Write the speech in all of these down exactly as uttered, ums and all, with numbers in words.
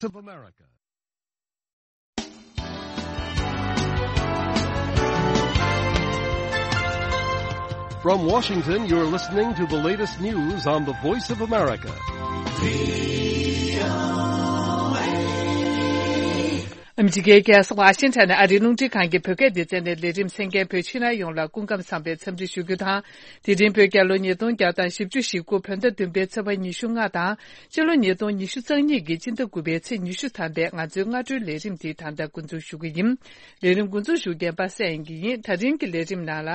of America. From Washington, you're listening to the latest news on the Voice of America. ཨ་མི་རི་ཀའི་རྒྱལ་ས་ཝ་ཤིང་ཊོན་ནས་ཨ་རིའི་རླུང་འཕྲིན་ཁང་གི་བོད་སྐད་སྡེ་ཚན་ནས་ལས་རིམ་གསན་མཁན་བོད་ཕྱི་ནང་ཡོངས་ལ་སྐུ་ཁམས་བཟང་བའི་འཚམས་འདྲི་ཞུ་རྒྱུ་དང་། དེ་རིང་བོད་རྒྱལ་ལོ་ཉིས་སྟོང་བརྒྱ་དང་བཞི་བཅུ་ཞེ་དགུ་བོད་ཟླ་བདུན་པའི་ཚེས་པ་ཉི་ཤུ་ལྔ་དང་། སྤྱི་ལོ་ཉིས་སྟོང་ཉི་ཤུ་རྩ་གཉིས་ཀྱི་སྤྱི་ཟླ་དགུ་པའི་ཚེས་ཉི་ཤུ་ཐམ་པའི་ང་ཚོའི་སྔ་དྲོའི་ལས་རིམ་འདི་ད་ལྟ་འགོ་འཛུགས་ཞུ་གི་ཡིན། ལས་རིམ་འགོ་འཛུགས་ཞུ་མཁན་པ་སངས་དབྱངས་སྐྱིད་ཡིན། ད་རིང་གི་ལས་རིམ་ནང་ལ།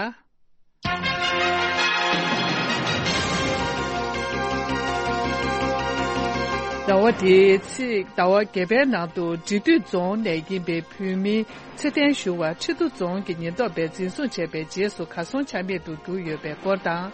ཟླ་བ་འདིའི་ཚེས་ཟླ་བ་བརྒྱད་པའི་ནང་དུ་འབྲི་སྟོད་རྫོང་ནས་ཡིན་པའི་བོད་མི་ཚེ་བརྟན་ཞུ་བ་ཁྲི་རྡོ་རྫོང་གི་ཉེན་རྟོག་པས་འཛིན་བཟུང་བྱས་པའི་རྗེས་སུ་གར་སོང་ཆ་མེད་དུ་གྱུར་ཡོད་པའི་སྐོར་དང་།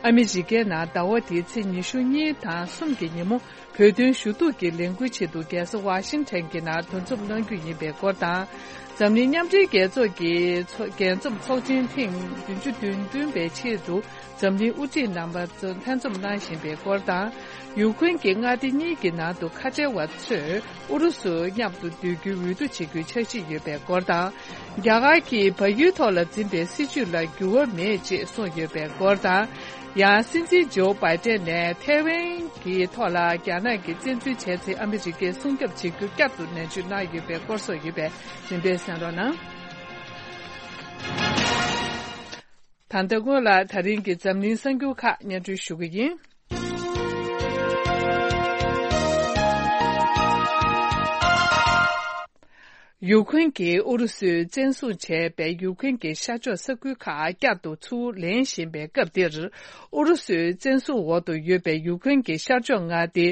ཨ་མི་རི་ཀའི་ནང་ཟླ་བ་འདིའི་ཚེས་ཉི་ཤུ་གཉིས་དང་གསུམ་གྱི་ཉིན་མོ་བོད་དོན་ཞུ་གཏུག་གི་ལས་འགུལ་ཆེད་དུ་རྒྱལ་ས་ཝ་ཤིང་ཊོན་གྱི་ནང་འདུ་འཛོམས་གནང་རྒྱུ་ཡིན་པའི་སྐོར་དང་། འཛམ་གླིང་མཉམ་འབྲེལ་རྒྱལ་ཚོགས་ཀྱི་ཚོགས་རྒྱལ་འཛོམས་ཚོགས་ཆེན་ཐེངས་བདུན་ཅུ་དོན་བདུན་པའི་ཆེད་དུ་འཛམ་གླིང་དབུ་ཁྲིད་རྣམ་པ་ཚོ་ལྷན་འཛོམས་གནང་བཞིན་པའི་སྐོར་དང་། ཡུ་ཁུན་གྱི་མངའ་སྡེ་གཉིས་ཀྱི་ནང་དུ་ཁ་བྲལ་བ་ཚོས་ཨུ་རུ་སུ་མཉམ་དུ་སྡོད་རྒྱུའི་འོས་བསྡུ་བྱེད་རྒྱུའི་འཆར་གཞི་ཡོད་པའི་སྐོར་དང་། རྒྱ་གར་གྱིས་བལ་ཡུལ་ཐོག་ལ་འཛིན་པའི་སྲིད་བྱུས་ལ་འགྱུར་བ་མེད་ཅེས་གསུངས་ཡོད་པའི་སྐོར་དང་། ཡང་སྲིད་འཛིན་ཇོ་བྷའི་ཏན་ནས་ཐའེ་ཝན་གྱི་ཐོག་ལ་རྒྱ་ནག་གིས་བཙན་འཛུལ་བྱས་ཚེ་ཨ་མི་རི་ཀས་སྲུང་སྐྱོབ་བྱེད་རྒྱུ་བསྐྱར་དུ་ནན་བརྗོད་གནང་ཡོད་པའི་སྐོར་སོགས་ཡོད་པས་རིམ་པས་གསན་རོགས་གནང་། ད་ལྟ་སྔོན་ལ་ད་རིང་གི་འཛམ་གླིང་གསར་འགྱུར་ཁག་སྙན་སྒྲོན་ཞུ་གི་ཡིན། ཡུ་ཁུན་གྱིས་ཨུ་རུ་སུས་བཙན་བཟུང་བྱས་པའི་ཡུ་ཁུན་གྱི་ཤར་ཕྱོགས་ས་ཁུལ་ཁག་བསྐྱར་དུ་ཚུར་ལེན་བཞིན་པའི་སྐབས་འདིར། ཨུ་རུ་སུའི་བཙན་བཟུང་འོག་ཏུ་ཡོད་པའི་ཡུ་ཁུན་གྱི་ཤར་ཕྱོགས་མངའ་སྡེ་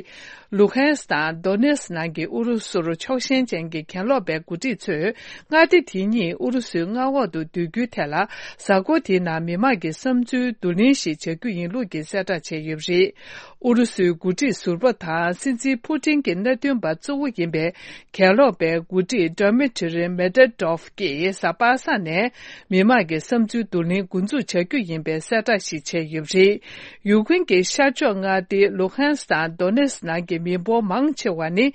ལུ་ཧན་སི་དང་དོ་ནེ་སི་ནང་གི་ཨུ་རུ་སུར་ཕྱོགས་ཞེན་ཅན་གྱི་གྱེན་ལོག་པའི་འགོ་ཁྲིད་ཚོས་མངའ་སྡེ་དེ་ཉིད་ཨུ་རུ་སུའི་མངའ་འོག་ཏུ་བསྡུ་རྒྱུའི་ཐད་ལ། གཟའ་འཁོར་དེའི་ནང་མི་མང་གི་བསམ་ཚུལ་བསྡུ་ལེན་ཞིག་བྱ་རྒྱུ་ཡིན་ལུགས་ཀྱི་གསལ་བསྒྲགས་བྱས་ཡོད་པ་རེད། ཨུ་རུ་སུའི་འགོ་ཁྲིད་ཟུར་པ་དང་སྲིད་འཛིན་ཕུ་ཏིན་གྱི་མནའ་མཐུན་པ་གཙོ་བོ་ཡིན་པའི་གྱེན་ལོག་པའི་འགོ་ཁྲིད་ཌི་མི་ཊི་རི་མེ་ཏོ་ཏོབ་ཀྱིས་གཟའ་པ་སངས་ནས་མི་མང་གི་བསམ་ཚུལ་བསྡུ་ལེན་འགོ་འཛུགས་བྱ་རྒྱུ་ཡིན་པའི་གསལ་བསྒྲགས་ཤིག་བྱས་ཡོད་པ་རེད། ཡུ་ཁུན་གྱི་ཤར་ཕྱོགས་མངའ་སྡེ་ལུ་ཧན་སི་དང་དོ་ནེ་སི་ནང་གི་མི་འབོར་མང་ཆེ་བ་ནི།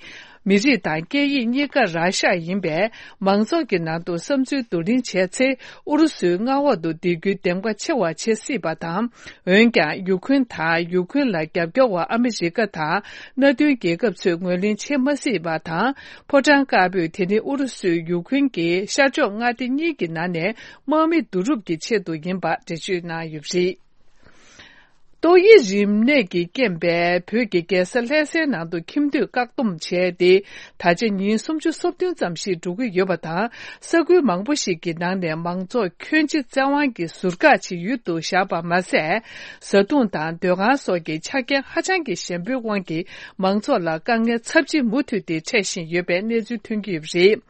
མི་རིགས་དང་སྐད་ཡིག་གཉིས་ཀ་ར་ཤ་ཡིན་པས། མང་ཚོགས་ཀྱི་ནང་དུ་བསམ་ཚུལ་བསྡུ་ལེན་བྱས་ཚེ། ཨུ་རུ་སུའི་མངའ་འོག་ཏུ་བསྡད་རྒྱུའི་འདེམས་ཀ་ཆེ་བ་བྱེད་སྲིད་པ་དང་། འོན་ཀྱང་། ཡུ་ཁུན་དང་ཡུ་ཁུན་ལ་རྒྱབ་སྐྱོར་བ་ཨ་མི་རི་ཀ་དང་། མནའ་མཐུན་རྒྱལ་ཁབ་ཚོས་ངོས་ལེན་བྱེད་མ་སྲིད་པ་དང་། ཕོ་བྲང་དཀར་པོས་དེ་ནི་ཨུ་རུ་སུས་ཡུ་ཁུན་གྱི་ཤར་ཕྱོགས་མངའ་སྡེ་གཉིས་ཀྱི་ནང་ནས་དམག་མི་བསྡུ་རུབ་ཀྱི་ཆེད་དུ་ཡིན་པ་འགྲེལ་བརྗོད་གནང་ཡོད་པ་རེད། ཏོག་དབྱིབས་རིམས་ནད་ཀྱི་རྐྱེན་པས་བོད་ཀྱི་རྒྱལ་ས་ལྷ་སའི་ནང་དུ་ཁྱིམ་སྡོད་བཀག་སྡོམ་བྱས་ཏེ། ད་ཆ་ཉིན་སུམ་ཅུ་སོ་བདུན་ཙམ་ཞིག་འགྲོ་གི་ཡོད་པ་དང་། ས་ཁུལ་མང་པོ་ཞིག་གི་ནང་ནས་མང་ཚོགས་ཁྱོན་ཆེ་བཙན་དབང་གིས་ཟུར་བཀག་བྱེད་ཡུལ་དུ་བཞག་པ་མ་ཟད། བཟའ་བཏུང་དང་སྡོད་ཁང་སོགས་ཀྱི་ཆ་རྐྱེན་ཧ་ཅང་གི་ཞན་པོའི་དབང་གིས། མང་ཚོགས་ལ་དཀའ་ངལ་ཚབས་ཆེ་མུ་མཐུད་དེ་འཕྲད་བཞིན་ཡོད་པའི་གནས་ཚུལ་ཐོན་གྱི་ཡོད་པ་རེད།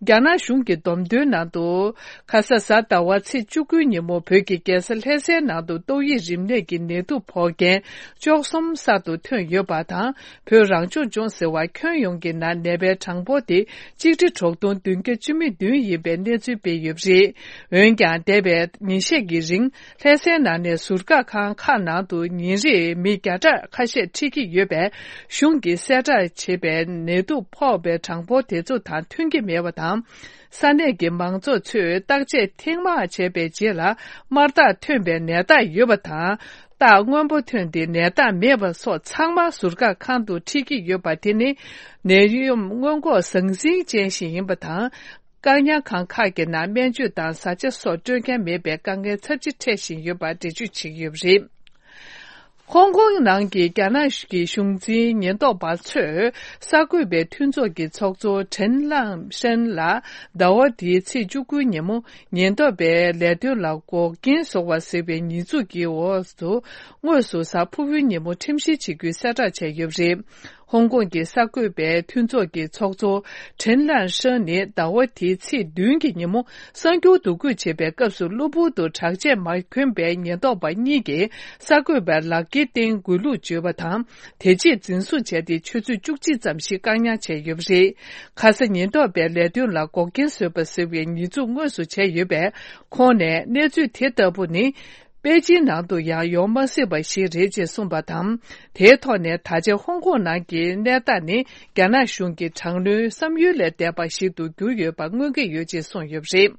རྒྱ་ནག་གཞུང་གི་བསྡོམས་ཐོན་ནང་དུ། ཁ་ས་གཟའ་ཟླ་བ་ཚེས་བཅུ་དགུའི་ཉིན་མོ་བོད་ཀྱི་རྒྱལ་ས་ལྷ་སའི་ནང་དུ་ཏོག་དབྱིབས་རིམས་ནད་ཀྱི་ནད་དུག་ཕོག་མཁན་བཅུ་གསུམ་གསར་དུ་ཐོན་ཡོད་པ་དང་། བོད་རང་སྐྱོང་ལྗོངས་ཟེར་བ་ཁྱོན་ཡོངས་ཀྱི་ནང་ནད་པའི་གྲངས་འབོར་དེ་གཅིག་ཁྲི་དྲུག་སྟོང་བདུན་བརྒྱ་བཅུ་མེད་བདུན་ཡིན་པའི་གནས་ཚུལ་སྤེལ་ཡོད་པ་རེད། འོན་ཀྱང་། འདས་པའི་ཉིན་ཤས་ཀྱི་རིང་། ལྷ་སའི་ནང་ནས་ཟུར་བཀག་ཁང་ཁག་ནང་དུ་ཉིན་རེར་མི་བརྒྱ་ཕྲག་ཁ་ཤས་ཁྲིད་ཀྱི་ཡོད་པས། གཞུང་གིས་གསལ་བསྒྲགས་བྱས་པའི་ནད་དུག་ཕོག་པའི་གྲངས་འབོར་དེ་ཚོ་དང་མཐུན་གྱི་མེད་པ་དང་། ས་གནས་ཀྱི་མང་ཚོགས་ཚོས་བརྟག་དཔྱད་ཐེངས་མང་བྱས་པའི་རྗེས་ལ། དམར་རྟགས་ཐོན་པའི་ནད་རྟགས་ཡོད་པ་དང་། རྟགས་སྔོན་པོ་ཐོན་ཏེ་ནད་རྟགས་མེད་པ་སོགས་ཚང་མ་ཟུར་བཀག་ཁང་དུ་ཁྲིད་ཀྱི་ཡོད་པ་དེ་ནི། ནད་ཡམས་སྔོན་འགོག་ཟང་ཟིང་ཅན་ཞིག་ཡིན་པ་དང་། བཀག་ཉར་ཁང་ཁག་གི་ནང་སྨན་བཅོས་དང་བཟའ་བཅའ་སོགས་སྤྲོད་མཁན་མེད་པའི་དཀའ་ངལ་ཚབས་ཆེ་འཕྲད་བཞིན་ཡོད་པ་འགྲེལ་བརྗོད་བྱེད་ཀྱི་ཡོད་པ་རེད། ཧོང་ཀོང་ནང་གི་རྒྱ་ནག་གི་གཞུང་འཛིན་ཉེན་རྟོག་པ་ཚོས་གསར་འགོད་པའི་མཐུན་ཚོགས་ཀྱི་ཚོགས་གཙོ་ཁྲེན་ལང་ཧྲན་ལ་ཟླ་བ་འདིའི་ཚེས་བཅུ་དགུའི་ཉིན་མོ་ཉེན་རྟོག་པའི་ལས་དོན་ལ་འགོག་རྐྱེན་བཟོ་བ་ཟེར་བའི་ཉེས་འཛུགས་ཀྱི་འོག་ཏུ་དངོས་སུ་གཟའ་ཕུར་བུའི་ཉིན་མོ་ཁྲིམས་བཤེར་བྱེད་རྒྱུའི་གསལ་བསྒྲགས་བྱས་ཡོད་པ་རེད། ཧོང་ཀོང་གི་གསར་འགོད་པའི་མཐུན་ཚོགས་ཀྱི་ཚོགས་གཙོ་ཁྲེན་ལན་ཧྲན་ནི་ཟླ་བ་དེའི་ཚེས་བདུན་གྱི་ཉིན་མོ་གསར་འགྱུར་བསྡུ་སྐུད་བྱེད་པའི་སྐབས་སུ་གློ་བུར་དུ་དྲག་ཆས་མ་གྱོན་པའི་ཉེན་རྟོག་པ་གཉིས་ཀྱིས་གསར་འགོད་པར་ལག་འཁྱེར་སྟེང་འགུལ་ལུགས་བརྗོད་པ་དང་། དེ་རྗེས་འཛིན་བཟུང་བྱས་ཏེ་ཆུ་ཚོད་བཅུ་གཅིག་ཙམ་ཞིག་བཀག་ཉར་བྱས་ཡོད་པ་རེད། ཁ་ས་ཉེན་རྟོག་པའི་ལས་དོན་ལ་འགོག་རྐྱེན་བཟོས་པ་ཟེར་བའི་ཉེས་འཛུགས་དངོས་སུ་བྱས་ཡོད་པས། ཁོང་ནས་གནས་ཚུལ་དེ་ལྟ་བུ་ནི། པེ་ཅིན་ནང་དུ་ཡང་ཡོང་མ་སྲིད་པ་ཞིག་རེད་ཅེས་གསུངས་པ་དང་། དེའི་ཐོག་ནས་ད་ཆ་ཧོང་ཀོང་ནང་གི་གནས་སྟངས་ནི་རྒྱ་ནག་གཞུང་གི་དྲག་གནོན་བསམ་ཡུལ་ལས་འདས་པ་ཞིག་ཏུ་གྱུར་ཡོད་པ་མངོན་གྱི་ཡོད་ཅེས་གསུངས་ཡོད་པ་རེད།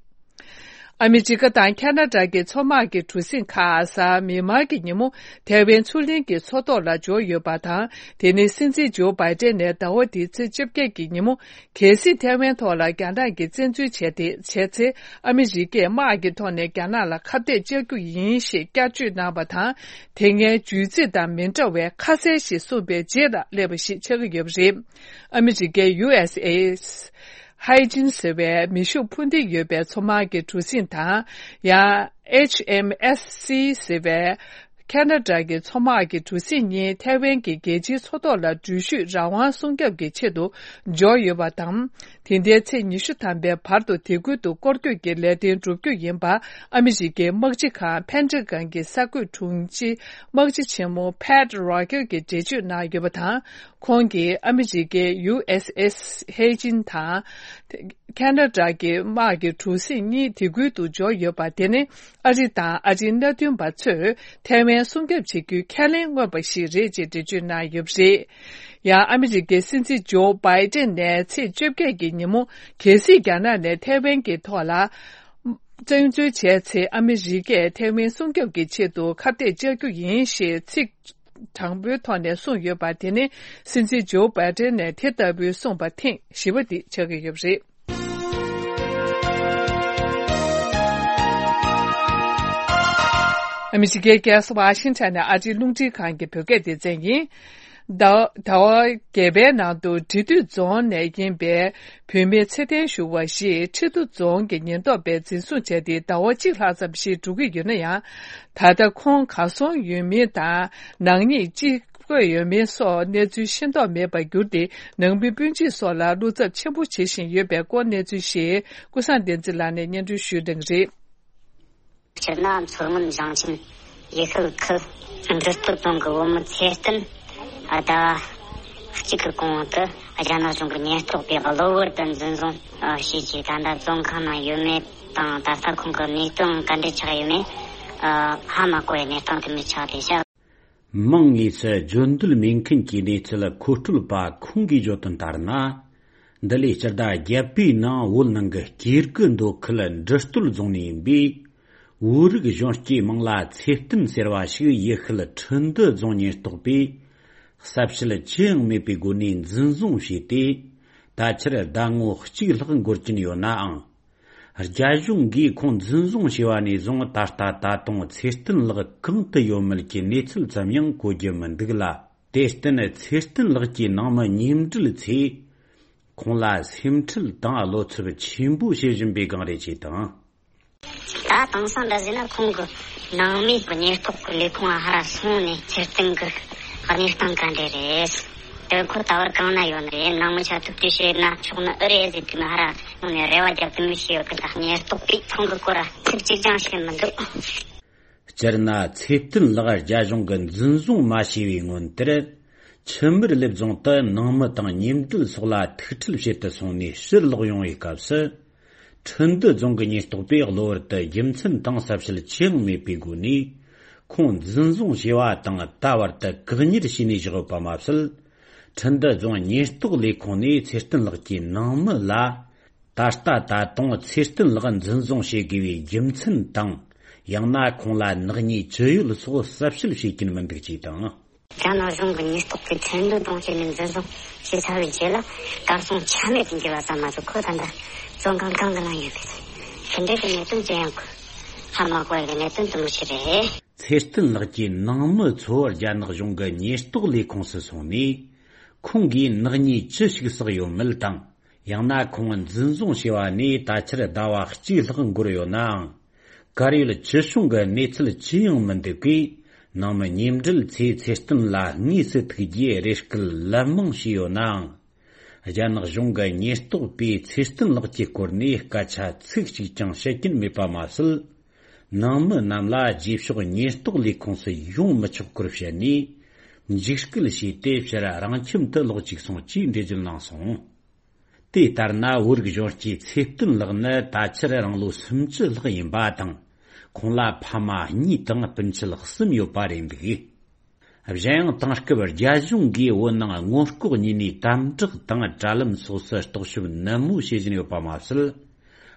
ཨ་མི་རི་ཀ་དང་ཁ་ན་ཌ་གི་མཚོ་དམག་གི་གྲུ་གཟིངས་ཁག་གཟའ་མིག་དམར་གྱི་ཉིན་མོ་ཐའེ་ཝན་མཚོ་གླིང་གི་མཚོ་ཐོག་ལ་འབྱོར་ཡོད་པ་དང་། དེ་ནི་སྲིད་འཛིན་ཇོ་བྷའི་ཏན་ནས་ཟླ་བ་འདིའི་ཚེས་བཅོ་བརྒྱད་ཀྱི་ཉིན་མོ། གལ་སྲིད་ཐའེ་ཝན་ཐོག་ལ་རྒྱ་ནག་གིས་བཙན་འཛུལ་བྱས་ཏེ་བྱས་ཚེ། ཨ་མི་རི་ཀས་དམག་གི་ཐོག་ནས་རྒྱ་ནག་ལ་ཁ་གཏད་གཅོག་རྒྱུ་ཡིན་ཞེས་བསྐྱར་བཅོས་གནང་བ་དང་། དེ་སྔའི་བརྗོད་ཚིག་དང་མི་འདྲ་བའི་ཁ་གསལ་ཞིག་གསུངས་པའི་རྗེས་ལ་སླེབས་པ་ཞིག་ཆགས་ཀྱི་ཡོད་པ་རེད། ཨ་མི་རི་ཀའི་ཡུ་ཨེས་ཨེས་ཧའི་ཅིན་ཟེར་བའི་མེ་ཤུགས་འཕུར་མདེལ་ཡོད་པའི་མཚོ་དམག་གི་གྲུ་གཟིངས་དང་། ཡང་ཨེཆ་ཨེམ་ཨེས་སི་ཟེར་བའི་ཁ་ན་ཌ་གི་མཚོ་དམག་གི་གྲུ་གཟིངས་གཉིས་ཐའེ་ཝན་གྱི་རྒྱལ་སྤྱིའི་མཚོ་ཐོག་ལ་འགྲུལ་བཞུད་རང་དབང་སྲུང་སྐྱོབ་ཀྱི་ཆེད་དུ་འབྱོར་ཡོད་པ་དང་། དེ་ཟླའི་ཚེས་ཉི་ཤུ་ཐམ་པའི་བར་དུ་དེ་ཁུལ་དུ་སྐོར་སྐྱོད་ཀྱི་ལས་དོན་སྒྲུབ་རྒྱུ་ཡིན་པ། ཨ་མི་རི་ཀའི་དམག་སྤྱི་ཁང་ཕན་ཀྲི་ཀན་གྱི་གསར་འགོད་དྲུང་ཆེ་དམག་སྤྱི་ཆེན་མོ་ཕེད་རོ་ཀེར་གྱིས་འགྲེལ་བརྗོད་གནང་ཡོད་པ་དང་། ཁོང་གིས་ཨ་མི་རི་ཀའི་ཡུ་ཨེས་ཨེས་ཧའི་ཅིན་དང་། ཁ་ན་ཌ་གི་དམག་གི་གྲུ་གཟིངས་གཉིས་དེ་ཁུལ་དུ་འབྱོར་ཡོད་པ་དེ་ནི། ཨ་རི་དང་ཨ་རིའི་མནའ་མཐུན་པ་ཚོས་ཐའེ་ཝན་སྲུང་སྐྱོབ་བྱེད་རྒྱུའི་ཁས་ལེན་མངོན་པ་ཞིག་རེད་ཅེས་འགྲེལ་བརྗོད་གནང་ཡོད་པ་རེད། ཡང་ཨ་མི་རི་ཀའི་སྲིད་འཛིན་ཇོ་བྷའི་ཏན་ནས་ཚེས་བཅོ་བརྒྱད་ཀྱི་ཉིན་མོ། གལ་སྲིད་རྒྱ་ནག་ནས་ཐའེ་ཝན་གྱི་ཐོག་ལ་བཙན་འཛུལ་བྱས་ཚེ། ཨ་མི་རི་ཀས་ཐའེ་ཝན་སྲུང་སྐྱོབ་ཀྱི་ཆེད་དུ་ཁ་གཏད་གཅོག་རྒྱུ་ཡིན་ཞེས་ཚིག་དྲང་པོའི་ཐོག་ནས་གསུངས་ཡོད་པ་དེ་ནི། སྲིད་འཛིན་ཇོ་བྷའི་ཏན་ནས་དེ་ལྟ་བུའི་གསུངས་པ་ཐེངས་བཞི་པ་དེ་ཆགས་ཀྱི་ཡོད་པ་རེད། ཨ་མི་རི་ཀའི་རྒྱལ་ས་ཝ་ཤིང་ཊོན་ནས་ཨ་རིའི་རླུང་འཕྲིན་ཁང་གི་བོད་སྐད་སྡེ་ཚན་ཡིན། ཟླ་ཟླ་བ་བརྒྱད་པའི་ནང་དུ་འབྲི་སྟོད་རྫོང་ནས་ཡིན་པའི་བུད་མེད་ཚེ་བརྟན་ཞུ་བ་ཞིག་ཁྲི་ཐོག་རྫོང་གི་ཉེན་རྟོག་པས་འཛིན་བཟུང་བྱས་ཏེ་ཟླ་བ་གཅིག་ལྷག་ཙམ་ཞིག་འགྲོ་གི་ཡོད་ན་ཡང་། ད་ལྟ་ཁོང་གར་སོང་ཡོད་མིན་དང་། ནག་ཉེས་ཅི་བཀོད་ཡོད་མེད་སོགས་གནས་ཚུལ་ཤེས་རྟོགས་མེད་པར་གྱུར་ཏེ། ནང་མི་སྤུན་མཆེད་སོགས་ལ་བློ་འཚབ་ཆེན་པོ་བྱེད་བཞིན་ཡོད་པའི་སྐོར་གནས་ཚུལ་ཞིག་ཀུན་བཟང་བསྟན་འཛིན་ལགས་ནས་སྙན་སྒྲོན་ཞུས་གནང་གི་རེད། སྤྱིར་ན་མཚོ་སྔོན་ཞིང་ཆེན་ཡུལ་ཤུལ་ཁུལ་འབྲི་སྟོད་རྫོང་གི་བུ་མོ་ཚེ་བརྟན་ཟླ་བ་གཅིག་གི་གོང་དུ་རྒྱ་ནག་གཞུང་གི་ཉེན་རྟོག་པས་གློ་བུར་དུ་འཛིན་བཟུང་བྱས་རྗེས། ད་ལྟ་བཙོན་ཁང་ནང་ཡོད་མེད་དང་། ད་ལྟ་ཁོང་གི་གནས་སྟངས་ག་འདྲ་ཆགས་ཡོད་མེད་ཧ་མ་གོ་བའི་གནས་སྟངས་དེ་མི་ཆགས་ཏེ་བཞག་མང་ངོས་སུ་བརྗོད་འདོད་མེད་མཁན་གྱི་གནས་ཚུལ་མཁོ་སྤྲོད་པ་ཁོང་གིས་བརྗོད་དོན་ལྟར་ན། འདི་ལོའི་སྤྱི་ཟླ་བརྒྱད་པའི་ནང་བོད་ནང་གི་སྐྱེ་རྒུ་མདོ་ཁུལ་འབྲི་སྟོད་རྫོང་ནས་ཡིན་པའི་བོད་རིགས་གཞོན་སྐྱེས་མིང་ལ་ཚེ་བརྟན་ཟེར་བ་ཞིག་ཡུལ་ཤུལ་ཁྲི་འདུ་རྫོང་ཉེན་རྟོག་པས་གསལ་བཤད་ཅི་ཡང་མེད་པའི་སྒོ་ནས་འཛིན་བཟུང་བྱས་ཏེ། ད་ཆར་ཟླ་ངོ་གཅིག་ལྷག་འགོར་གྱིན་ཡོད་ནའང་། རྒྱ་གཞུང་གིས་ཁོང་འཛིན་བཟུང་བྱས་པ་ནས་བཟུང་ད་ལྟ་ད་དུང་ཚེ་བརྟན་ལགས་གང་དུ་ཡོད་མེད་ཀྱི་གནས་ཚུལ་ཙམ་ཡང་གོ་རྒྱུ་མི་འདུག་ལ། དེར་བརྟེན་ཚེ་བརྟན་ལགས་ཀྱི་ནང་མི་མཉམ་འབྲེལ་ཚོས་ཁོང་ལ་སེམས་ཁྲལ་དང་བློ་འཚབ་ཆེན་པོ་བྱེད་བཞིན་པའི་སྒང་རེད་ཅེས་དང་། ད་དེང་སང་འདྲ་ཟེར་ན་ཁོང་གི་ནང་མི་གི་ཉེན་རྟོག་གི་ལས་ཁུངས་ལ་ཧར་སོང་ནས་ཚེ་བརྟན་གི་གནས་སྟངས་ག་འདྲ་རེད། དེ་ཁོ་ད་བར་གང་ན་ཡོད་ནི་རེད། ནང་མི་ཆ་ཐུག་དུས་བཤད་ན་ཆོག་ནི་ཨེ་རེད་ཟེར་དུས་ནི་ཧར་སོང་ནས་རེ་བ་རྒྱབ་ཏུ་མི་ཤེས་ཡོད་གི། ད་ཉེན་རྟོག་པས་ཁོང་གི་སྐོར་ལ་ཚིག་གཅིག་ཀྱང་བཤད་མི་འདུག་སྤྱིར་ན་ཚེ་བརྟན་ལགས་རྒྱ་གཞུང་གིས་འཛིན་བཟུང་མ་བྱས་པའི་སྔོན་དེར། ཆུ་དམར་ལེབ་རྫོང་དུ་ནང་མི་དང་མཉམ་འབྲེལ་སོགས་ལ་ཐུག་འཕྲད་བྱེད་དུ་སོང་ནས་ཕྱིར་ལོག་ཡོང་བའི་སྐབས་སུ། ཁྲི་འདུ་རྫོང་གི་ཉེན་རྟོག་པས་གློ་བུར་དུ་རྒྱུ་མཚན་དང་གསལ་བཤད་ཅི་ཡང་མེད་པའི་སྒོ་ནས། ཁོང་འཛིན་བཟུང་བྱས་པ་དང་ད་བར་དུ་བཀག་ཉར་བྱས་ནས་བཞག་ཡོད་པ་མ་ཟད། ཁྲི་འདུ་རྫོང་ཉེན་རྟོག་ལས་ཁུངས་ནས་ཚེ་བརྟན་ལགས་ཀྱི་ནང་མི་ལ། ད་ལྟ་ད་དུང་ཚེ་བརྟན་ལགས་འཛིན་བཟུང་བྱེད་དགོས་པའི་རྒྱུ་མཚན་དང་། ཡང་ན་ཁོང་ལ་ནག་ཉེས་ཅི་ཡོད་སོགས་གསལ་བཤད་བྱེད་ཀྱིན་མི་འདུག་ཅེས་དང་། རྒྱ་ནག་གཞུང་གི་ཉེན་རྟོག་པས་ཁྲི་འདུ་རྫོང་བྱས་ནས་འཛིན་བཟུང་བྱས་ཚར་བའི་རྗེས་ལ། གར་སོང་ཆ་མེད་དུ་གྱུར་བ་ཙམ་མ་ཟད། ཁོ་ད་ལྟ་བཙོན་ཁང་གང་གི་ནང་ཡོད་པས། ཤིན་ཏུ་གི་གནད་དོན་ཅི་ཡང་གོ་ཧ་མ་གོ་བའི་གནད་དོན་དུ་མི་ཤེས་རེད། ཚེ་བརྟན་ལགས་ཀྱི་ནང་མི་ཚོ་རྒྱ་ནག་གཞུང་གི་ཉེན་རྟོག་ལས་ཁུངས་སུ་སོང་ནས། ཁོང་གིས་ནག་ཉེས་ཅི་ཞིག་བསགས་ཡོད་མེད་དང་། ཡང་ན་ཁོང་འཛིན་བཟུང་བྱས་པ་ནས་ད་ཆར་ཟླ་བ་གཅིག་ལྷག་འགོར་ཡོད་ནའང་། གར་ཡོད་ཅི་བྱུང་གི་གནས་ཚུལ་ཅི་ཡང་མི་འདུག་གས། ནང་མི་མཉམ་འབྲེལ་ཚོས་ཚེ་བརྟན་ལ་དངོས་སུ་ཐུག་རྒྱུའི་རེ་སྐུལ་ལན་མང་བྱས་ཡོད་ནའང་། རྒྱ་ནག་གཞུང་གི་ཉེན་རྟོག་པས་ཚེ་བརྟན་ལགས་ཀྱི་སྐོར་ནས་སྐད་ཆ་ཚིག་གཅིག་ཀྱང་བཤད་ཀྱིན་མེད་པ་མ་ཟད། ནང་མི་རྣམས་ལ་རྗེས་ཕྱོགས་ཉེན་རྟོག་ལས་ཁུངས་སུ་ཡོང་མི་ཆོག་སྐོར་བཤད་ནས། འཇིགས་སྐུལ་བྱས་ཏེ་ཕྱིར་རང་ཁྱིམ་དུ་ལོག་བཅུག་སོང་ཅེས་འགྲེལ་བརྗོད་གནང་སོང་། དེ་ལྟར་ན། བོད་རིགས་གཞོན་སྐྱེས་ཚེ་བརྟན་ལགས་ནི་ད་ཆར་རང་ལོ་སུམ་ཅུ་ལྷག་ཡིན་པ་དང་། ཁོང་ལ་ཕ་མ་གཉིས་དང་སྤུན་མཆེད་གསུམ་ཡོད་པ་རེད་འདུག། གཞན་ཡང་དེང་སྐབས་རྒྱ་གཞུང་གིས་བོད་ནང་སྔོན་འགོག་གཉིས་ནས་དམ་དྲག་དང་དྲ་ལམ་སོགས་སུ་རྟོག་ཞིབ་ནན་མོ་བྱེད་བཞིན་ཡོད་པ་མ་ཟད།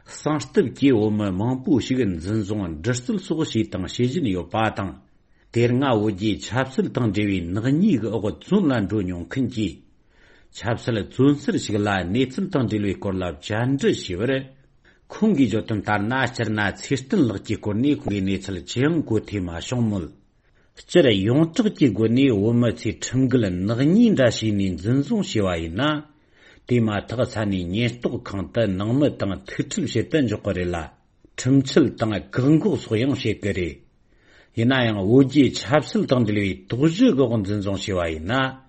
གསང་སྟབས་ཀྱིས་བོད་མི་མང་པོ་ཞིག་འཛིན་བཟུང་འདྲི་རྩད་སོགས་བྱས་དང་བྱེད་བཞིན་ཡོད་པ་དང་། དེ་སྔ་བོད་རྒྱའི་ཆབ་སྲིད་དང་འབྲེལ་བའི་ནག་ཉེས་ཀྱི་འོག་བཙོན་ལ་འགྲོ་མྱོང་མཁན་གྱི་ཆབ་སྲིད་བཙོན་ཟུར་ཞིག་ལ་གནས་ཚུལ་དང་འབྲེལ་བའི་སྐོར་ལ་བཅར་འདྲི་ཞུས་པར། ཁོང་གིས་བརྗོད་དོན་ལྟར་ན། སྤྱིར་ན་ཚེ་བརྟན་ལགས་ཀྱི་སྐོར་ནས་ཁོང་གི་གནས་ཚུལ་ཅི་ཡང་གོ་ཐོས་མ་བྱུང་མོད། སྤྱིར་ཡོངས་གྲགས་ཀྱི་སྒོ་ནས་བོད་མི་ཚོས་ཁྲིམས་འགལ་ནག་ཉེས་འདྲ་བྱས་ནས་འཛིན་བཟུང་བྱས་པ་ཡིན་ན། དེ་མ་ཐག་ས་གནས་ཉེན་རྟོག་ཁང་དུ་ནང་མི་དང་ཐུག་འཕྲད་བྱེད་དུ་འཇུག་གི་རེད་ལ། ཁྲིམས་འཆལ་དང་བཀག་འགོག་སོགས་ཡང་བྱེད་ཀྱི་རེད། ཡིན་ན་ཡང་བོད་རྒྱའི་ཆབ་སྲིད་དང་འབྲེལ་བའི་དོགས་གཞི་འོག་འཛིན་བཟུང་བྱས་པ་ཡིན་ན།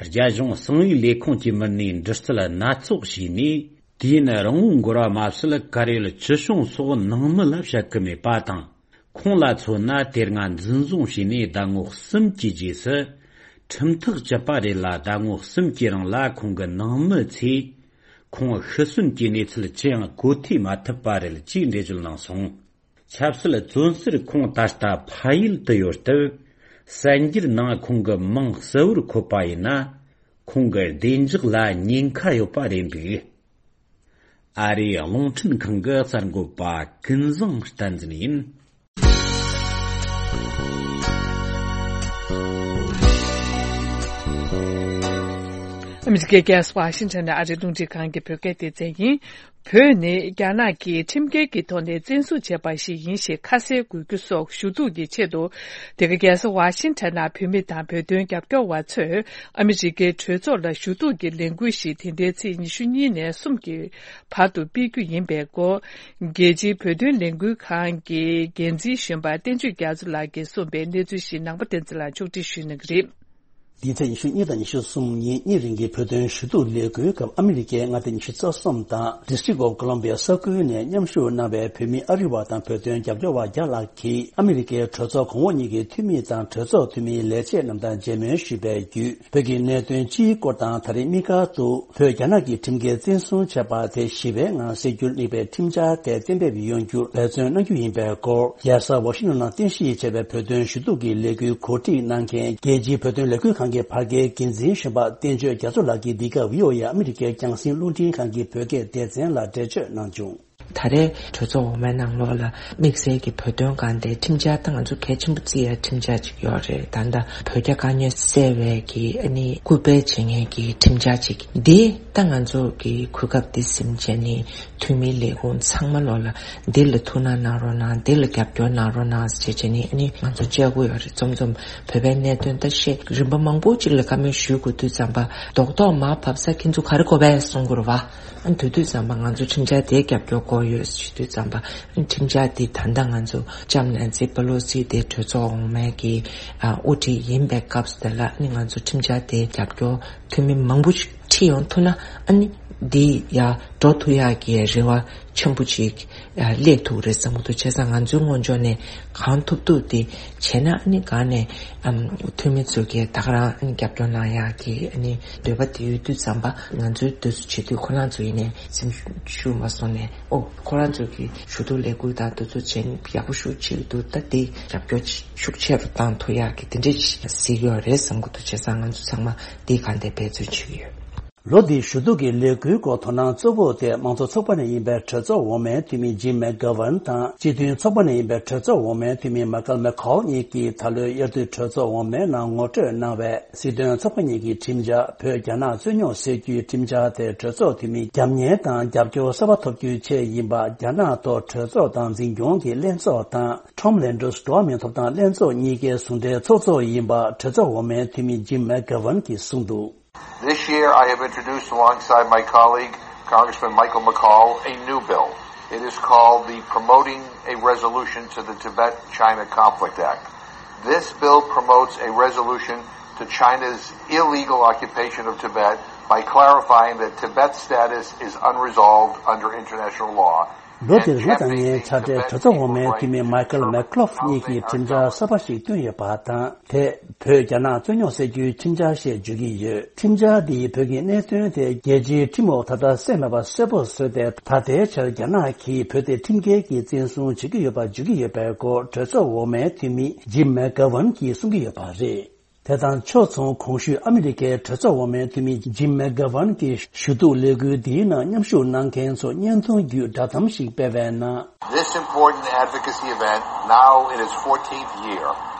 རྒྱ་གཞུང་གསང་བའི་ལས་ཁུངས་ཀྱི་མི་སྣས་འདྲི་རྩད་སྣ་ཚོགས་བྱས་ནས། དུས་ཡུན་རིང་བོ་འགོར་བ་མ་ཟད། གར་ཡོད་ཅི་བྱུང་སོགས་ནང་མི་ལ་བཤད་ཀྱི་མེད་པ་དང་། ཁོང་ལ་མཚོན་ན། དེ་སྔ་འཛིན་བཟུང་བྱས་ནས་ཟླ་ངོ་གསུམ་གྱི་རྗེས་སུ་ཁྲིམས་ཐག་བཅད་པ་རེད་ལ། ཟླ་ངོ་གསུམ་གྱི་རིང་ལ་ཁོང་གི་ནང་མི་ཚོས་ཁོང་ཤི་གསོན་གྱི་གནས་ཚུལ་ཅི་ཡང་གོ་ཐོས་མ་ཐུབ་པ་རེད་ཅེས་འགྲེལ་བརྗོད་གནང་སོང་། ཆབ་སྲིད་བཙོན་ཟུར་ཁོང་ད་ལྟ་ཕ་ཡུལ་དུ་ཡོད་སྟབས། གསར་འགྱུར་ནང་ཁོང་གི་མིང་གསལ་བོར་འཁོད་པ་ཡིན་ན། ཁོང་གི་བདེ་འཇགས་ལ་ཉེན་ཁ་ཡོད་པ་རེད་འདུག། ཨ་རིའི་རླུང་འཕྲིན་ཁང་གི་གསར་འགོད་པ་ཀུན་བཟང་བསྟན་འཛིན་ཡིན། ཨ་མི་རི་ཀའི་རྒྱལ་ས་ཝ་ཤིང་ཊོན་ནས་ཨ་རིའི་རླུང་འཕྲིན་ཁང་གི་བོད་སྐད་སྡེ་ཚན་ཡིན། བོད་ནི་རྒྱ་ནག་གིས་ཁྲིམས་འགལ་གྱི་ཐོག་ནས་བཙན་བཟུང་བྱས་པ་ཞིག་ཡིན་ཞེས་ཁ་གསལ་དགོས་རྒྱུ་སོགས་ཞུ་གཏུག་གི་ཆེད་དུ། འདི་ག་རྒྱལ་ས་ཝ་ཤིང་ཊོན་ནང་བོད་མི་དང་བོད་དོན་རྒྱབ་སྐྱོར་བ་ཚོས་ཨ་མི་རི་ཀའི་གྲོས་ཚོགས་ལ་ཞུ་གཏུག་གི་ལས་འགུལ་ཞིག་དེ་ཟླའི་ཚེས་ཉི་ཤུ་གཉིས་ནས་གསུམ་གྱི་བར་དུ་སྤེལ་རྒྱུ་ཡིན་པའི་སྐོར། རྒྱལ་སྤྱིའི་བོད་དོན་ལས་འགུལ་ཁང་གི་འགན་འཛིན་གཞོན་པ་བསྟན་ཆོས་རྒྱ་མཚོ་ལགས་ཀྱིས་གསུངས་པའི་གནས་ཚུལ་ཞིག་ནང་པ་བསྟན་འཛིན་ལགས་ཕྱོགས་སྒྲིག་ཞུ་གནང་གི་རེད། འདིའི་ཚེས་ཉི་ཤུ་གཉིས་དང་ཉི་ཤུ་གསུམ་ཉིན་གཉིས་རིང་གི་བོད་དོན་ཞུ་གཏུག་ལས་འགུལ་སྐབས། ཨ་མི་རི་ཀའི་མངའ་སྡེ་ཉི་ཤུ་རྩ་གསུམ་དང་District of Columbia ས་ཁུལ་ནས་མཉམ་ཞུགས་གནང་བའི་བོད་མི་ཨ་རི་བ་དང་བོད་དོན་རྒྱབ་སྐྱོར་བ་བརྒྱ་ལྷག་གིས་ཨ་མི་རི་ཀའི་གྲོས་ཚོགས་གོང་འོག་གཉིས་ཀྱི་འཐུས་མི་དང་གྲོས་ཚོགས་འཐུས་མིའི་ལས་བྱེད་རྣམས་དང་མཇལ་མོལ་ཞུས་པའི་བརྒྱུད། བོད་ཀྱི་གནད་དོན་སྤྱིའི་སྐོར་དང་། ད་རེས་དམིགས་བཀར་དུ་བོད་རྒྱ་ནག་གིས་ཁྲིམས་འགལ་བཙན་བཟུང་བྱས་པ་དེ་ཞི་བའི་ངང་སེལ་རྒྱུར་དམིགས་པའི་ཁྲིམས་འཆར་དེ་གཏན་འབེབས་ཡོང་རྒྱུར་འབད་བརྩོན་གནང་རྒྱུ་ཡིན་པའི་སྐོར། རྒྱལ་ས་ཝ་ཤིང་ཊོན་ནང་རྟེན་གཞི་བྱས་པའི་བོད་དོན་ཞུ་གཏུག་གི་ལས་འགུལ་གོ་སྒྲིག་གནང་མཁན་རྒྱལ་སྤྱིའི་བོད་དོན་ལས་འགུལ་ཁང་གི་བར་བརྒལ་འགན་འཛིན་གཞོན་པ་བསྟན་ཆོས་རྒྱ་མཚོ་ལགས་ཀྱིས་འདི་ག་བྷི་ཨོ་ཨེ་ཨ་མི་རི་ཀའི་རྒྱང་སྲིང་རླུང་འཕྲིན་ཁང་གི་བོད་སྐད་སྡེ་ཚན་ལ་འགྲེལ་བརྗོད་གནང་བྱུང་། ད་རེས་གྲོས་ཚོགས་འོག་མའི་ནང་ལོགས་ལ་དམིགས་བསལ་གྱི་བོད་དོན་སྒང་དེ་ཁྲིམས་འཆར་ད་ང་ཚོ་གལ་ཆེན་པོ་བརྩི་ཡ་ཁྲིམས་འཆར་ཅིག་ཡོད་རེད། ད་ལྟ་བོད་རྒྱ་དཀའ་ངལ་སེལ་བའི་གི་ཨ་ནི་སྐུལ་སྤེལ་བྱེད་མཁན་གྱི་ཁྲིམས་འཆར་ཅིག་འདི་ད་ང་ཚོ་གི་གོ་སྐབས་འདི་ཟིན་བྱས་ནས་འཐུས་མི་ལས་ཁུངས་ཚང་མ་ལོགས་ལ་འདི་ལ་ཐུགས་སྣང་གནང་རོགས་གནང་། འདི་ལ་རྒྱབ་སྐྱོར་གནང་རོགས་གནང་ཟེར་བྱས་ནས་ཨ་ནི་ང་ཚོ་བཅར་གྱི་ཡོད་རེད། རྩོམ་རྩོམ་བོད་པའི་གནད་དོན་ད་བཤད་རིམ་པ་མང་པོ་ཅིག་ལ་བཀའ་མོལ་ཞུ་དགོས་དུས་ཙམ་པ་རྡོག་རྡོག་མར་བབས་ས་ཁྱེད་ཚོ་ག་རེ་དགོས་པས་གསུང་དགོས་རེད་བ། ཨ་ནི་དེ་དུས་ཙམ་པ་ང་ཚོ་ཁྲིམས་འཆར་དེའི་རྒྱབ་སྐྱོར་དགོས་ཡོད་ཞུ་དུས་ཙམ་པ། ཨ་ནི་ཁྲིམས་འཆར་དེ་ད་ལྟ་ང་ཚོ་ལྕམ་ནན་སི་པེ་ལོ་སི་དེ་གྲོས་ཚོགས་འོག་མའི་གི་ཨ་དབུ་ཁྲིད་ཡིན་པའི་སྐབས་སུ་དེ་ལ་ཨ་ནི་ང་ཚོ་ཁྲིམས་འཆར་དེའི་རྒྱབ་སྐྱོར་འཐུས་མི་མང་པོ་ཞིག་ཁྲིད་ཡོང་ཐུབ་ན་ཨ་ནི་འདི་ཡར་འགྲོ་ཐུབ་ཡག་གི་རེ་བ་ཆེན་པོ་ཅིག་ཨ་སླེབས་ཐུབ་རེད་བསམ་གྱི་འདུག་བྱས་ཙང་ང་ཚོའི་ངོས་ཕྱོགས་ནས་གང་ཐུབ་ཐུབ་དེ་བྱས་ན་ཨ་ནི་གང་ནས་ཨམ་འཐུས་མི་ཚོ་གིས་ད་ག་རང་ཨ་ནི་རྒྱབ་སྐྱོར་གནང་ཡག་གི་ཨ་ནི་འདོད་པ་དེ་ཡོད་དུས་ཙམ་པ། ང་ཚོའི་འདོད་བཟོ་བྱེད་དུས་ཁོ་རང་ཚོ་ཡིན་ནའི་སེམས་ཤུགས་མ་སོང་ནས། ཨོ་ཁོ་རང་ཚོ་གི་ཞུ་གཏུག་ལས་འགུལ་དང་དེ་ཚོ་བྱས་ནས་ཡག་པོ་ཞེ་པོ་ཅིག་འདུག་ད་དེ་རྒྱབ་སྐྱོར་ཤུགས་ཆེ་རུ་བཏང་ཐུབ་ཡག་གི་དེ་འདྲས་ཅིག་གཟིགས་ཡོད་རེད་བསམ་གྱི་འདུག་བྱས་ཙང་ང་ཚོ་ཚང་མ་དེ་གང་དེ་འབད་བརྩོན་བྱེད་ཀྱི་ཡོད། ལོ་འདིའི་ཞུ་གཏུག་གི་ལས་འགུལ་སྐོར་དོ་སྣང་གཙོ་བོ་དེ་དམངས་གཙོ་ཚོགས་པ་ནས་ཡིན་པའི་གྲོས་ཚོགས་འོག་མའི་འཐུས་མི་ཇིམ་མེག་གྷ་ཝན་དང་། སྤྱི་མཐུན་ཚོགས་པ་ནས་ཡིན་པའི་གྲོས་ཚོགས་འོག་མའི་འཐུས་མི་མའི་ཀལ་མེ་ཁོལ་གཉིས་ཀྱིས་ད་ལོའི་དབྱར་དུས་གྲོས་ཚོགས་འོག་མའི་ནང་ངོ་སྤྲོད་གནང་བའི་སྲིད་དོན་ཚོགས་པ་གཉིས་ཀྱི་ཁྲིམས་འཆར། བོད་རྒྱ་ནག་རྩོད་རྙོག་སེལ་རྒྱུའི་ཁྲིམས་འཆར་དེ་གྲོས་ཚོགས་འཐུས་མི་རྒྱབ་གཉེར་དང་རྒྱབ་སྐྱོར་གསར་པ་ཐོབ་རྒྱུའི་ཆེད་ཡིན་པ། རྒྱ་ནག་ཐོག་གྲོས་ཚོགས་དང་འཛིན་སྐྱོང་གི་ལྷན་ཚོགས་དང་། ཊོམ་ལན་ཌོས་འགྲོ་བ་མིའི་ཐོབ་ཐང་ལྷན་ཚོགས་གཉིས་ཀའི་ཟུང་འབྲེལ་ཚོགས་གཙོ་ཡིན་པ། གྲོས་ཚོགས་འོག་མའི་འཐུས་མི་ཇིམ་མེག་གྷ་ཝན་གྱིས་གསུངས་འདུག། This year, I have introduced alongside my colleague, Congressman Michael McCaul, a new bill. It is called the Promoting a Resolution to the Tibet-China Conflict Act. This bill promotes a resolution to China's illegal occupation of Tibet by clarifying that Tibet's status is unresolved under international law. ལོ་འདིར་ང་དང་ངའི་ཕྱག་སྦྲེལ་གྲོས་ཚོགས་འོག་མའི་འཐུས་མི་མའི་ཁལ་མེག་ལོ་ཕི་ལིན་གཉིས་ཀྱིས་ཁྲིམས་འཆར་གསར་པ་ཞིག་བཏོན་ཡོད་པ་དང་། དེས་བོད་རྒྱ་ནག་རྩོད་རྙོག་སེལ་རྒྱུའི་ཁྲིམས་འཆར་ཞེས་བརྗོད་ཀྱི་ཡོད། ཁྲིམས་འཆར་འདིས་བོད་ཀྱི་གནད་དོན་དེ་རྒྱལ་སྤྱིའི་ཁྲིམས་འོག་ད་ལྟ་སེལ་མེད་པ་གསལ་པོ་བཟོས་ཏེ། ད་ལྟའི་ཆར་རྒྱ་ནག་གིས་བོད་དེ་ཁྲིམས་འགལ་གྱིས་བཙན་བཟུང་བྱེད་ཀྱི་ཡོད་པ་བརྗོད་ཀྱི་ཡོད་པའི་སྐོར། གྲོས་ཚོགས་འོག་མའི་འཐུས་མི་ཇིམ་མེག་གྷ་ཝན་གྱིས་གསུང་གི་ཡོད་པ་རེད། དེ་དང་ཕྱོགས་མཚུངས། གོང་ཞུས་ཨ་མི་རི་ཀའི་གྲོས་ཚོགས་འོག་མའི་འཐུས་མི་ཇིམ་མེག་གྷ་ཝན་གྱིས་ཞུ་གཏུག་ལས་འགུལ་འདིའི་ནང་མཉམ་ཞུགས་གནང་མཁན་ཚོ་བརྙན་ཐུང་བརྒྱུད་བསྒྲགས་གཏམ་ཞིག་སྤེལ་བའི་ནང། This important advocacy event, now in its fourteenth year,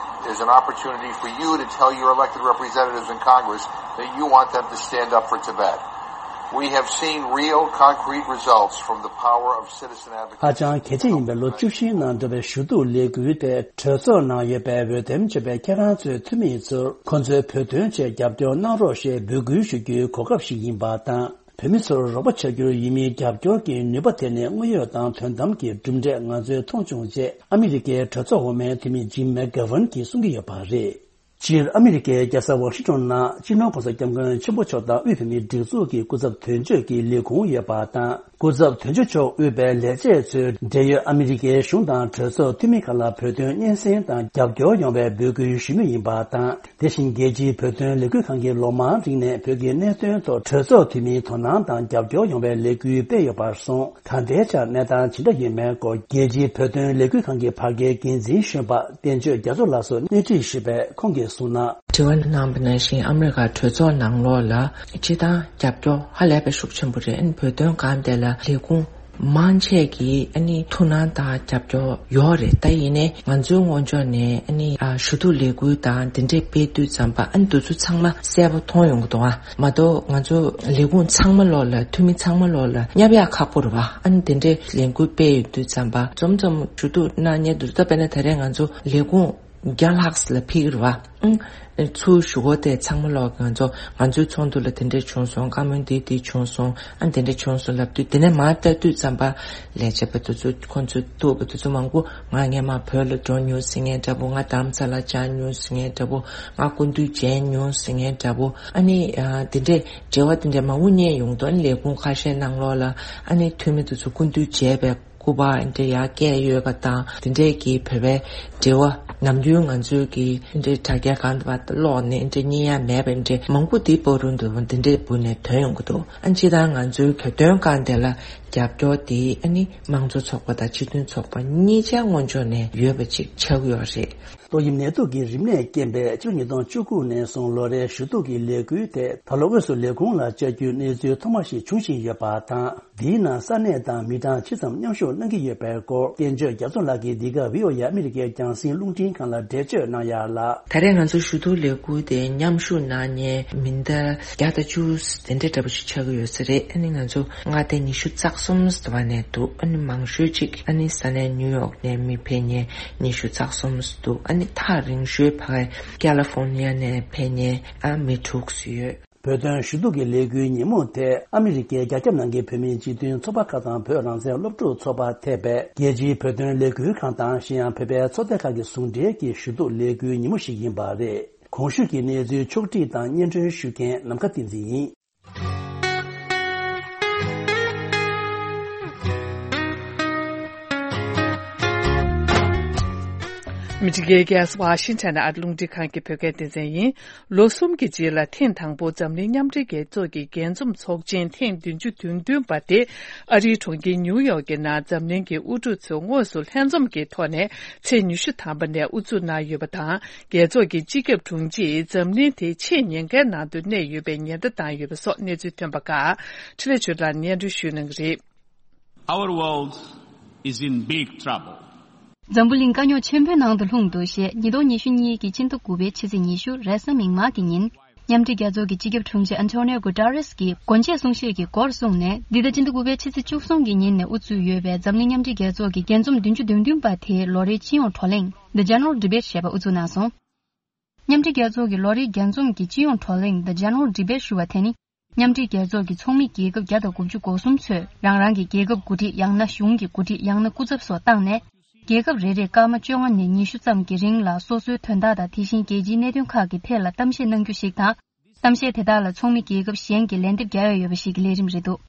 is an opportunity for you to tell your elected representatives in Congress that you want them to stand up for Tibet. We have seen real, concrete results from the power of citizen advocacy. ཧ་ཅང་གལ་ཆེ་ཡིན་པའི་ལོ་བཅུ་བཞིའི་ནང་འགྲོ་བའི་ཞུ་གཏུག་ལས་འགུལ་དེ་གྲོས་ཚོགས་ནང་ཡོད་པའི་འོས་འདེམས་བྱས་པའི་ཁྱེད་རང་ཚོའི་འཐུས་མི་ཚོར་ཁོང་ཚོའི་བོད་དོན་ཆེད་རྒྱབ་སྐྱོར་གནང་རོགས་ཞེས་འབོད་སྐུལ་ཞུ་རྒྱུའི་གོ་སྐབས་ཤིག་ཡིན་པ་དང་། བོད་མི་ཚོར་རོགས་པ་བྱ་རྒྱུར་ཡུལ་མིའི་རྒྱབ་སྐྱོར་གྱི་ནུས་པ་དེ་ནི་དངོས་ཡོད་དང་དོན་དམ་གྱི་གྲུབ་འབྲས་ང་ཚོས་མཐོང་བྱུང་ཅེས་ཨ་མི་རི་ཀའི་གྲོས་ཚོགས་འོག་མའི་འཐུས་མི་ཇིམ་མེག་གྷ་ཝན་གྱིས་གསུང་གི་ཡོད་པ་རེད། སྤྱིར་ཨ་མི་རི་ཀའི་རྒྱལ་ས་ཝ་ཤིང་ཊོན་ནང་སྤྱི་ནོར་གོང་ས་སྐྱབས་མགོན་ཆེན་པོ་མཆོག་དང་དབུས་བོད་མིའི་སྒྲིག་འཛུགས་ཀྱི་སྐུ་ཚབ་དོན་གཅོད་ཀྱི་ལས་ཁུངས་ཡོད་པ་དང་། སྐུ་ཚབ་དོན་གཅོད་མཆོག་དབུས་པའི་ལས་བྱེད་ཚོས་འབྲེལ་ཡོད་ཨ་མི་རི་ཀའི་གཞུང་དང་གྲོས་ཚོགས་འཐུས་མི་ཁག་ལ་བོད་དོན་སྙན་སེང་དང་རྒྱབ་སྐྱོར་ཡོང་བའི་འབོད་སྐུལ་ཞུ་མུས་ཡིན་པ་དང་། དེ་བཞིན་རྒྱལ་སྤྱིའི་བོད་དོན་ལས་འགུལ་ཁང་གིས་ལོ་མང་རིང་ནས་བོད་ཀྱི་གནད་དོན་ཐོག་གྲོས་ཚོགས་འཐུས་མིའི་དོ་སྣང་དང་རྒྱབ་སྐྱོར་ཡོང་བའི་ལས་འགུལ་སྤེལ་ཡོད་པར་སོང་། ད་ལྟའི་ཆར་གནས་སྟངས་ཇི་འདྲ་ཡོད་མེད་སྐོར་རྒྱལ་སྤྱིའི་བོད་དོན་ལས་འགུལ་ཁང་གི་བར་བརྒལ་འགན་འཛིན་གཞོན་པ་བསྟན་ཆོས་རྒྱ་མཚོ་ལགས་སུ་སྣེ་ཁྲིད་ཞུས་པས། ཁོང་གིས་གསུངས་ན། དྲི་བ་གནང་བ་ནང་བཞིན་ཨ་མི་རི་ཀ་གྲོས་ཚོགས་ནང་ལོགས་ལ་སྤྱིར་བཏང་རྒྱབ་སྐྱོར་ཧ་ལས་པའི་ཤུགས་ཆེན་པོ་རེད། ཨ་ནི་བོད་དོན་སྒང་དེ་ལ་ལས་ཁུངས་མང་ཆེ་གིས་ཨ་ནི་ཐུགས་སྣང་དང་རྒྱབ་སྐྱོར་ཡོད་རེད། ད་ཡིན་ནའི་ང་ཚོའི་ངོས་ཕྱོགས་ནས་ཨ་ནི་ཨ་ཞུ་གཏུག་ལས་འགུལ་དང་དེ་འདྲས་སྤེལ་དུས་ཙམ་པ་ཨ་ནི་དེ་ཚོ་ཚང་མ་གསལ་པོ་མཐོང་ཡོང་གི་འདུག་ཨ། མ་གཏོགས་ང་ཚོ་ལས་ཁུངས་ཚང་མ་ལོགས་ལ་འཐུས་མི་ཚང་མ་ལོགས་ལ་བསྙབ་ཡག་ཁག་པོ་རེད་བ། ཨ་ནི་དེ་འདྲས་ལས་འགུལ་སྤེལ་ཡོང་དུས་ཙམ་པ་འཛོམས་འཛོམས་ཞུ་གཏུག་གནང་མཁན་དེ་ཚོ། ད་དཔེར་ན་ད་རེས་ང་ཚོ་ལས་ཁུངས་བརྒྱ་ལྷག་ལ་ཕེབས་ཀྱི་རེད་བ། ཨང་། ཚུར་ཞུ་སྒོ་དེ་ཚང་མ་ལོགས་ང་ཚོ་ང་ཚོའི་ཚོགས་འདུ་ལ་དེ་འདྲས་བྱུང་སོང་། བཀའ་མོལ་འདི་འདི་བྱུང་སོང་། ཨ་དེ་འདྲས་བྱུང་སོང་ལབ་དུས་དེ་ནས་མར་ལྟ་དུས་ཙམ་པ་ལས་བྱེད་པ་དེ་ཚོ་ཁོང་ཚོས་གཏུག་པ་དེ་ཚོ་མང་པོ་ང་སྔས་མ་བོད་ལ་འགྲོ་མྱོང་ཟེར་མཁན་འདྲ་པོ། ང་རྡ་རམ་ས་ལ་བཅར་མྱོང་ཟེར་མཁན་འདྲ་པོ། ང་སྐུ་མདུན་མཇལ་མྱོང་ཟེར་མཁན་འདྲ་པོ། ཨ་ནི་ཨ་དེ་འདྲས་འབྲེལ་བ་དེ་འདྲས་མང་པོ་རྙེད་ཡོང་དོན་ལས་ཁུངས་ཁ་ཤས་ནང་ལོགས་ལ་ཨ་ནི་འཐུས་མི་དེ་ཚོ་སྐུ་མདུན་མཇལ་བའི་སྐུ་པར་འདྲ་ཡར་བཀལ་ཡོད་པ་དང་། དེ་འདྲས་ཀྱི་བོད་པའི་འབྲེལ་བ་ནམ་རྒྱུན་ང་ཚོའི་གི་འདྲ་དྲ་རྒྱ་སྒང་དུ་བ་ཀློག་ནས་འདྲ་རྙེད་ཡ་མེད་པ་འདྲ་མང་པོ་དེ་པོ་རུ་འདུག་དེ་འདྲས་བུ་ནས་ཐོན་ཡོང་གི་འདུག་ཨ་ནི་སྤྱིར་བཏང་ང་ཚོའི་བོད་དོན་སྒང་དེ་ལ་རྒྱབ་སྐྱོར་དེ་ཨ་ནི་དམངས་གཙོ་ཚོགས་པ་དང་སྤྱི་མཐུན་ཚོགས་པ་གཉིས་ཆ་ངོས་ཕྱོགས་ནས་ཡོད་པ་ཅིག་ཆགས་ཀྱི་ཡོད་རེད། ཏོག་དབྱིབས་ནད་དུག་གི་རིམས་ནད་རྐྱེན་པས་ཕྱི་ལོ་ཉིས་སྟོང་བཅུ་དགུ་ནས་བཟུང་ལོ་རེའི་ཞུ་གཏུག་གི་ལས་འགུལ་དེ་ད་ལོ་དངོས་སུ་ལས་ཁུངས་ལ་བཅར་རྒྱུའི་གནས་ཚུལ་ཐོག་མ་ཞིག་འབྱུང་བཞིན་ཡོད་པ་དང་། འདིའི་ནང་ས་གནས་དང་མི་གྲངས་ཇི་ཙམ་མཉམ་ཞུགས་གནང་གི་ཡོད་པའི་སྐོར། བསྟན་ཆོས་རྒྱ་མཚོ་ལགས་ཀྱིས་འདི་ག་བྷི་ཨོ་ཨེ་ཨ་མི་རི་ཀའི་རྒྱང་སྲིང་རླུང་འཕྲིན་ཁང་ལ་འགྲེལ་བརྗོད་གནང་ཡག་ལ། ད་རེས་ང་ཚོ་ཞུ་གཏུག་ལས་འགུལ་དེ་མཉམ་ཞུགས་གནང་མཁན་མི་ཟླ་བརྒྱ་དང་བཅུ་དེ་འདྲ་འདྲ་པོ་ཞིག་ཆགས་ཀྱི་ཡོད་ས་རེད། ཨ་ནི་ང་ཚོ་མངའ་སྡེ་ཉི་ཤུ་རྩ་གསུམ་ཟེར་བ་ནས་འདུག་ཨ་ནི་མང་ཤོས་ཅིག་ཨ་ནི་ས་གནས་ནིའུ་ཡོག་ནས་མི་ཕེབས་མཁན་ཉི་ཤུ་རྩ་གསུམ་འདུག་ཨ་ནི་ཐག་རིང་ཤོས་ཕ་གི་ཀ་ལི་ཧྥོར་ནི་ཡ་ནས་ཕེབས་མཁན་ཨ་མི་དྲུག་ཙམ་ཡོད། བོད་དོན་ཞུ་གཏུག་གི་ལས་འགུལ་ཉིན་མོ་དེ་ཨ་མི་རི་ཀའི་རྒྱ་ཁྱབ་ནང་གི་བོད་མིའི་སྤྱི་མཐུན་ཚོགས་པ་ཁག་དང་བོད་རང་བཙན་སློབ་ཕྲུག་ཚོགས་པ་ཐེ་བའི་རྒྱལ་སྤྱིའི་བོད་དོན་ལས་འགུལ་ཁང་དང་གཞན་ཡང་བོད་པའི་ཚོགས་སྡེ་ཁག་གི་ཟུང་འབྲེལ་གྱི་ཞུ་གཏུག་ལས་འགུལ་ཉིན་མོ་ཞིག་ཡིན་པ་རེད། གོང་ཞུས་ཀྱི་གནས་ཚུལ་ཕྱོགས་བསྒྲིགས་དང་སྙན་སྒྲོན་ཞུ་མཁན་ནམ་མཁའ་བསྟན་འཛིན་ཡིན། མི་ཊི་གེ་གེ་སི་ཝ་ཤིང་ཊོན་ཨ་རི་རླུང་འཕྲིན་ཁང་གི་བོད་སྐད་སྡེ་ཚན་ཡིན། ལོ་གསུམ་གྱི་རྗེས་ལ་ཐེངས་དང་པོ་འཛམ་གླིང་མཉམ་འབྲེལ་རྒྱལ་ཚོགས་ཀྱི་རྒྱས་འཛོམས་ཚོགས་ཆེན་ཐེངས་བདུན་ཅུ་དོན་བདུན་པ་དེ་ཨ་རིའི་གྲོང་ཁྱེར་ཉིའུ་ཡོག་གི་ནང་འཛམ་གླིང་གི་དབུ་ཁྲིད་ཚོས་དངོས་སུ་ལྷན་འཛོམས་ཀྱི་ཐོག་ནས་ཚེས་ཉི་ཤུ་ཐམ་པ་ནས་དབུ་འཛུགས་གནང་ཡོད་པ་དང་། རྒྱལ་ཚོགས་ཀྱི་སྤྱི་ཁྱབ་དྲུང་ཆེས་འཛམ་གླིང་དེ་ཆེས་ཉེན་ཁའི་ནང་དུ་གནས་ཡོད་པའི་ཉེན་བརྡ་བཏང་ཡོད་པ་སོགས་གནས་ཚུལ་ཐོན་པ་ཁག་འཕྲིན་ལས་ཆོས་ལགས་སྙན་སྒྲོན་ཞུ་གནང་གི་རེད། Our world is in big trouble. འཛམ་བུ་གླིང་དཀའ་རྙོག་ཆེན་པོའི་ནང་དུ་ལྷུང་འདུག་ཞེས་ཉིས་སྟོང་ཉི་ཤུ་གཉིས་ཀྱི་སྤྱི་ཟླ་དགུ་པའི་ཕྱི་ཚེས་ཉི་ཤུ་རེས་གཟའ་མིག་དམར་གྱི་ཉིན། མཉམ་འབྲེལ་རྒྱལ་ཚོགས་ཀྱི་སྤྱི་ཁྱབ་དྲུང་ཆེ་ཨན་ཐོ་ནིའོ་གུ་ཏ་རེས་ཀྱིས་སྒོ་འབྱེད་གསུང་བཤད་ཀྱི་སྐོར་གསུངས་ནས། འདི་ཟླ་སྤྱི་ཟླ་དགུ་པའི་ཕྱི་ཚེས་བཅུ་གསུམ་གྱི་ཉིན་ནས་དབུ་ཚུགས་ཡོད་པའི་འཛམ་གླིང་མཉམ་འབྲེལ་རྒྱལ་ཚོགས་ཀྱི་རྒྱས་འཛོམས་བདུན་ཅུ་དོན་བདུན་པ་དེའི་ལོ་རེའི་སྤྱི་ཡོངས་བགྲོ་གླེང་The General Debate ཞེས་པ་དབུ་འཛུགས་གནང་སོང་། མཉམ་འབྲེལ་རྒྱལ་ཚོགས་ཀྱི་ལོ་རེའི་རྒྱས་འཛོམས་ཀྱི་སྤྱི་ཡོངས་བགྲོ་གླེང་The General Debate ཞུ་བ་དེ་ནི། མཉམ་འབྲེལ་རྒྱལ་ཚོགས་ཀྱི་ཚོགས་མི་རྒྱལ་ཁབ་བརྒྱ་དང་དགུ་བཅུ་གོ་གསུམ་ཚོས་རང་རང་གི་རྒྱལ་ཁབ་འགོ་ཁྲིད། ཡང་ན་གཞུང་གི་འགོ་ཁྲིད། ཡང་ན་སྐུ་ཚབ་སོགས་བཏང་ནས། རྒྱལ་ཁབ་རེ་རེར་སྐར་མ་བཅོ་ལྔ་ནས་ཉི་ཤུ་ཙམ་གྱི་རིང་ལ་སོ་སོའི་དོན་དག་དང་། དེ་བཞིན་རྒྱལ་སྤྱིའི་གནད་དོན་ཁག་གི་ཐད་ལ་གཏམ་བཤད་གནང་རྒྱུ་ཞིག་དང་། གཏམ་བཤད་དེ་དག་ལ་ཚོགས་མི་རྒྱལ་ཁབ་གཞན་གྱིས་ལན་འདེབས་རྒྱག་ཡ་ཡོད་པ་ཞིག་གི་ལས་རིམ་རེད་འདུག་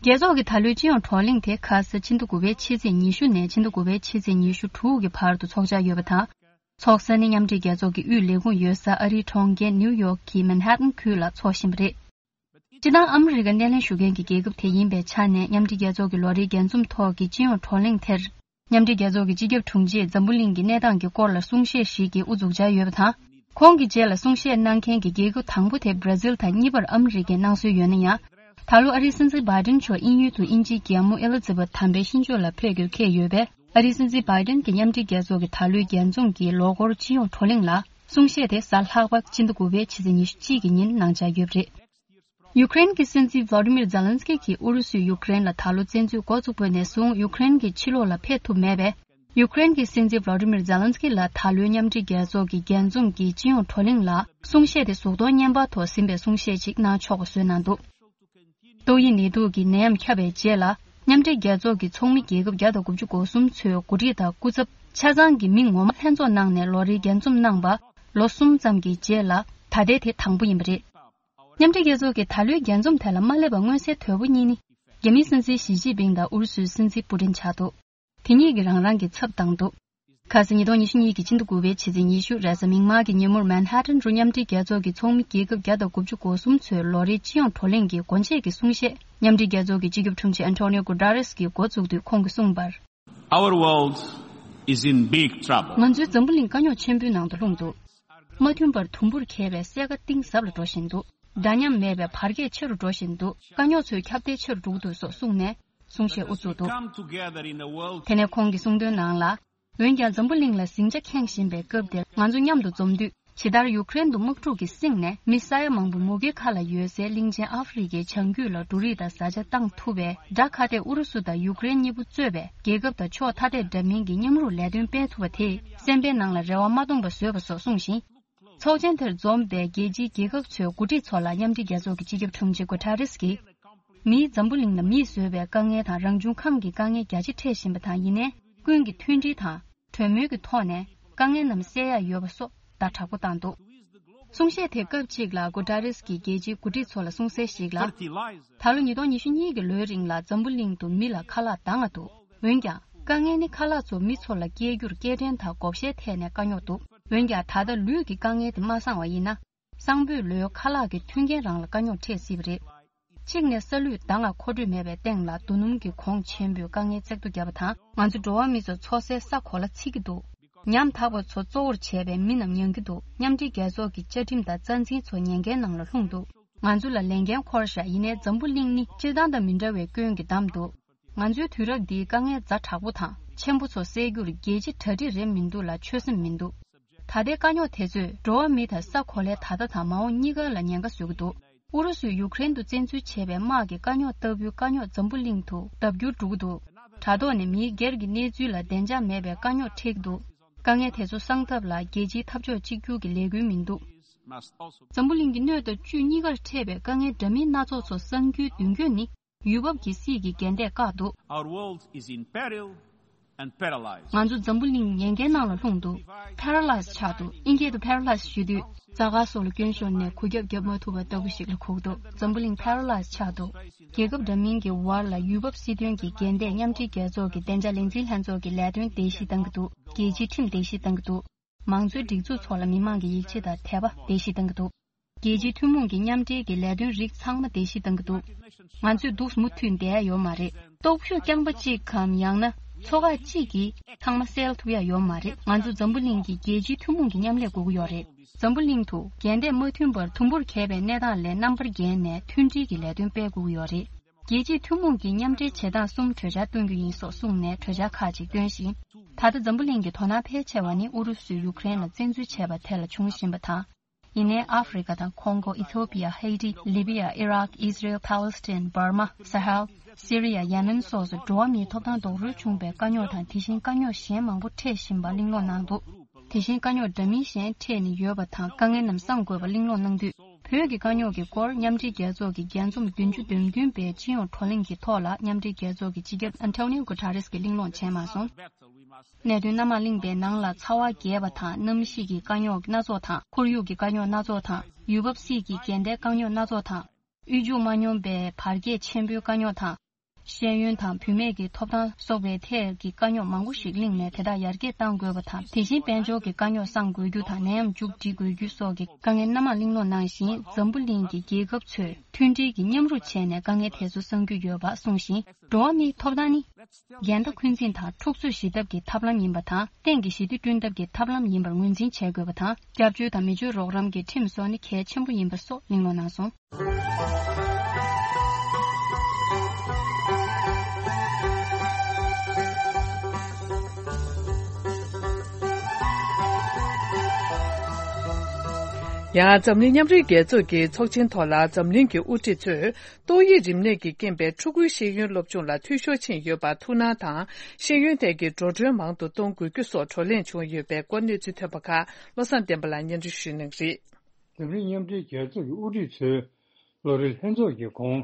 རྒྱལ་ཚོགས་ཀྱི་ད་ལོའི་སྤྱི་ཡོངས་བགྲོ་གླེང་དེ་ཁ་ས་ཕྱི་ཟླ་དགུ་པའི་ཕྱི་ཚེས་ཉི་ཤུ་ནས་ཕྱི་ཟླ་དགུ་པའི་ཕྱི་ཚེས་ཉི་ཤུ་དྲུག་གི་བར་དུ་འཚོགས་འཆར་ཡོད་པ་དང་། འཚོགས་ས་ནི་མཉམ་འབྲེལ་རྒྱལ་ཚོགས་ཀྱི་དབུས་ལས་ཁུངས་ཡོད་ས་ཨ་རིའི་གྲོང་ཁྱེར་ནིའུ་ཡོག་གི་མན་ཧ་ཏན་ཁུལ་ལ་འཚོགས་བཞིན་པ་རེད། སྤྱིར་བཏང་ཨ་མི་རི་ཀ་སྣེ་ལེན་ཞུ་མཁན་གྱི་རྒྱལ་ཁབ་དེ་ཡིན་པའི་ཆ་ནས་མཉམ་འབྲེལ་རྒྱལ་ཚོགས་ཀྱི་ལོ་རེའི་རྒྱས་འཛོམས་ཐོག་གི་སྤྱི་ཡོངས་བགྲོ་གླེང་དེར། མཉམ་འབྲེལ་རྒྱལ་ཚོགས་ཀྱི་སྤྱི་ཁྱབ་དྲུང་ཆེས་འཛམ་བུ་གླིང་གི་གནས་སྟངས་ཀྱི་སྐོར་ལ་གསུང་བཤད་ཞིག་གི་དབུ་འཛུགས་འཆར་ཡོད་པ་དང་། ཁོང་གི་རྗེས་ལ་གསུང་བཤད་གནང་མཁན་གྱི་རྒྱལ་ཁབ་དང་པོ་དེ་བྷྲ་ཟིལ་དང་གཉིས་པར་ཨ་མི་རི་ཀས་གནང་སྲོལ་ཡོད་ན་ཡང་། ད་ལོ་ཨ་རིའི་སྲིད་འཛིན་བྷའི་ཏིན་མཆོག་དབྱིན་ཡུལ་དུ་དབྱིན་ཇིའི་རྒྱལ་མོ་ཨེ་ལི་ཛི་བྷེཐ་དམ་པའི་ཤིང་ལྗོངས་ལ་ཕེབས་རྒྱུར་འཁེལ་ཡོད་པས། ཨ་རིའི་སྲིད་འཛིན་བྷའི་ཏིན་གྱིས་མཉམ་འབྲེལ་རྒྱལ་ཚོགས་ཀྱི་ད་ལོའི་རྒྱས་འཛོམས་ཀྱི་ལོ་འཁོར་སྤྱི་ཡོངས་བགྲོ་གླེང་ལ་གསུང་བཤད་དེ་གཟའ་ལྷག་པ་ཕྱི་ཟླ་དགུ་པའི་ཕྱི་ཚེས་ཉི་ཤུ་གཅིག་གི་ཉིན་གནང་འཆར་ཡོད་པ་རེད། ཡུ་ཀེ་རེན་གྱི་སྲིད་འཛིན་ཝ་ལོ་མིར་ཛེ་ལན་སི་ཀི་གིས་ཨུ་རུ་སུས་ཡུ་ཀེ་རེན་ལ་ད་ལོ་བཙན་འཛུལ་འགོ་བཙུགས་པ་ནས་བཟུང་ཡུ་ཀེ་རེན་གྱི་ཕྱི་ལོགས་ལ་ཕེབས་ཐུབ་མེད་པས། ཡུ་ཀེ་རེན་གྱི་སྲིད་འཛིན་ཝ་ལོ་མིར་ཛེ་ལན་སི་ཀི་ལ་ད་ལོའི་མཉམ་འབྲེལ་རྒྱལ་ཚོགས་ཀྱི་རྒྱས་འཛོམས་ཀྱི་སྤྱི་ཡོངས་བགྲོ་གླེང་ལ་གསུང་བཤད་དེ་གཟུགས་མཐོང་བརྙན་པར་ཐོག་ཟིན་པའི་གསུང་བཤད་ཅིག་གནང་ཆོག་པ་བཟོས་གནང་འདུག་ཏོག་དབྱིབས་ནད་དུག་གི་ནད་ཡམས་ཁྱབ་པའི་རྗེས་ལ། མཉམ་འབྲེལ་རྒྱལ་ཚོགས་ཀྱི་ཚོགས་མི་རྒྱལ་ཁབ་བརྒྱ་དང་དགུ་བཅུ་གོ་གསུམ་ཚོའི་འགོ་ཁྲིད་དང་སྐུ་ཚབ་ཆ་ཚང་གི་མི་ངོ་མ་ལྷན་ཚོགས་གནང་ནས་ལོ་རེའི་རྒྱས་འཛོམས་གནང་པ་ལོ་གསུམ་ཙམ་གྱི་རྗེས་ལ་ད་ལྟའི་དེ་དང་པོ་ཡིན་པ་རེད། མཉམ་འབྲེལ་རྒྱལ་ཚོགས་ཀྱི་ད་ལོའི་རྒྱས་འཛོམས་དེ་ལ་མ་སླེབས་པ་མངོན་གསལ་དོད་པོ་གཉིས་ནི། རྒྱ་མིའི་སྲིད་འཛིན་ཞི་ཅིན་ཕིང་དང་ཨུ་རུ་སུའི་སྲིད་འཛིན་པུ་ཏིན་ཆགས་འདུག་དེ་གཉིས་ཀྱིས་རང་རང་གི་ཚབ་བཏང་འདུག་ཁ་སང་ཉིས་སྟོང་ཉི་ཤུ་གཉིས་ཀྱི་ཕྱི་ཟླ་དགུ་པའི་ཕྱི་ཚེས་ཉི་ཤུ་རེས་གཟའ་མིག་དམར་གྱི་ཉིན་མོར་མན་ཧ་ཏན་རུ་མཉམ་འབྲེལ་རྒྱལ་ཚོགས་ཀྱི་ཚོགས་མི་རྒྱལ་ཁབ་བརྒྱ་དང་དགུ་བཅུ་གོ་གསུམ་ཚོའི་ལོ་རེའི་སྤྱི་ཡོངས་བགྲོ་གླེང་གི་སྒོ་འབྱེད་ཀྱི་གསུང་བཤད་མཉམ་འབྲེལ་རྒྱལ་ཚོགས་ཀྱི་སྤྱི་ཁྱབ་དྲུང་ཆེ་ཨན་ཏོ་ནིའོ་གུ་ཏ་རེས་ཀྱིས་འགོ་བཙུགས་དུས་ཁོང་གིས་གསུངས་པར། Our world is in big trouble. ང་ཚོའི་འཛམ་བུ་གླིང་དཀའ་རྙོག་ཆེན་པོའི་ནང་དུ་ལྷུང་འདུག་མ་མཐུན་པར་དུམ་བུར་གྱེས་པའི་སེར་ཀ་གཏིང་ཟབ་ལ་འགྲོ་བཞིན་འདུག་འདྲ་མཉམ་མེད་པའི་བར་ཁྱད་ཆེ་རུ་འགྲོ་བཞིན་འདུག་དཀའ་རྙོག་ཚོའི་ཁྱབ་གདལ་ཆེ་རུ་འགྲོ་གི་འདུག་སོགས་གསུངས་ནས། གསུང་བཤད་དབུ་ཚུགས་འདུག Come together in a world དེ་ནས་ཁོང་གི་གསུང་དོན་ནང་ལ། འོན་ཀྱང་འཛམ་བུ་གླིང་ལ་ཟིང་ཆ་ཁེངས་བཞིན་པའི་སྐབས་འདིར་ང་ཚོ་མཉམ་དུ་འཛོམས་དུས། ཇི་ལྟར་ཡུ་ཀེ་རེན་དུ་དམག་འཁྲུག་གིས་བསྲིངས་ནས་མི་ས་ཡ་མང་པོ་མུ་གེ་ཁ་ལ་ཡོད་སའི་གླིང་ཆེན་ཨ་ཧྥེ་རི་ཁའི་བྱང་རྒྱུད་ལ་འབྲུ་རིགས་དང་བཟའ་བཅའ་བཏང་ཐུབ་པའི་དགྲ་ཁ་གཏད་ཨུ་རུ་སུ་དང་ཡུ་ཀེ་རེན་གཉིས་པོ་གཙོས་པའི་རྒྱལ་ཁབ་དང་ཕྱོགས་ཐ་དད་འདྲ་མིན་གྱི་མཉམ་རུབ་ལས་དོན་སྤེལ་ཐུབ་པ་དེས་སེམས་པའི་ནང་ལ་རེ་བ་མ་སྟོངས་པ་བཟོས་པ་སོགས་གསུངས་ཤིང་། ཚོགས་ཆེན་དེར་འཛོམས་པའི་རྒྱལ་སྤྱིའི་རྒྱལ་ཁབ་ཚོའི་འགོ་ཁྲིད་ཚོ་ལ་མཉམ་འབྲེལ་རྒྱལ་ཚོགས་ཀྱི་སྤྱི་ཁྱབ་དྲུང་ཆེ་གུ་ཐ་རེས་ཀྱིས། མིས་འཛམ་བུ་གླིང་ལ་མིས་བཟོས་པའི་དཀའ་ངལ་དང་རང་བྱུང་ཁམས་ཀྱི་དཀའ་ངལ་རྒྱ་ཆེ་འཕྲད་བཞིན་པ་དང་ཡིན་ནའི། ཀུན་གྱིས་མཐུན་སྒྲིལ་དང་། གྲོས་མོལ་གྱི་ཐོག་ནས་དཀའ་ངལ་རྣམས་སེལ་ཡ་ཡོད་པ་སོགས་བརྡ་དྲག་པོ་བཏང་འདུག་གསུང་བཤད་དེ་སྐབས་གཅིག་ལ་གུ་ཏ་རེས་ཀྱིས་རྒྱལ་སྤྱིའི་འགོ་ཁྲིད་ཚོ་ལ་གསུངས་གསལ་ཞིག་ལ། ད་ལོ་ཉིས་སྟོང་ཉི་ཤུ་གཉིས་ཀྱི་ལོའི་རིང་ལ་འཛམ་བུ་གླིང་དུ་མི་ལ་ཁ་ལག་འདང་ང་འདུག་འོན་ཀྱང་། དཀའ་ངལ་ནི་ཁ་ལག་ཚོ་མི་ཚོ་ལ་སྐྱེལ་རྒྱུར་སྐྱེལ་འདྲེན་དང་བགོ་བཤའི་ཐད་ནས་དཀའ་རྙོག་འདུག་འོན་ཀྱང་། ད་ལྟ་ལུས་ཀྱི་དཀའ་ངལ་དེ་མ་སངས་པ་ཡིན་ན། སང་ཕོད་ལོའི་ཁ་ལག་གི་མཐུན་རྐྱེན་རང་ལ་དཀའ་རྙོག་འཕྲད་སྲིད་པ་རེད། གཅིག་ནས་ས་ལུད་འདང་ང་མཁོ་སྤྲོད་མེད་པའི་སྟེང་ལ་རྡོ་སྣུམ་གྱི་གོང་ཆེན་པོས་དཀའ་ངལ་བརྩེགས་གཏོར་བརྒྱབ་པ་དང་། ང་ཚོ་འགྲོ་བ་མི་ཚོ་འཚོ་སའི་ས་གོ་ལ་འཚིག་གི་འདུག་ཉམ་ཐག་པ་ཚོ་གཙོ་བོར་བྱས་པའི་མི་རྣམས་མྱང་གི་འདུག་མཉམ་འབྲེལ་རྒྱལ་ཚོགས་ཀྱི་བཅའ་ཁྲིམས་དང་རྩ་འཛིན་ཚོ་ཉེན་ཁའི་ནང་ལ་ལྷུང་འདུག་ང་ཚོ་ལ་ལས་འགན་འཁོར་བཞག་ཡིན་ནའི་འཛམ་བུ་གླིང་ནི་སྤྱིར་བཏང་དང་མི་འདྲ་བའི་སྐྱོན་གྱིས་བསྡམས་འདུག་ང་ཚོའི་དུས་རབས་འདིའི་དཀའ་ངལ་ཛ་དྲག་པོ་དང་ཆེན་པོ་ཚོ་སེལ་རྒྱུར་རྒྱལ་སྤྱི་གྲ་སྒྲིག་རེད་མི་འདུག་ལ་ཆོད་སེམས་མི་འདུག་ད་ལྟའི་དཀའ་རྙོག་དེ་ཚོས་འགྲོ་བ་མི་དང་ས་གོ་ལའི་ད་ལྟ་དང་མ་འོངས་གཉིས་ཀ་ལ་ཉེན་ཁ་བཟོ་གི་འདུག་ཨུ་རུ་སུས་ཡུ་ཀེ་རེན་དུ་བཙན་འཛུལ་བྱས་པའི་དམག་གི་དཀའ་རྙོག་ལྟ་བུའི་དཀའ་རྙོག་འཛམ་བུ་གླིང་དུ་ལྡབ་འགྱུར་འགྲོ་གི་འདུག་དྲ་ཐོག་ནས་མིའི་སྒེར་གྱི་གནས་ཚུལ་ལ་བདེ་འཇགས་མེད་པའི་དཀའ་རྙོག་འཕྲད་ཀྱི་འདུག་དཀའ་ངལ་དེ་ཚོ་སངས་ཐབས་ལ་རྒྱལ་སྤྱིའི་འཐབ་ཕྱོགས་གཅིག་གྱུར་གྱི་ལས་འགུལ་མི་འདུག་འཛམ་བུ་གླིང་གི་སྣོད་དང་བཅུད་གཉིས་ཀར་འཕྲད་པའི་དཀའ་ངལ་འདྲ་མིན་སྣ་ཚོགས་ཚོ་གསང་རྒྱུའི་མདུན་སྐྱོད་ནི། ཡུལ་བབ་ཀྱི་སྲིད་ཀྱི་འགལ་ཟླས་བཀག་འདུག Our world is in peril and paralyzed. ང་ཚོ་འཛམ་བུ་གླིང་ཉེན་ཁའི་ནང་ལ་ལྷུང་འདུག Paralyzed ཆགས་འདུག་དབྱིན་སྐད་དུ་paralyzed ཞུ་དུས། རྩྭ་ཁ་སོགས་ལ་སྐྱོན་ཤོར་ནས་གུག་རྒྱབ་རྒྱབ་མ་ཐུབ་པ་ལྟ་བུ་ཞིག་ལ་གུག་འདུག་འཛམ་བུ་གླིང་paralyzed ཆགས་འདུག་རྒྱལ་ཁབ་འདྲ་མིན་གྱི་བར་ལ་ཡུལ་བབ་སྲིད་དོན་གྱི་འགལ་ཟླས་མཉམ་འབྲེལ་རྒྱལ་ཚོགས་ཀྱི་བདེ་འཇགས་ལས་འཛིན་ལྷན་ཚོགས་ཀྱི་ལས་དོན་བརྡལ་བཤིག་བཏང་གི་འདུག་རྒྱལ་སྤྱིའི་ཁྲིམས་བརྡལ་བཤིག་བཏང་གི་འདུག་མང་གཙོའི་སྒྲིག་འཛུགས་ཚོགས་ལ་མི་མང་གི་ཡིད་ཆེས་དང་དད་པ་བརྡལ་བཤིག་བཏང་གི་འདུག་རྒྱལ་སྤྱིའི་ཐུན་མོང་གི་མཉམ་འབྲེལ་གྱི་ལས་དོན་རིགས་ཚང་མ་བརྡལ་བཤིག་བཏང་གི་འདུག་ང་ཚོས་འདུག་སེ་མུ་མཐུད་བསྡད་ཡ་ཡོད་མ་རེད། སྟོབས་ཤུགས་རྐྱང་པ་གཅིག་གམ་ཡང་ན་ཚོ་ཁག་གཅིག་གིས་ཚང་མ་སེལ་ཐུབ་ཡ་ཡོད་མ་རེད། ང་ཚོ་འཛམ་བུ་གླིང་གི་རྒྱལ་སྤྱིའི་ཐུན་མོང་གི་མཉམ་ལས་དགོས་ཀྱི་ཡོད་རེད། འཛམ་བུ་གླིང་དུ་འགལ་ཟླས་མ་མཐུན་པར་དུམ་བུར་གྱེས་པའི་གནས་སྟངས་ལས་རྣམ་པར་རྒྱལ་ནས་མཐུན་སྒྲིལ་གྱི་ལས་དོན་སྤེལ་དགོས་ཀྱི་ཡོད་རེད། རྒྱལ་སྤྱིའི་ཐུན་མོང་གི་མཉམ་འབྲེལ་བྱེད་སྟངས་གསུམ་གྲོས་འཆར་བཏོན་རྒྱུ་ཡིན་སོགས་གསུངས་ནས་གྲོས་འཆར་ཁག་ཅིག་བཏོན་ཞིང་། ད་ལྟ་འཛམ་བུ་གླིང་གི་དོ་སྣང་ཕལ་ཆེ་བ་ནི་ཨུ་རུ་སུས་ཡུ་ཀེ་རེན་ལ་བཙན་འཛུལ་བྱས་པ་དེ་ལ་བྱུང་བཞིན་པ་དང་། ཡིན་ནའི་ཨ་ཧྥེ་རི་ཀ་དང་ཁོང་གོ། ཨི་ཐོ་པི་ཡ། ཧེ་ཏི། ལི་བི་ཡ། ཨི་རག་ཨིས་རལ། པ་ལི་སི་ཐན། འབར་མ། ས་ཧལ། སི་རི་ཡ། ཡེ་མེན་སོགས་སུ་འགྲོ་བ་མིའི་ཐོབ་ཐང་རྡོག་རོལ་བྱུང་བའི་དཀའ་རྙོག་དང་དེ་བཞིན་དཀའ་རྙོག་གཞན་མང་པོ་འཕྲད་བཞིན་པ་གླེང་སློང་གནང་འདུག་དེ་བཞིན་དཀའ་རྙོག་འདྲ་མིན་གཞན་འཕྲད་ནས་ཡོད་པ་དང་དཀའ་ངལ་རྣམས་སངས་དགོས་པ་གླེང་སློང་གནང་དུས། བོད་ཀྱི་དཀའ་རྙོག་གི་སྐོར་མཉམ་འབྲེལ་རྒྱལ་ཚོགས་ཀྱི་རྒྱས་འཛོམས་བདུན་ཅུ་དོན་བདུན་པའི་སྤྱི་ཡོངས་བགྲོ་གླེང་གི་ཐོག་ལ་མཉམ་འབྲེལ་རྒྱལ་ཚོགས་ཀྱི་སྤྱི་ཁྱབ་ཨན་ཐོ་ནིའོ་གུ་ཐ་རེས་ཀྱིས་གླེང་སློང་བྱས་མ་སོང་། གནད་དོན་སྣ་མང་གླེང་པའི་ནང་ལ་ཚ་བ་རྒྱས་པ་དང་གནམ་གཤིས་ཀྱི་དཀའ་རྙོག་སྣ་ཚོགས་དང་ཁོར་ཡུག་གི་དཀའ་རྙོག་སྣ་ཚོགས་དང་ཡུལ་བབ་སྲིད་ཀྱི་འགལ་ཟླའི་དཀའ་རྙོག་སྣ་ཚོགས་དང་། དབུལ་ཕྱུག་མ་སྙོམས་པའི་བར་ཁྱད་ཆེན་པོའི་དཀའ་རྙོག་དང་ ཤེས་ཡོན་དང་བུད་མེད་ཀྱི་ཐོབ་ཐང་སོགས་པའི་ཐད་ཀྱི་དཀའ་རྙོག་མང་པོ་ཞིག་གླེང་ནས་དེ་དག་ཡར་རྒྱས་གཏང་དགོས་པ་དང་། དེ་བཞིན་དཔལ་འབྱོར་གྱི་དཀའ་རྙོག་སངས་དགོས་རྒྱུ་དང་། ནད་ཡམས་མཇུག་སྒྲིལ་དགོས་རྒྱུ་སོགས་ཀྱི་དཀའ་ངལ་སྣ་མང་གླེང་སློང་གནང་བཞིན། འཛམ་བུ་གླིང་གི་རྒྱལ་ཁབ་ཚོས་མཐུན་སྒྲིལ་གྱིས་མཉམ་རུབ་བྱས་ནས་དཀའ་ངལ་དེ་ཚོ་སངས་རྒྱུ་ཡོད་པ་གསུངས་ཤིང་། འགྲོ་བ་མིའི་ཐོབ་ཐང་ནི་འགལ་ཟླ་འཁོན་འཛིན་དང་འཁྲུག་རྩོད་ཞི་ཐབས་ཀྱི་ཐབས་ལམ་ཡིན་པ་དང་། གཏན་གྱི་ཞི་བདེ་བསྐྲུན་ཐབས་ཀྱི་ཐབས་ལམ་ཡིན་པར་ངོས་འཛིན་བྱེད་དགོས་པ་དང་། སྐྱབས་བཅོལ་དང་མི་ཆོས་རོགས་རམ་གྱི་ཁྲིམས་སོགས་ནི་གལ་ཆེན་པོ་ཡིན་པ་སོགས་གླེང་སློང་གནང་སོང་། ཡང་འཛམ་གླིང་མཉམ་འབྲེལ་རྒྱལ་ཚོགས་ཀྱི་ཚོགས་ཆེན་ཐོག་ལ་འཛམ་གླིང་གི་དབུ་ཁྲིད་ཚོས་ཏོག་དབྱིབས་རིམས་ནད་ཀྱི་རྐྱེན་པས་ཕྲུ་གུའི་ཤེས་ཡོན་སློབ་སྦྱོང་ལ་འཐུས་ཤོར་ཕྱིན་ཡོད་པར་ཐུགས་སྣང་དང་། ཤེས་ཡོན་ཐད་ཀྱི་འགྲོ་གྲོན་མང་དུ་གཏོང་དགོས་རྒྱུ་སོགས་བགྲོ་གླེང་བྱུང་ཡོད་པའི་སྐོར་གནས་ཚུལ་ཐོན་པ་ཁག་བློ་བཟང་བསྟན་པ་ལགས་སྙན་སྒྲོན་ཞུ་གནང་གི་རེད། འཛམ་གླིང་མཉམ་འབྲེལ་རྒྱལ་ཚོགས་ཀྱི་དབུ་ཁྲིད་ཚོས་ལོ་རེའི་ལྷན་ཚོགས་ཀྱི་གོང་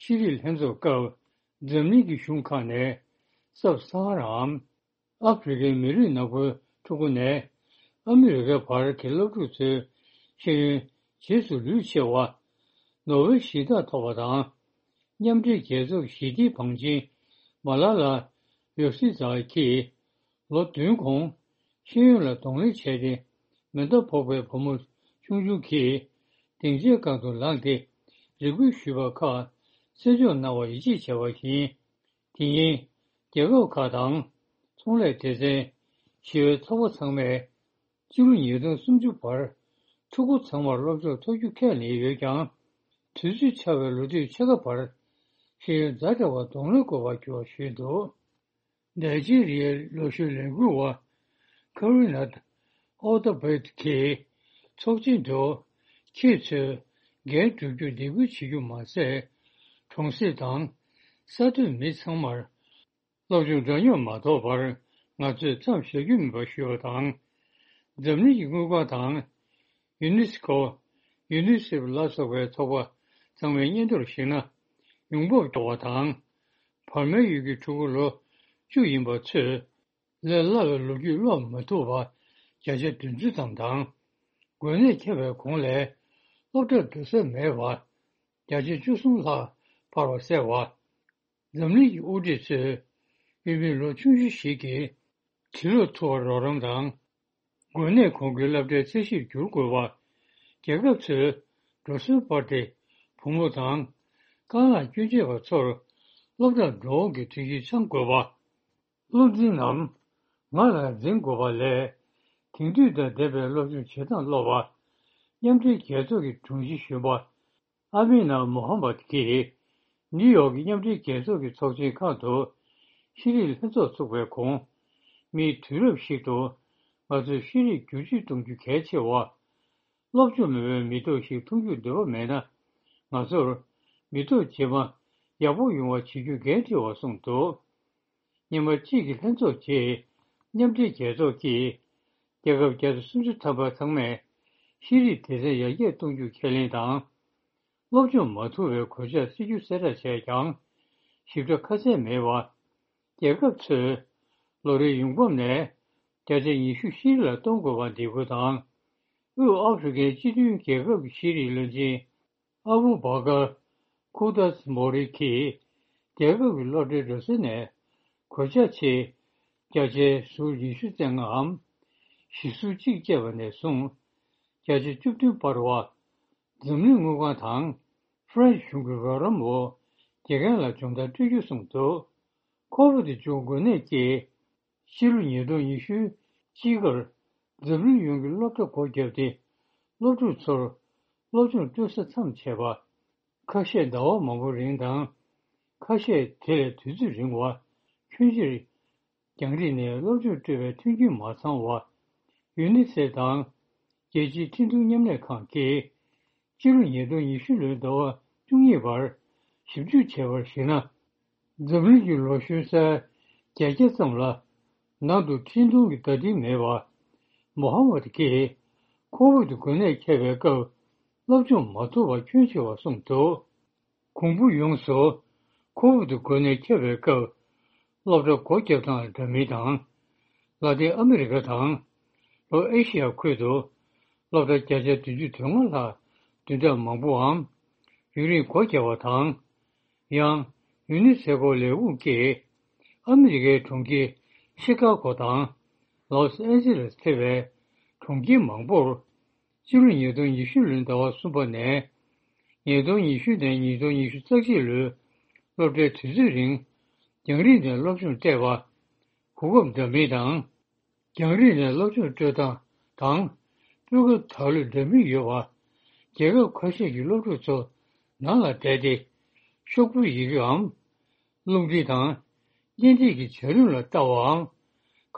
ཤེས་རིག་ལྷན་ཚོགས་སྐབས་འཛམ་གླིང་གི་གཞུང་ཁག་ནས་སབ་ས་ཧ་ར་འམ་ཨ་ཧྥེ་རི་ཁའི་མི་རིགས་ནག་པོའི་ཕྲུ་གུ་ནས་ཨ་མི་རི་ཀའི་བར་གྱི་སློབ་ཕྲུག་ཚོའི་ཤེས་ཡོན་རྗེས་སུ་ལུས་ཆེ་བ། ནོ་བེལ་ཞི་བདེ་ཐོབ་པ་དང་། མཉམ་འབྲེལ་རྒྱལ་ཚོགས་ཞི་བདེའི་བང་ཆེན་མ་ལ་ལ་ཡོ་སི་ཛཱ་གིས་ལོ་བདུན་གོང་ཤེས་ཡོན་ལ་གདོང་ལེན་བྱས་ཏེ་མེ་མདའ་ཕོག་པའི་བུ་མོ་ཆུང་ཆུང་གིས་སྡིངས་ཆའི་སྒང་དུ་ལངས་ཏེ་རེ་སྐུལ་ཞུས་པ་ཁག་གསན་འཇོག་གནང་བར་ཡིད་ཆེས་བྱས་པ་བཞིན། དེ་ཉིན་རྒྱལ་ཁབ་ཁག་དང་ཚོང་ལས་སྡེ་ཚན། ཞི་བའི་ཚོགས་པ་ཚང་མས་ཕྱི་ལོ་ཉིས་སྟོང་སུམ་ཅུ་བར་ཕྲུ་གུ་ཚང་མར་སློབ་སྦྱོང་ཐོབ་རྒྱུ་ཁས་ལེན་ཡོད་ཀྱང་། དུས་ཚོད་ཆག་པའི་ལོ་དུས་ཕྱེད་ཀ་བར་ཤེས་ཡོན་ཛ་དྲག་པར་གདོང་ལེན་དགོས་པར་གྱུར་བ་ཞུས་འདུག། ནཱི་ཇི་རི་ཡའི་ལོ་གཞོན་ལས་འགུལ་བ་ཁ་རི་ན་ཨོ་ཏ་བེད་ཀྱིས་ཚོགས་ཆེན་དུ་ཁྱེད་ཚོས་འགན་སྒྲུབ་རྒྱུར་སྡིགས་སྐུལ་བྱེད་རྒྱུ་མ་ཟད། གྲོང་གསེབ་དང་ས་མཐོའི་མི་ཚང་མར་སློབ་སྦྱོང་འདྲ་མཉམ་མ་ཐོབ་པར་ང་ཚོས་མཚམས་བཞག་རྒྱུ་མིན་པ་ཞུས་པ་དང་། འཛམ་གླིང་གི་དངུལ་ཁང་དང་། ཡུ་ནེ་སི་ཀོ། ཡུ་ནི་སེབ་ལ་སོགས་པའི་ཚོགས་པ་ཚང་མའི་སྙན་ཐོར་གཞིགས་ན། ཡོང་འབབ་སྐྱོ་བ་དང་། བར་མའི་ཡུལ་གྱི་ཕྲུ་གུ་ལོ་བཅུ་ཡིན་པ་ཚོས་ལས་སླ་བའི་ལོ་རྒྱུས་ཀློག་མ་ཐུབ་པ་བརྒྱ་ཆ་བདུན་ཅུ་ཙམ་དང་། འགོས་ནད་ཁྱབ་པའི་གོང་ལས་སློབ་གྲྭར་འགྲོ་ས་མེད་པ་བརྒྱ་ཆ་བཅུ་གསུམ་ལྷག་འཕར་བ་གསལ་བ། འཛམ་གླིང་གི་དབུ་ཁྲིད་ཚོས་ཡུལ་མི་ལོ་ཆུང་ཆུང་ཞིག་གིས་འབྲི་ཀློག་ཐུབ་པར་རོགས་རམ་དང་། འགོས་ནད་གོང་གི་སློབ་གྲྭའི་ཚད་གཞིར་འགྱུར་དགོས་པ། རྒྱལ་ཁབ་ཚོས་འགྲོ་སོན་སྤར་ཏེ་བུ་མོ་དང་། རྐང་ལག་སྐྱོན་ཆེ་བ་ཚོར་སློབ་གྲྭར་འགྲོ་འོང་གི་སྒྲིག་གཞི་འཆང་དགོས་པ། སློབ་འཛིན་ནམ་ང་ལ་འཛིན་དགོས་པ་ལས། དེང་དུས་དང་ལྡན་པའི་སློབ་སྦྱོང་བྱེད་སྟངས་སློབ་པ། མཉམ་འབྲེལ་རྒྱལ་ཚོགས་ཀྱི་དྲུང་ཆེ་གཞོན་པ་ཨ་མི་ན་མོ་ཧམ་མད་ཀྱིས་ནིའུ་ཡོག་གི་མཉམ་འབྲེལ་རྒྱལ་ཚོགས་ཀྱི་ཚོགས་ཆེན་ཁག་ཏུ་ཤེས་རིག་ལྷན་ཚོགས་ཚུགས་པའི་གོང་། མིའི་དུས་རབས་ཤིག་ཏུ་ང་ཚོས་ཤེས་རིག་བསྒྱུར་བཅོས་གཏོང་རྒྱུ་གལ་ཆེ་བ། སློབ་སྦྱོང་མེད་པའི་མི་ཐོག་ཞིག་མཐོང་རྒྱུར་འདོད་པ་མེད་ན། ང་ཚོར་མི་ཐོག་རྗེས་མ་ཡག་པོ་ཡོང་བ་བྱེད་རྒྱུ་འགན་འཁྲི་བར་གསུངས་འདུག། ཉི་མ་གཅིག་གི་ལྷན་ཚོགས་རྗེས། མཉམ་འབྲེལ་རྒྱལ་ཚོགས་ཀྱིས་རྒྱལ་ཁབ་བརྒྱ་དང་སུམ་ཅུ་ཐམ་པ་ཚང་མས་ཤེས་རིག་སྡེ་ཚན་ཡར་རྒྱས་གཏོང་རྒྱུ་ཁས་ལེན་དང་། སློབ་སྦྱོང་མ་ཐུབ་པའི་གོད་ཆག་སེལ་རྒྱུ་གསལ་བསྒྲགས་བྱས་ཀྱང་། ཞིབ་ཕྲ་ཁ་གསལ་མེད་པ། རྒྱལ་ཁབ་ཚོས་ལོ་རེའི་ཡོང་འབབ་ནས་བརྒྱ་ཆ་ཉི་ཤུ་ཤེས་རིག་ལ་གཏོང་དགོས་པར་འདེད་སྐུལ་དང་། དབུས་ཨ་ཧྥེ་རི་ཁའི་སྤྱི་མཐུན་རྒྱལ་ཁབ་ཀྱི་ཤེས་རིག་བློན་ཆེན་ཨ་བུ་བྷ་ཀར་ཁུ་དཱས་མོ་རི་ཀིས་རྒྱལ་ཁབ་ཀྱི་སློབ་གྲྭའི་འགྲོ་སོན་ནས་གོད་ཆག་ཆེ་བརྒྱ་ཆའི་ཟུར་ཉི་ཤུ་རྩ་ལྔའམ་བཞི་ཟུར་གཅིག་བཅས་པ་ནས་བཟུང་བརྒྱ་ཆ་བཅུ་བདུན་སྤར་བ། འཛམ་གླིང་དངུལ་ཁང་དང་ཧྥ་རན་སི་གཞུང་གི་རོགས་རམ་འོག་དགེ་རྒན་ལ་སྦྱོང་བརྡར་སྤྲོད་རྒྱུ་གསུངས་འདུག། ཁོ་བོ་དེ་བྱུང་འགོས་ནད་ཀྱིས། ཕྱི་ལོ་ཉིས་སྟོང་ཉི་ཤུ་གཅིག་ཁར་འཛམ་གླིང་ཡོངས་ཀྱི་སློབ་གྲྭ་སྒོ་བརྒྱབ་སྟེ། སློབ་ཕྲུག་ཚོར་སློབ་སྦྱོང་སྤྲོད་ས་མཚམས་ཆད་པ། ཁ་ཤས་ཟླ་བ་མང་པོ་རིང་དང་། ཁ་ཤས་དེ་ལས་དུས་ཚོད་རིང་བ། ཁྱོན་ཆེར་རྒྱང་རིང་ནས་སློབ་སྦྱོང་སྤྲོད་པའི་མཐུན་རྐྱེན་མ་ཚང་བ། ཡུ་ནི་སེབ་དང་རྒྱལ་སྤྱིའི་འཕྲིན་ཐུང་མཉམ་ལས་ཁང་གིས། སྤྱི་ལོ་ཉིས་སྟོང་ཉི་ཤུ་ལོའི་ཟླ་བ་བཅུ་གཉིས་བར་ཞིབ་འཇུག་བྱས་པར་གཞིགས་ན། འཛམ་གླིང་གི་ལོ་གཞོན་སའི་བརྒྱད་བརྒྱ་ཙམ་ལ་ནང་དུ་འཕྲིན་ཐུང་གི་བརྡ་འཕྲིན་མེད་པ། མོ་ཧམ་མད་ཀྱིས་ཁོ་བོད་དུ་འགོས་ནད་ཁྱབ་པའི་སྐབས་སློབ་སྦྱོང་མ་ཐུབ་པ་ཁྱོན་ཆེ་བ་གསུངས་འདུག། གོང་བུ་ཡོངས་སུ་ཁོ་བོད་དུ་འགོས་ནད་ཁྱབ་པའི་སྐབས་སློབ་གྲྭ་སྒོ་བརྒྱབ་སྟངས་ལ་འདྲ་མིན་དང་། ལ་ཏིན་ཨ་མི་རི་ཀ་དང་། ལྷོ་ཨེ་ཤི་ཡ་ཁུལ་དུ་སློབ་གྲྭ་བརྒྱ་ཆ་བདུན་ཅུ་དོན་ལྔ་ལྷག་བདུན་ཕྲག་མང་པོའམ་ཡུན་རིང་སྒོ་བརྒྱབ་པ་དང་། ཡང་ ཡུ་ནི་སེ་ཕོ་ལས་ཁུངས་ཀྱིས་ཨ་མི་རི་ཀའི་གྲོང་ཁྱེར་ཤི་ཀ་གོ་དང་ལོས་ཨན་ཇི་ལེས་ཐེ་བའི་གྲོང་ཁྱེར་མང་པོར་ཕྱི་ལོ་ཉིས་སྟོང་ཉི་ཤུ་ལོའི་ཟླ་བ་གསུམ་པ་ནས་ཉིས་སྟོང་ཉི་ཤུ་ནས་ཉིས་སྟོང་ཉི་ཤུ་རྩ་གཅིག་ལོའི་སློབ་གྲྭའི་དུས་ཚོད་རིང་རྒྱང་རིང་ནས་སློབ་སྦྱོང་སྤྲད་པ། གོ་སྐབས་འདྲ་མིན་དང་། རྒྱང་རིང་ནས་སློབ་སྦྱོང་སྤྲོད་སྟངས་དང་། སྤུས་ཀ་དག་ལོས་འདྲ་མིན་ཡོད་པ། རྒྱལ་ཁབ་ཁ་ཤས་ཀྱི་སློབ་ཕྲུག་ཚོ་ནང་ལ་བསྡད་དེ། ཤོག་བུའི་ཡི་གེའམ། རླུང་འཕྲིན་དང་། བརྙན་འཕྲིན་གྱི་བྱ་རིམ་ལ་ལྟ་བའམ།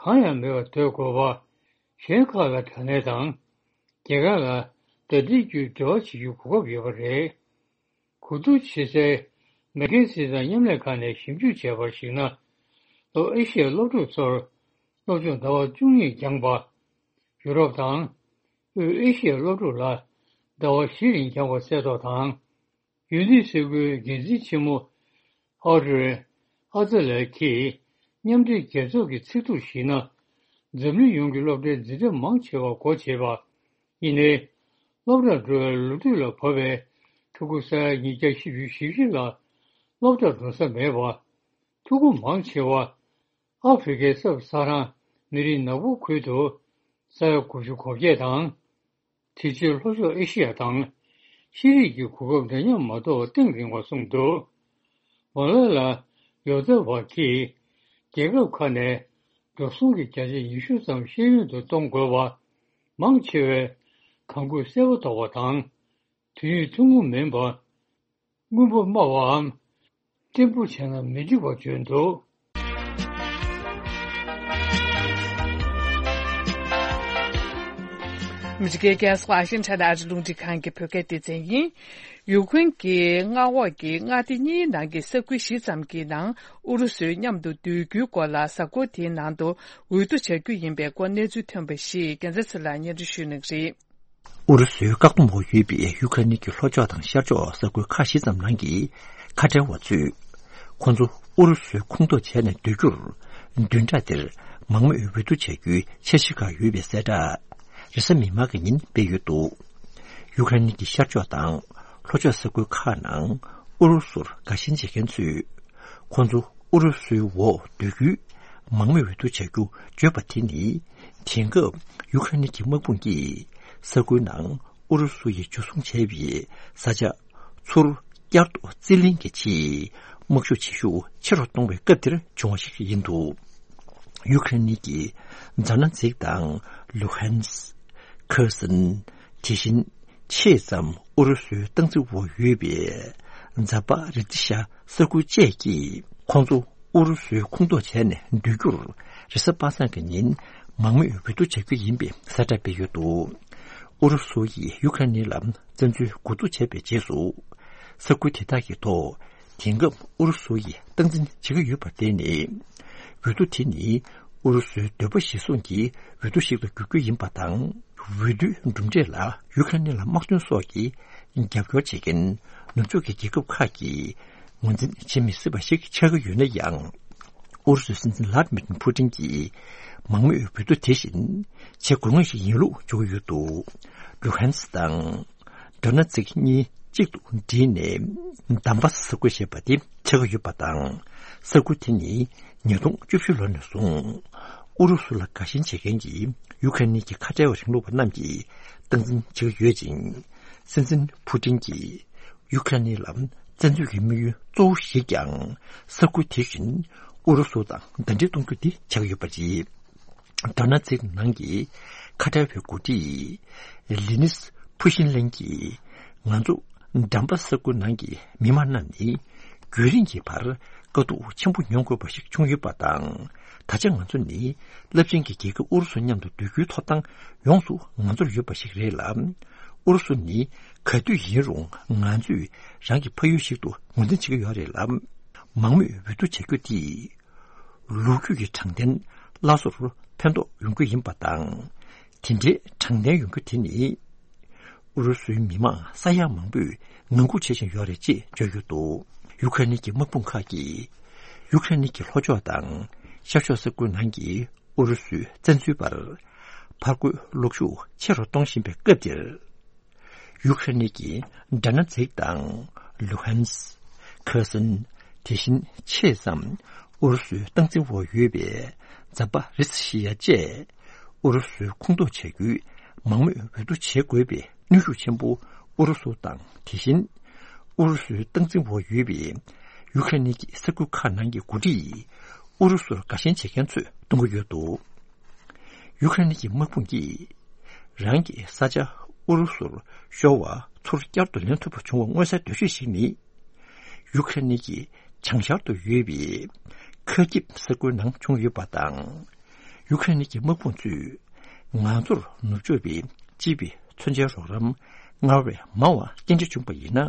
གང་ཡང་མེད་པར་སྡོད་དགོས་པ། གཞན་ཁག་ལ་དྲ་ལམ་དང་། རྒྱལ་ཁབ་ལ་བརྡ་འཕྲིན་བརྒྱུད་འབྲེལ་བ་བྱེད་རྒྱུའི་གོ་སྐབས་ཡོད་པ་རེད། གོ་བསྡུར་བྱེད་སའི་མེག་ཀེན་སི་དང་མཉམ་ལས་ཁང་ནས་ཞིབ་འཇུག་བྱས་པར་གཞིགས་ན། ལྷོ་ཨེ་ཤི་ཡའི་སློབ་ཕྲུག་ཚོར་སློབ་སྦྱོང་ཟླ་བ་བཅུ་གཉིས་འགྱངས་པ། ཡུ་རོབ་དང་དབུས་ཨེ་ཤི་ཡའི་སློབ་ཕྲུག་ལ་ཟླ་བ་བཞི་རིང་འགྱངས་པ་གསལ་ཐོ་དང་། ཡུ་ནི་སེ་ཕོའི་འགན་འཛིན་ཆེན་མོ་ཨོ་ཌི་རེ་ཨ་ཛ་ལེ་གིས་མཉམ་འབྲེལ་རྒྱལ་ཚོགས་ཀྱི་ཚིག་ཐོ་ཞིག་ན། འཛམ་གླིང་ཡོངས་ཀྱི་སློབ་གྲྭའི་འཛིན་གྲྭ་མང་ཆེ་བ་སྒོ་ཕྱེ་བ་ཡིན་ནའི། སློབ་གྲྭར་འགྲོ་བའི་ལོ་དུས་ལ་བབ་པའི་ཕྲུ་གུ་ས་ཡ་ཉིས་བརྒྱ་བཞི་བཅུ་ཞེ་བཞི་ལ་སློབ་གྲྭར་འགྲོ་ས་མེད་པ། ཕྲུ་གུ་མང་ཆེ་བ་ཨ་ཧྥེ་རི་ཁའི་ས་ས་རང་མི་རིགས་ནག་པོ་ཁུལ་དུ་ས་ཡ་དགུ་བཅུ་གོ་བརྒྱད་དང་། དེ་རྗེས་ལྷོ་ཕྱོགས་ཨེ་ཤི་ཡ་དང་ཤེས་རིག་གི་གོ་སྐབས་འདྲ་མཉམ་མ་གཏོགས་གཏིང་རིང་བ་གསུངས་འདུག་མ་ལ་ལ་ཡོ་ཛེ་བྷ་གིས་རྒྱལ་ཁབ་ཁག་ནས་འགྲོ་སོང་གི་བརྒྱ་ཆ་ཉི་ཤུ་ཙམ་ཤེས་ཡོན་དུ་གཏོང་དགོས་པ། མང་ཆེ་བས་གང་དགོས་གསལ་པོ་རྟོགས་པ་དང་། དུས་ཡུན་ཐུང་ངུ་མིན་པ། དངུལ་འབོར་དམའ་བའམ་བརྟན་པོ་བྱས་ན་མི་འགྲིག་པ་བརྗོད་འདུག་ཨ་མི་རི་ཀའི་རྒྱལ་ས་ཝ་ཤིང་ཊོན་ཨ་རིའི་རླུང་འཕྲིན་ཁང་གི་བོད་སྐད་སྡེ་ཚན་ཡིན། ཡུ་ཀེ་རེན་གྱི་མངའ་འོག་གི་མངའ་སྡེ་གཉིས་ནང་གི་ས་ཁུལ་བཞི་ཙམ་གྱི་ནང་ཨུ་རུ་སུའི་མཉམ་དུ་སྡོད་རྒྱུའི་སྐོར་ལ། གཟའ་འཁོར་དེའི་ནང་དུ་འོས་བསྡུ་བྱ་རྒྱུ་ཡིན་པའི་སྐོར་གནས་ཚུལ་ཐོན་པ་ཞིག་རྒྱལ་མཚན་ཚེ་ལགས་སྙན་སྒྲོན་ཞུ་གནང་གི་རེད། ཨུ་རུ་སུའི་བཀག་སྡོམ་འོག་ཡོད་པའི་ཡུ་ཁ་ནི་གི་ལྷོ་ཕྱོགས་དང་ཤར་ཕྱོགས་ས་ཁུལ་ཁག་བཞི་ཙམ་ནང་གི་ཁ་བྲལ་བ་ཚོས། ཁོང་ཚོ་ཨུ་རུ་སུའི་ཁོངས་གཏོགས་བྱས་ནས་སྡོད་རྒྱུར། བདུན་ཕྲག་འདིར་མང་མོས་འོས་བསྡུ་བྱ་རྒྱུའི་འཆར་གཞི་ཁག་ཡོད་པའི་གསལ་བསྒྲགས། རེས་གཟའ་མིག་དམར་གྱི་ཉིན་སྤེལ་ཡོད་འདུག་ཡུ་ཁ་ནི་གི་ཤར་ཕྱོགས་དང་ལྷོ་ཕྱོགས་ས་ཁུལ་ཁག་ནང་ཨུ་རུ་སུར་དགའ་ཞེན་བྱེད་མཁན་ཚོས། ཁོང་ཚོ་ཨུ་རུ་སུའི་འོག་སྡོད་རྒྱུའི་མང་མོས་འོས་བསྡུ་བྱ་རྒྱུ་བརྗོད་པ་དེ་ནི། དེང་སྐབས་ཡུ་ཁ་ནི་གི་དམག་དཔུང་གིས་ས་ཁུལ་ནང་ཨུ་རུ་སུ་ཡིས་འཇུ་བཟུང་བྱས་པའི་ས་ཆ་ཚུར་བསྐྱར་དུ་རྩིས་ལེན་གྱི་ཆེད་དམག་ཤུགས་བྱེད་ཤུགས་ཆེ་རུ་གཏོང་བའི་སྐབས་འདིར་བྱུང་བ་ཞིག་ཡིན་འདུག་ཡུ་ཁ་ནི་གི་ཛ་ན་ཛིག་དང་ལུ་ཧན་སི། ཁེར་སོན། དེ་བཞིན་ཆེས་ཙམ་ཨུ་རུ་སུའི་སྟངས་འཛིན་འོག་ཡོད་པའི་ཛ་པ་རི་ཏི་ཤ་ས་ཁུལ་བཅས་ཀྱིས་ཁོང་ཚོ་ཨུ་རུ་སུའི་ཁོངས་གཏོགས་བྱས་ནས་སྡོད་རྒྱུར། རེས་གཟའ་པ་སངས་ཀྱི་ཉིན་མང་མོས་འོས་བསྡུ་བྱ་རྒྱུ་ཡིན་པའི་གསལ་བསྒྲགས་སྤེལ་ཡོད་འདུག་ཨུ་རུ་སུ་ཡིས་ཡུ་ཁ་ནི་ལ་བཙན་འཛུལ་འགོ་འཛུགས་བྱས་པའི་རྗེས་སུ། ས་ཁུལ་དེ་དག་གི་ཐོག་དེང་སྐབས་ཨུ་རུ་སུ་ཡིས་སྟངས་འཛིན་བྱེད་ཀྱི་ཡོད་པར་བརྟེན་ནས། འོས་བསྡུ་དེ་ནི་ཨུ་རུ་སུའི་འདོད་པ་གཞིར་བཟུང་གི་འོས་བསྡུ་ཞིག་ཏུ་འགྱུར་རྒྱུ་ཡིན་པ་དང་། འོས་བསྡུའི་གྲུབ་འབྲས་ལ་ཡུ་ཁ་ནི་ལ་དམག་དོན་སོགས་ཀྱི་རྒྱབ་སྐྱོར་བྱེད་མཁན་ནུབ་ཕྱོགས་ཀྱི་རྒྱལ་ཁབ་ཁག་གིས་ངོས་འཛིན་བྱེད་མི་སྲིད་པ་ཞིག་ཆགས་ཀྱི་ཡོད་ན་ཡང་། ཨུ་རུ་སུའི་སྲིད་འཛིན་ལྷ་ཌི་མིར་ཕུ་ཏིན་གྱིས་མང་མོས་འོས་བསྡུ་དེ་བཞིན་བྱེད་དགོས་ངེས་ཤིག་ཡིན་ལུགས་བརྗོད་ཀྱི་ཡོད་འདུག་ལུ་ཧན་སི་དང་། ཌོ་ན་ཙིག་གཉིས་གཅིག་ཏུ་བསྒྲིལ་ནས་དམ་པ་ས་ཁུལ་ཞེས་པ་དེ་ཆགས་ཀྱི་ཡོད་པ་དང་། ས་ཁུལ་དེ་ནི་ཉིས་སྟོང་བཅུ་བཞི་ལོ་ནས་བཟུང་ཨུ་རུ་སུ་ལ་དགའ་ཞེན་བྱེད་མཁན་གྱི་ཡུ་ཁ་ནི་གི་ཁ་བྲལ་བ་རིང་ལུགས་པ་རྣམས་ཀྱིས་སྟངས་འཛིན་བྱེད་ཀྱི་ཡོད་ཅིང་། སྲིད་འཛིན་ཕུ་ཏིན་གྱིས་ཡུ་ཁ་ནི་ལ་བཙན་འཛུལ་གྱི་དམིགས་ཡུལ་གཙོ་བོ་ཞིག་ཀྱང་ས་ཁུལ་དེ་བཞིན་ཨུ་རུ་སུ་དང་ཟླ་སྒྲིལ་གཏོང་རྒྱུ་དེ་ཆགས་ཀྱི་ཡོད་པ་རེད། ཌོ་ན་ཙིག་ནང་གི་ཁ་བྲལ་བའི་འགོ་ཁྲིད་ལི་ནིས་ཕུ་ཤིན་ལན་གྱིས། ང་ཚོ་འགྲམ་པ་ས་ཁུལ་ནང་གི་མི་མང་རྣམས་ནི་རྒྱུན་རིང་གི་བར་དཀའ་སྡུག་ཆེན་པོ་མྱོང་དགོས་པ་ཞིག་བྱུང་ཡོད་པ་དང་། ད་ཆ་ང་ཚོ་ནི་རླབས་ཆེན་གྱི་རྒྱལ་ཁབ་ཨུ་རུ་སུ་མཉམ་དུ་སྡོད་རྒྱུའི་ཐོབ་ཐང་ཡོངས་སུ་ང་ཚོར་ཡོད་པ་ཞིག་རེད་ལ། ཨུ་རུ་སུ་ནི་ག་དུས་ཡིན་རུང་ང་ཚོས་རང་གི་ཕ་ཡུལ་ཞིག་ཏུ་ངོས་འཛིན་བྱེད་ཀྱི་ཡོད་རེད་ལ། མང་མོས་འོས་བསྡུ་བྱ་རྒྱུ་དེས། ལོ་རྒྱུས་ཀྱི་དྲང་བདེན་སླར་གསོར་ཕན་ཐོགས་ཡོང་རྒྱུ་ཡིན་པ་དང་། དེ་འདྲའི་དྲང་བདེན་ཡོང་རྒྱུ་དེ་ནི། ཨུ་རུ་སུའི་མི་མང་ས་ཡ་མང་པོས་ངང་སྒུག་བྱེད་བཞིན་ཡོད་རེད་ཅེས་བརྗོད་ཡོད་འདུག་ཡུ་ཁ་ནི་གི་དམག་དཔུང་ཁག་གིས། ཡུ་ཁ་ནི་གི་ལྷོ་ཕྱོགས་དང་ཤར་ཕྱོགས་ས་ཁུལ་ནང་གི་ཨུ་རུ་སུའི་བཙན་འཛུལ་པར་ཕར་རྒོལ་གློག་ཤུགས་ཆེ་རུ་གཏོང་བཞིན་པའི་སྐབས་འདིར། ཡུ་ཁ་རེན་གྱི་ཌ་ན་ཛིག་དང་ལུ་ཧན་སི། ཁེར་སོན། དེ་བཞིན་ཆེས་མཚམས་ཨུ་རུ་སུའི་སྟངས་འཛིན་འོག་ཡོད་པའི་ཛ་པ་རི་སི་ཤི་ཡ་བཅས་ཨུ་རུ་སུའི་ཁོངས་གཏོགས་བྱ་རྒྱུའི་མང་མོས་འོས་བསྡུ་བྱེད་དགོས་པའི་གནོན་ཤུགས་ཆེན་པོ་ཨུ་རུ་སུ་དང་། དེ་བཞིན་ཨུ་རུ་སུའི་སྟངས་འཛིན་འོག་ཡོད་པའི་ཡུ་ཁ་རེན་གྱི་ས་ཁུལ་ཁག་ནང་གི་འགོ་ཁྲིད་ཨུ་རུ་སུར་དགའ་ཞེན་བྱེད་མཁན་ཚོས་གཏོང་གི་ཡོད་འདུག་ཡུ་ཁ་རེན་གྱི་དམག་དཔུང་གིས་རང་གི་ས་ཆ་ཨུ་རུ་སུར་ཤོར་བ་ཚུར་བསྐྱར་དུ་ལེན་ཐུབ་པ་བྱུང་བ་མངོན་གསལ་དོད་ཤོས་ཤིག་ནི། ཡུ་ཁ་རེན་གྱི་བྱང་ཤར་དུ་ཡོད་པའི་ཁ་ཁིབ་ས་ཁུལ་ནང་བྱུང་ཡོད་པ་དང་། ཡུ་ཁ་རེན་གྱི་དམག་དཔུང་ཚོས་ང་ཚོར་ནུབ་ཕྱོགས་པའི་སྤྱི་པའི་མཚོན་ཆའི་རོགས་རམ་སྔར་བས་མང་བ་སྐྱེལ་འདྲེན་བྱུང་བ་ཡིན་ན།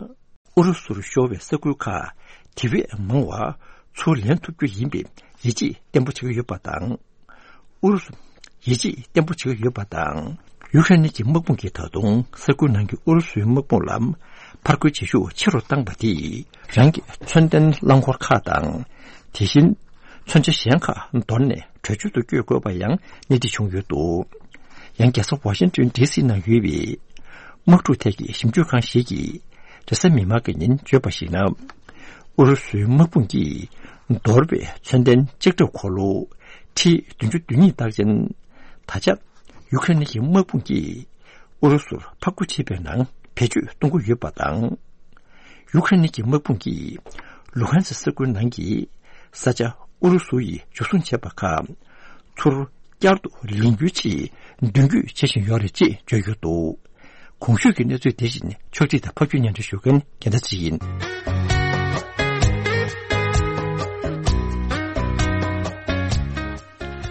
ཨུ་རུ་སུར་ཤོར་བའི་ས་ཁུལ་ཁག་དེ་བས་མང་བ་ཚུར་ལེན་ཐུབ་རྒྱུ་ཡིན་པའི་ཡིད་ཆེས་བརྟན་པོ་བྱེད་ཀྱི་ཡོད་པ་དང་། ཨུ་རུ་སུ་ཡིད་ཆེས་བརྟན་པོ་བྱེད་ཀྱི་ཡོད་པ་དང་། ཡུ་ཁ་རེན་གྱི་དམག་དཔུང་གིས་ད་དུང་ས་ཁུལ་ནང་གི་ཨུ་རུ་སུའི་དམག་དཔུང་ལ་ཕར་རྒོལ་བྱེད་ཤུགས་ཆེ་རུ་བཏང་བ་དེས་རང་གི་མཚོན་ལྡན་རླངས་འཁོར་ཁག་དང་། དེ་བཞིན་མཚོན་ཆ་གཞན་ཁག་འདོར་ནས་བྲོས་བྱོལ་དུ་བསྐྱོད་དགོས་པ་ཡང་སྣེ་ཁྲིད་བྱུང་ཡོད་འདུག་ཡང་རྒྱལ་ས་ཝ་ཤིང་ཏོན་ཌི་སི་ནང་ཡོད་པའི་དམག་འཁྲུག་ཐད་ཀྱི་ཞིབ་འཇུག་ཁང་ཞིག་གིས་རེས་གཟའ་མིག་དམར་གྱི་ཉིན་བརྗོད་པར་གཞིགས་ན། ཨུ་རུ་སུའི་དམག་དཔུང་གིས་འདོར་བའི་མཚོན་ལྡན་ལྕགས་ཁྲབ་འཁོར་ལོ་ཁྲི་བདུན་ཅུ་དོན་གཉིས་རྟགས་ཅན། ད་ཆ་ཡུ་ཁ་རེན་གྱི་དམག་དཔུང་གིས་ཨུ་རུ་སུར་ཕར་རྒོལ་བྱེད་པའི་ནང་བེད་སྤྱོད་གཏོང་གི་ཡོད་པ་དང་། ཡུ་ཁ་རེན་གྱི་དམག་དཔུང་གིས་ལུ་ཧན་སི་ས་ཁུལ་ནང་གི་ས་ཆ་ཨུ་རུ་སུ་ཡིས་འཇུ་བཟུང་བྱས་པ་ཁག་ཚུར་བསྐྱར་དུ་ལེན་རྒྱུའི་ཆེད་མདུན་སྐྱོད་བྱེད་བཞིན་ཡོད་རེད་ཅེས་བརྗོད་ཡོད་འདུག་གོང་ཞུས་ཀྱི་གནས་ཚུལ་དེ་བཞིན་ཕྱོགས་སྒྲིག་དང་ཕབ་སྒྱུར་སྙན་སྒྲོན་ཞུ་མཁན་རྒྱལ་མཚན་ཚེ་རིང་ཡིན། ཨ་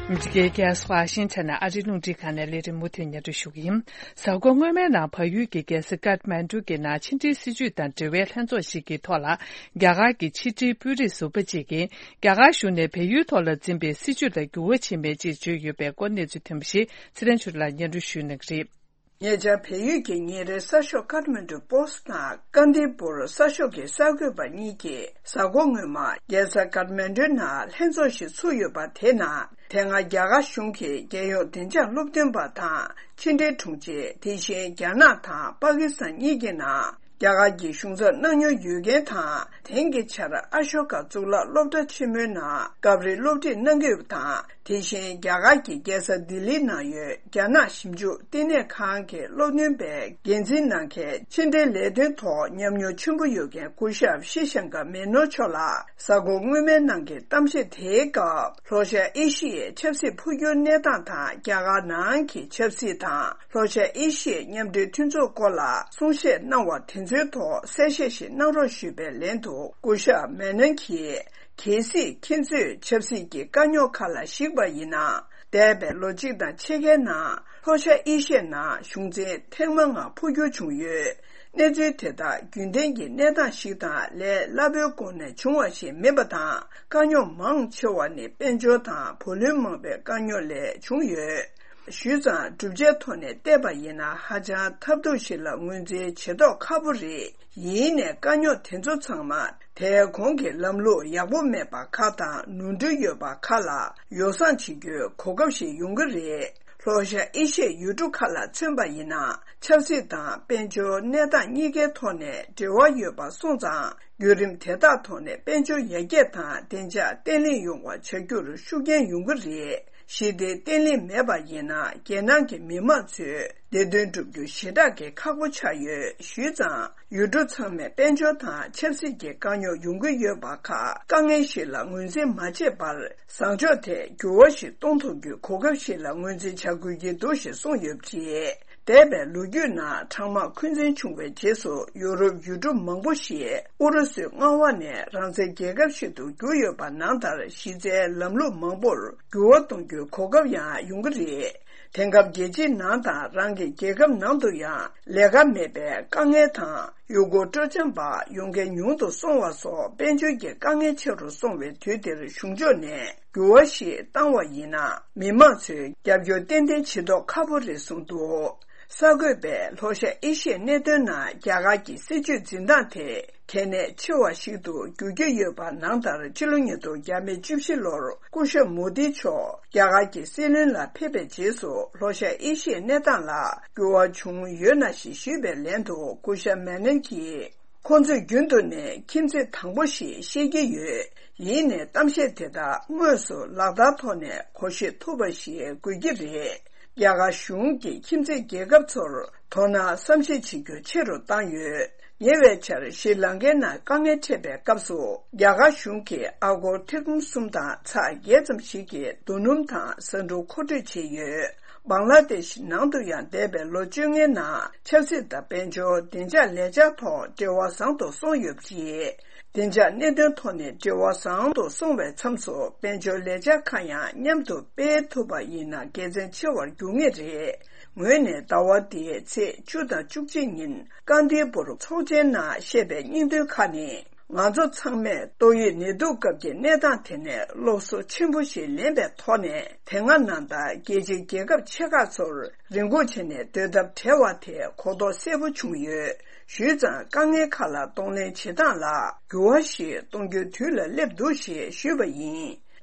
མི་རི་ཀའི་རྒྱལ་ས་ཝ་ཤིང་ཊོན་ནས་ཨ་རིའི་རླུང་འཕྲིན་ཁང་ནས་ལས་རིམ་མུ་མཐུད་སྙན་སྒྲོན་ཞུ་གི་ཡིན། གཟའ་འཁོར་སྔོན་མའི་ནང་བལ་ཡུལ་གྱི་རྒྱལ་ས་ཀཏ་མན་ཌུ་གི་ནང་ཕྱི་འབྲེལ་སྲིད་བྱུས་དང་འབྲེལ་བའི་ལྷན་ཚོགས་ཤིག་གི་ཐོག་ལ། རྒྱ་གར་གྱི་ཕྱི་འབྲེལ་དཔོན་རིགས་ཟུར་པ་གཅིག་གིས་རྒྱ་གར་གཞུང་ནས་བལ་ཡུལ་ཐོག་ལ་འཛིན་པའི་སྲིད་བྱུས་ལ་འགྱུར་བ་ཕྱིན་མེད་ཅེས་བརྗོད་ཡོད་པའི་སྐོར་གནས་ཚུལ་ཐོན་པ་ཞིག་ཚེ་རིང་ཆོས་ལགས་སྙན་སྒྲོན་ཞུ་གནང་གི་རེད། ཉེ་ཆར་བལ་ཡུལ་གྱི་ཉིན་རེའི་གསར་ཤོག་ཀཏ་མན་ཌུ་པོ་སི་ཊི་དང་ཀ་དི་པུར་གསར་ཤོག་གི་གསར་འགོད་པ་གཉིས་ཀྱིས་གཟའ་འཁོར་སྔོན་མ་རྒྱལ་ས་ཀཏ་མན་ཌུ་ནང་ལྷན་ཚོགས་ཤིག་ཚུགས་ཡོད་པ་དེ་ནང་། དེ་སྔ་རྒྱ་གར་གཞུང་གི་རྒྱལ་ཡོངས་བདེ་འཇགས་སློབ་སྟོན་པ་དང་ཕྱི་འབྲེལ་དྲུང་ཆེ། དེ་བཞིན་རྒྱ་ནག་དང་པ་ཀི་སི་ཐན་གཉིས་ཀྱི་ནང་རྒྱ་གར་གྱི་གཞུང་ཚབ་གནང་མྱོང་ཡོད་མཁན་དང་། དེང་གི་ཆར་ཨ་ཤོ་ཀ་གཙུག་ལག་སློབ་གྲྭ་ཆེན་མོའི་ནང་སྐབས་རེ་སློབ་ཁྲིད་གནང་གི་ཡོད་པ་དང་། དེ་བཞིན་རྒྱ་གར་གྱི་རྒྱལ་ས་ལྡི་ལིའི་ནང་ཡོད་རྒྱ་ནག་ཞིབ་འཇུག་བསྟི་གནས་ཁང་གི་སློབ་སྟོན་པའི་འགན་འཛིན་གནང་མཁན། ཕྱི་འབྲེལ་ལས་དོན་ཐོག་ཉམས་མྱོང་ཆེན་པོ་ཡོད་མཁན་སྐུ་ཞབས་ཤི་ཤང་ཀ་མེ་ནོར་མཆོག་ལ། གཟའ་འཁོར་སྔོན་མའི་ནང་གི་གཏམ་བཤད་དེའི་སྐབས། ལྷོ་ཤར་ཨེ་ཤི་ཡའི་ཆབ་སྲིད་འཕོ་འགྱུར་གནས་སྟངས་དང་། རྒྱ་གར་ནང་གི་ཆབ་སྲིད་དང་། ལྷོ་ཤར་ཨེ་ཤི་ཡའི་མཉམ་འབྲེལ་མཐུན་ཚོགས་སྐོར་ལ་གསུང་བཤད་གནང་བ་དེ་ཚོའི་ཐོག་གསལ་བཤད་ཞིག་གནང་རོགས་ཞུས་པའི་ལན་དུ། སྐུ་ཞབས་མེ་ནོན་གྱིས། གལ་སྲིད་ཁྱེད་ཚོས་ཆབ་སྲིད་ཀྱི་དཀའ་རྙོག་ཁག་ལ་གཞིགས་པ་ཡིན་ན། འདས་པའི་ལོ་གཅིག་དང་ཕྱེད་ཀའི་ནང་ལྷོ་ཤར་ཨེ་ཤི་ཡའི་ནང་གཞུང་འཛིན་ཐེངས་མ་ལྔ་འཕོ་འགྱུར་བྱུང་ཡོད། གནས་ཚུལ་དེ་དག་རྒྱུན་ལྡན་གྱི་གནས་སྟངས་ཤིག་དང་ལས་སླ་པོའི་སྒོ་ནས་བྱུང་བ་ཞིག་མིན་པ་དང་། དཀའ་རྙོག་མང་ཆེ་བ་ནི་དཔལ་འབྱོར་དང་བུ་ལོན་མང་པོའི་དཀའ་རྙོག་ལས་བྱུང་ཡོད། ཞུས་ཙང་། གྲུབ་ཆའི་ཐོག་ནས་བལྟས་པ་ཡིན་ན་ཧ་ཅང་ཐབས་སྡུག་ཞིག་ལ་ངོས་འཛིན་བྱེད་མདོག་ཁ་པོ་རེད། ཡིན་ནའི་དཀའ་རྙོག་དེ་ཚོ་ཚང་མ་དེའི་གོང་གི་ལམ་ལུགས་ཡག་པོ་མེད་པ་ཁག་དང་ནོར་འཁྲུལ་ཡོད་པ་ཁག་ལ་ཡོ་བསྲང་བྱེད་རྒྱུའི་གོ་སྐབས་ཤིག་ཡོང་གི་རེད། ལྷོ་ཤར་ཨེ་ཤི་ཡའི་ཡུལ་གྲུ་ཁག་ལ་མཚོན་པ་ཡིན་ན། ཆབ་སྲིད་དང་དཔལ་འབྱོར་གནས་སྟངས་གཉིས་ཀའི་ཐོག་ནས་འབྲེལ་བ་ཡོད་པ་སོང་ཙང་། བརྒྱུད་རིམ་དེ་དག་ཐོག་ནས་དཔལ་འབྱོར་ཡར་རྒྱས་དང་བདེ་འཇགས་བརྟན་ལྷིང་ཡོང་བ་བྱ་རྒྱུར་ཤུགས་རྐྱེན་ཡོང་གི་རེད། ཞི་བདེ་བརྟན་ལྷིང་མེད་པ་ཡིན་ན། རྒྱལ་ནང་གི་མི་མང་ཚོའི་བདེ་དོན་སྒྲུབ་རྒྱུ་ཞེ་དྲག་གི་ཁག་པོ་ཆགས་ཡོད། ཞུས་ཙང་། ཡུལ་གྲུ་ཚང་མས་དཔལ་འབྱོར་དང་ཆབ་སྲིད་ཀྱི་དཀའ་རྙོག་ཡོང་གི་ཡོད་པ་ཁག་དཀའ་ངལ་ཞིག་ལ་ངོས་འཛིན་མ་བྱས་པར། བཟང་ཕྱོགས་ཐད་འགྱུར་བ་ཞིག་གཏོང་ཐུབ་རྒྱུའི་གོ་སྐབས་ཤིག་ལ་ངོས་འཛིན་བྱ་དགོས་ཀྱི་འདུག་ཞེས་གསུངས་ཡོད་པ་རེད། འདས་པའི་ལོ་རྒྱུས་ནང་གྲང་དམག་འཁོན་འཛིན་བྱུང་བའི་རྗེས་སུ། ཡོ་རོབ་ཡུལ་གྲུ་མང་པོ་ཞིག་ཨུ་རུ་སུའི་མངའ་འོག་ནས་རང་བཙན་རྒྱལ་ཁབ་ཞིག་ཏུ་གྱུར་ཡོད་པ་ནང་ལྟར། གཞི་རྩའི་ལམ་ལུགས་མང་པོར་འགྱུར་བ་གཏོང་རྒྱུའི་གོ་སྐབས་ཡང་ཡོང་གི་རེད། དེང་སྐབས་རྒྱལ་སྤྱིའི་ནང་དང་རང་གི་རྒྱལ་ཁབ་ནང་དུ་ཡང་ལས་ཀ་མེད་པའི་དཀའ་ངལ་དང་། ཡུལ་སྐོར་སྤྲོ་འཆམ་པ་ཡོང་མཁན་ཉུང་དུ་སོང་བ་སོགས་དཔལ་འབྱོར་གྱི་དཀའ་ངལ་ཆེ་རུ་སོང་བའི་དུས་འདིར། གཞུང་ཕྱོགས་ནས་འགྱུར་བ་ཞིག་བཏང་བ་ཡིན་ན། མི་མང་ཚོས་རྒྱབ་སྐྱོར་ཏན་ཏན་བྱེད་མདོག་ཁ་པོ་རེད་གསུངས་འདུག་གསར་འགོད་པས་ལྷོ་ཤར་ཨེ་ཤི་ཡའི་གནད་དོན་ནང་རྒྱ་གར་གྱི་སྲིད་བྱུས་འཛིན་སྟངས་དེ་གལ་གནད་ཆེ་བ་ཞིག་ཏུ་འགྱུར་གྱི་ཡོད་པ་ནང་ལྟར། ཕྱི་ལོ་ཉིས་སྟོང་བརྒྱ་མེད་བཅུ་བཞི་ལོར་སྐུ་ཞབས་མོ་དི་མཆོག་རྒྱ་གར་གྱི་སྲིད་བློན་ལ་ཕེབས་པའི་རྗེས་སུ། ལྷོ་ཤར་ཨེ་ཤི་ཡའི་གནས་སྟངས་ལ་འགྱུར་བ་བྱུང་ཡོད་ན་ཞེས་ཞུས་པའི་ལན་དུ། སྐུ་ཞབས་མེ་ནན་གྱིས། ཁོང་ཚོས་རྒྱུན་དུ་ནས་ཁྱིམ་མཚེས་དང་པོ་ཞེས་བཤད་ཀྱི་ཡོད། ཡིན་ནའི་གཏམ་བཤད་དེ་དག་དངོས་སུ་ལག་བསྟར་ཐོག་ནས་གོ་ཤེས་ཐུབ་པ་ཞིག་དགོས་ཀྱི་རེད། རྒྱ་གར་གཞུང་གིས་ཁྱིམ་མཚེས་རྒྱལ་ཁབ་ཚོར་དོ་སྣང་བསམ་ཤེས་བྱེད་རྒྱུ་ཆེ་རུ་བཏང་ཡོད། ཉེ་བའི་ཆར་ཤྲི་ལང་ཀའི་ནང་དཀའ་ངལ་འཕྲད་པའི་སྐབས་སུ། རྒྱ་གར་གཞུང་གིས་ཨ་སྒོར་ཐེར་འབུམ་གསུམ་དང་ཚེག་བརྒྱད་ཙམ་ཞིག་གི་རྡོ་སྣུམ་དང་ཟ་འབྲུ་མཁོ་སྤྲོད་བྱས་ཡོད། བང་ལ་དེཤ་ནང་དུ་ཡང་འདས་པའི་ལོ་བཅོ་ལྔའི་ནང་ཆབ་སྲིད་དང་དཔལ་འབྱོར་བདེ་འཇགས་ལས་འཆར་ཐོག་འབྲེལ་བ་བཟང་དུ་སོང་ཡོད་པ་རེད། བདེ་འཇགས་གནད་དོན་ཐོག་ནས་འབྲེལ་བ་བཟང་དུ་སོང་བའི་མཚམས་སུ་དཔལ་འབྱོར་ལས་འཆར་ཁག་ཡང་མཉམ་དུ་སྤེལ་ཐུབ་པ་ཡིན་ན་དགེ་མཚན་ཆེ་བར་འགྱུར་ངེས་རེད། ངོས་ནས་ཟླ་བ་འདིའི་ཚེས་བཅུ་དང་བཅུ་གཅིག་ཉིན་ཀ་དིར་པུར་ཚོགས་ཆེན་ནང་བཤད་པའི་སྙིང་དོན་ཁག་ནི། ང་ཚོ་ཚང་མས་ཏོག་དབྱིབས་ནད་དུག་སྐབས་ཀྱི་གནས་སྟངས་དེ་ནས་སློབ་གསོ་ཆེན་པོ་ཞིག་ལེན་པའི་ཐོག་ནས། དེ་སྔ་ནང་ལྟར་རྒྱལ་སྤྱིའི་རྒྱལ་ཁབ་ཆེ་ཁག་ཚོར་རེ་སྒུག་བྱས་ནས་སྡོད་ཐབས་བྲལ་བ་དེ་གོ་རྟོགས་གསལ་པོ་བྱུང་ཡོད། ཞུས་ཙང་དཀའ་ངལ་ཁག་ལ་གདོང་ལེན་བྱེད་སྟངས་ལ་འགྱུར་བ་ཞིག་གཏོང་རྒྱུའི་དུས་ལ་སླེབས་འདུག་ཞེས་ཞུས་པ་ཡིན།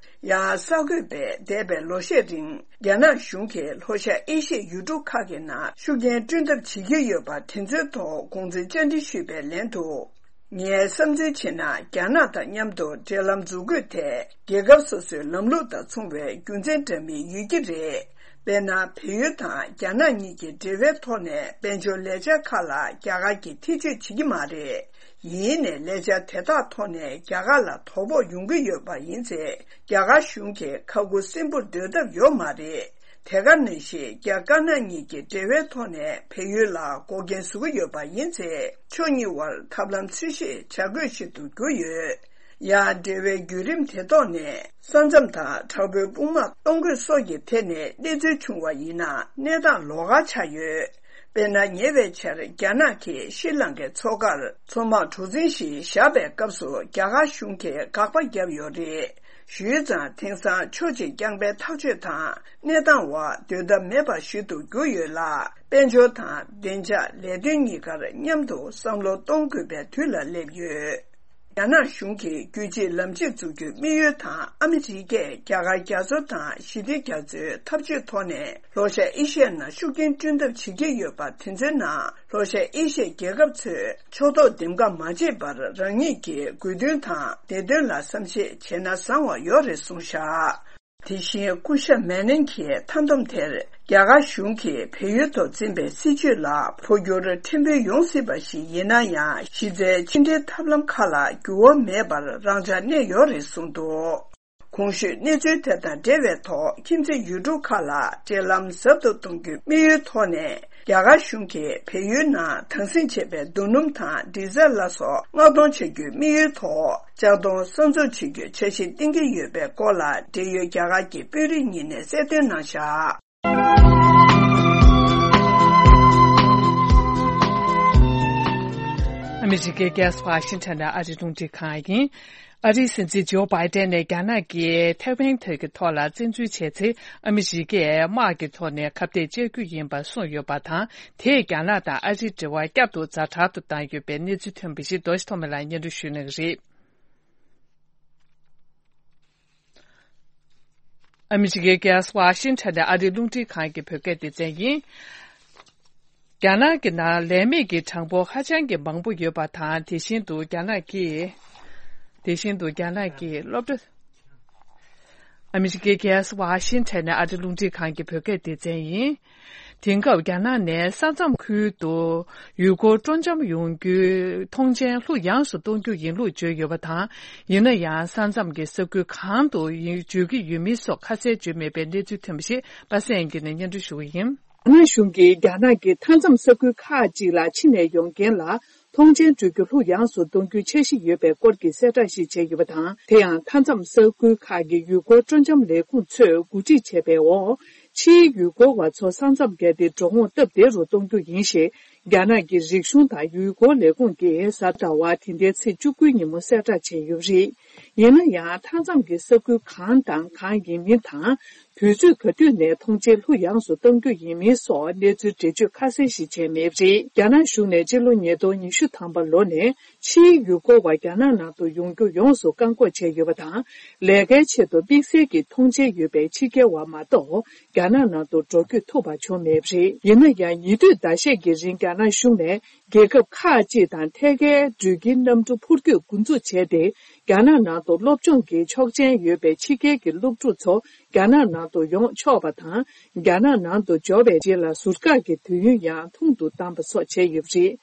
ཡང་གསར་འགོད་པས་འདས་པའི་ལོ་ཤས་རིང་རྒྱ་ནག་གཞུང་གིས་ལྷོ་ཤར་ཨེ་ཤི་ཡའི་ཡུལ་གྲུ་ཁག་གི་ནང་ཤུགས་རྐྱེན་བསྐྲུན་ཐབས་བྱེད་ཀྱི་ཡོད་པ་དེ་ཚོའི་ཐོག་དགོངས་ཚུལ་བཅར་འདྲི་ཞུས་པའི་ལན་དུ། ངས་བསམ་ཚུལ་བྱས་ན། རྒྱ་ནག་དང་མཉམ་དུ་འབྲེལ་ལམ་འཛུགས་དགོས་ཐད། རྒྱལ་ཁབ་སོ་སོའི་ལམ་ལུགས་དང་མཚུངས་པའི་རྒྱུ་མཚན་འདྲ་མིན་ཡོད་ཀྱི་རེད། དཔེར་ན། བལ་ཡུལ་དང་རྒྱ་ནག་གཉིས་ཀྱི་འབྲེལ་བའི་ཐོག་ནས་དཔལ་འབྱོར་ལས་འཆར་ཁག་ལ་རྒྱ་གར་གྱིས་ཐེ་བྱུས་བྱེད་ཀྱི་མ་རེད། ཡིན་ནའི་ལས་འཆར་དེ་དག་ཐོག་ནས་རྒྱ་གར་ལ་དོ་ཕོག་ཡོང་གི་ཡོད་པ་ཡིན་ཚེ། རྒྱ་གར་གཞུང་གིས་ཁ་ཁུ་སིམ་པོར་སྡོད་ཐབས་ཡོད་མ་རེད། དེ་ག་ནང་བཞིན་རྒྱ་དཀར་ནག་གཉིས་ཀྱི་འབྲེལ་བའི་ཐོག་ནས་བལ་ཡུལ་ལ་འགོག་རྐྱེན་བཟོ་གི་ཡོད་པ་ཡིན་ཚེ། ཕྱོགས་གཉིས་དབར་ཐབས་ལམ་འཚོལ་ཞིབ་བྱ་དགོས་ཤིག་ཏུ་གྱུར་ཡོད། ཡང་འབྲེལ་བའི་བརྒྱུད་རིམ་དེ་ཐོག་ནས་ས་མཚམས་དང་དྲག་པོའི་དཔུང་དམག་གཏོང་དགོས་སོགས་ཀྱི་ཐད་ནས་གནས་ཚུལ་བྱུང་བ་ཡིན་ན། གནས་སྟངས་ལོགས་ཀ་ཆགས་ཡོད། དཔེར་ན། ཉེ་བའི་ཆར་རྒྱ་ནག་གིས་ཤྲི་ལང་ཀའི་མཚོ་ཁར་མཚོ་དམག་གྲུ་གཟིངས་ཤིག་བཞག་པའི་སྐབས་སུ་རྒྱ་གར་གཞུང་གིས་དགག་པ་བརྒྱབ་ཡོད་རེད། ཞུས་ཙང་། དེང་སང་ཕྱོགས་གཅིག་རྐྱང་པའི་ཐག་གཅོད་དང་གནས་སྟངས་འོག་སྡོད་ཐབས་མེད་པ་ཞིག་ཏུ་གྱུར་ཡོད་ལ། དཔལ་འབྱོར་དང་བདེ་འཇགས་ལས་དོན་གཉིས་ཀར་མཉམ་དུ་བསམ་བློ་གཏོང་དགོས་པའི་དུས་ལ་སླེབས་ཡོད། རྒྱ་ནག་གཞུང་གིས་རྒྱུད་གཅིག་ལམ་གཅིག་འཛུགས་རྒྱུའི་དམིགས་ཡུལ་དང་། ཨ་མི་རི་ཀས་རྒྱ་གར་རྒྱ་མཚོ་དང་ཞི་བདེ་རྒྱ་མཚོའི་འཐབ་ཇུས་ཐོག་ནས་ལྷོ་ཤར་ཨེ་ཤི་ཡའི་ནང་ཤུགས་རྐྱེན་བསྐྲུན་ཐབས་བྱེད་ཀྱི་ཡོད་པ། དེ་ཚོའི་ནང་ལྷོ་ཤར་ཨེ་ཤི་ཡའི་རྒྱལ་ཁབ་ཚོས་ཕྱོགས་གཏོགས་འདེམས་ཀ་མ་བྱེད་པར། རང་ཉིད་ཀྱི་དགོས་འདུན་དང་བདེ་དོན་ལ་བསམ་ཤེས་བྱས་ན་བཟང་བ་ཡོད་རེད་གསུངས་བཞག་དེ་བཞིན་སྐུ་ཞབས་མེ་ནན་གྱིས་མཐའ་བསྡོམས་དེར། རྒྱ་གར་གཞུང་གིས་བལ་ཡུལ་དུ་འཛིན་པའི་སྲིད་བྱུས་ལ་འཕོ་འགྱུར་ཕྲན་བུ་ཡོང་སྲིད་པ་ཞིག་ཡིན་ན་ཡང་། གཞི་རྩའི་ཕྱི་འབྲེལ་ཐབས་ལམ་ཁག་ལ་འགྱུར་བ་མེད་པར་རང་འཇགས་གནས་ཡོད་རེད་གསུངས་འདུག་གོང་ཞུས་གནས་ཚུལ་དེ་དང་འབྲེལ་བའི་ཐོག་ཁྱིམ་མཚེས་ཡུལ་གྲུ་ཁག་ལ་འབྲེལ་ལམ་ཟབ་ཏུ་གཏོང་རྒྱུའི་དམིགས་ཡུལ་ཐོག་ནས། རྒྱ་གར་གཞུང་གིས་བལ་ཡུལ་ནང་དྭངས་སིང་བྱས་པའི་རྡོ་སྣུམ་དང་ཌི་ཟེལ་ལ་སོགས་མངགས་གཏོང་བྱ་རྒྱུའི་དམིགས་ཡུལ་ཐོག་ལྕགས་མདོང་གསར་འཛུགས་བྱེད་རྒྱུའི་འཆར་གཞི་བཏིང་གི་ཡོད་པའི་སྐོར་ལ། འབྲེལ་ཡོད་རྒྱ་གར་གྱི་དཔོན་རིགས་གཉིས་ནས་གསལ་སྟོན་གནང་བཞག་ཨ་མི་རི་ཀའི་རྒྱལ་ས་ཝ་ཤིང་ཊོན་ནས་ཨ་རིའི་རླུང་འཕྲིན་ཁང་ཡིན། ཨ་རིའི་སྲིད་འཛིན་ཇོ་བྷའི་ཏན་ནས་རྒྱ་ནག་གིས་ཐའེ་ཝན་ཐོག་གི་ཐོག་ལ་བཙན་འཛུལ་བྱས་ཚེ། ཨ་མི་རི་ཀས་དམག་གི་ཐོག་ནས་ཁ་གཏད་གཅོག་རྒྱུ་ཡིན་པ་གསུངས་ཡོད་པ་དང་། དེས་རྒྱ་ནག་དང་ཨ་རིའི་འབྲེལ་བ་བསྐྱར་དུ་ཛ་དྲག་ཏུ་བཏང་ཡོད་པའི་གནས་ཚུལ་ཐོན་པ་ཞིག་རྡོ་རྗེ་ཐོགས་མེད་ལགས་སྙན་སྒྲོན་ཞུ་གནང་གི་རེད། ཨ་མི་རི་ཀའི་རྒྱལ་ས་ཝ་ཤིང་ཊོན་ནས་ཨ་རིའི་རླུང་འཕྲིན་ཁང་གི་བོད་སྐད་སྡེ་ཚན་ཡིན། རྒྱ་ནག་གི་ནང་ལས་མེད་ཀྱི་གྲངས་འབོར་ཧ་ཅང་གི་མང་པོ་ཡོད་པ་དང་། དེ་བཞིན་དུ་རྒྱ་ནག་གིས། དེ་བཞིན་དུ་རྒྱ་ནག་གིས་སློབ་གྲྭ། ཨ་མི་རི་ཀའི་རྒྱལ་ས་ཝ་ཤིང་ཊོན་ནས་ཨ་རིའི་རླུང་འཕྲིན་ཁང་གི་བོད་སྐད་སྡེ་ཚན་ཡིན། དེང་སྐབས་རྒྱ་ནག་ནས་ས་མཚམས་ཁུལ་དུ་ཡུལ་སྐོར་སྤྲོ་འཆམ་ཡོང་རྒྱུའི་མཐོང་མཆན་ལྷུག་ཡངས་སུ་གཏོང་རྒྱུ་ཡིན་ལུགས་བརྗོད་ཡོད་པ་དང་། ཡིན་ན་ཡང་། ས་མཚམས་ཀྱི་ས་ཁུལ་གང་དུ་ཡིན་འགྲོ་གི་ཡོད་མེད་སོགས་ཁ་གསལ་བརྗོད་མེད་པའི་གནས་ཚུལ་ཐོན་པ་ཞིག་པ་སངས་དབྱངས་སྐྱིད་ནས་སྙན་སྒྲོན་ཞུ་གི་ཡིན། རྒྱ་ནག་གཞུང་གིས་རྒྱ་ནག་གི་མཐའ་མཚམས་ས་ཁུལ་ཁག་ཅིག་ལ་ཕྱི་ནས་ཡོང་མཁན་ལ་མཐོང་མཆན་སྤྲོད་རྒྱུ་ལྷུག་ཡངས་སུ་གཏོང་རྒྱུའི་འཆར་གཞི་ཡོད་པའི་སྐོར་གྱི་གསལ་བསྒྲགས་ཤིག་བྱས་ཡོད་པ་དང་། དེ་ཡང་མཐའ་མཚམས་ས་ཁུལ་ཁག་གི་ཡུལ་སྐོར་སྤྲོ་འཆམ་ལས་ཁུངས་ཚོས་གོ་སྒྲིག་བྱས་པའི་འོག་ཕྱིའི་ཡུལ་སྐོར་བ་ཚོ་ས་མཚམས་བརྒལ་ཏེ་འགྲོ་འོང་སྟབས་བདེ་རུ་གཏོང་རྒྱུ་ཡིན་ཞེས། རྒྱ་ནག་གི་རིག་གཞུང་དང་ཡུལ་སྐོར་ལས་ཁུངས་ཀྱིས་གཟའ་ཟླ་བ་དེ་ཟླའི་ཚེས་བཅུ་དགུ་ཉིན་མོ་གསལ་བསྒྲགས་བྱས་ཡོད་པ་རེད། ཡིན་ན་ཡང་མཐའ་མཚམས་ཀྱི་ས་ཁུལ་གང་དང་གང་ཡིན་མིན་དང་། དུས་ཚོད་ག་དུས་ནས་ཐོངས་མཆན་ལྷུ་ཡངས་སུ་གཏང་རྒྱུ་ཡིན་མིན་སོགས་གནས་ཚུལ་འགྲེལ་བརྗོད་ཁ་གསལ་ཞིག་བྱས་མེད་པ་རེད། རྒྱ་ནག་གཞུང་ནས་སྤྱི་ལོ་ཉིས་སྟོང་ཉི་ཤུ་ཐམ་པ་ལོ་ནས་ཕྱིའི་ཡུལ་སྐོར་བ་རྒྱ་ནག་ནང་དུ་ཡོང་རྒྱུ་ཡོངས་སུ་བཀག་འགོག་བྱས་ཡོད་པ་དང་། ལས་ཀའི་ཆེད་དུ་དམིགས་བསལ་གྱི་ཐོངས་མཆན་ཡོད་པའི་ཕྱི་རྒྱལ་བ་མ་གཏོགས་རྒྱ་ནག་ནང་དུ་འགྲོ་སྐྱོད་ཐུབ་པ་བྱུང་མེད་པ་རེད། ཡིན་ན་ཡང་ཉེ་དུས་ཟླ་ཤས་ཀྱི་རིང་རྒྱ་ནག་གཞུང་ནས། རྒྱལ་ཁབ་ཁག་ཅིག་དང་ཐད་ཀའི་འགྲུལ་སྐྱེལ་གནམ་གྲུ་འཕུར་སྐྱོད་འགོ་འཛུགས་བྱས་ཏེ། རྒྱ་ནག་ནང་དུ་སློབ་སྦྱོང་གི་ཆོག་མཆན་ཡོད་པའི་ཕྱི་རྒྱལ་གྱི་སློབ་ཕྲུག་ཚོ་རྒྱ་ནག་ནང་དུ་ཡོང་ཆོག་པ་དང་། རྒྱ་ནག་ནང་དུ་འབྱོར་བའི་རྗེས་ལ་ཟུར་བཀག་གི་དུས་ཡུན་ཡང་ཐུང་དུ་བཏང་པ་སོགས་བྱས་ཡོད་པ་རེད།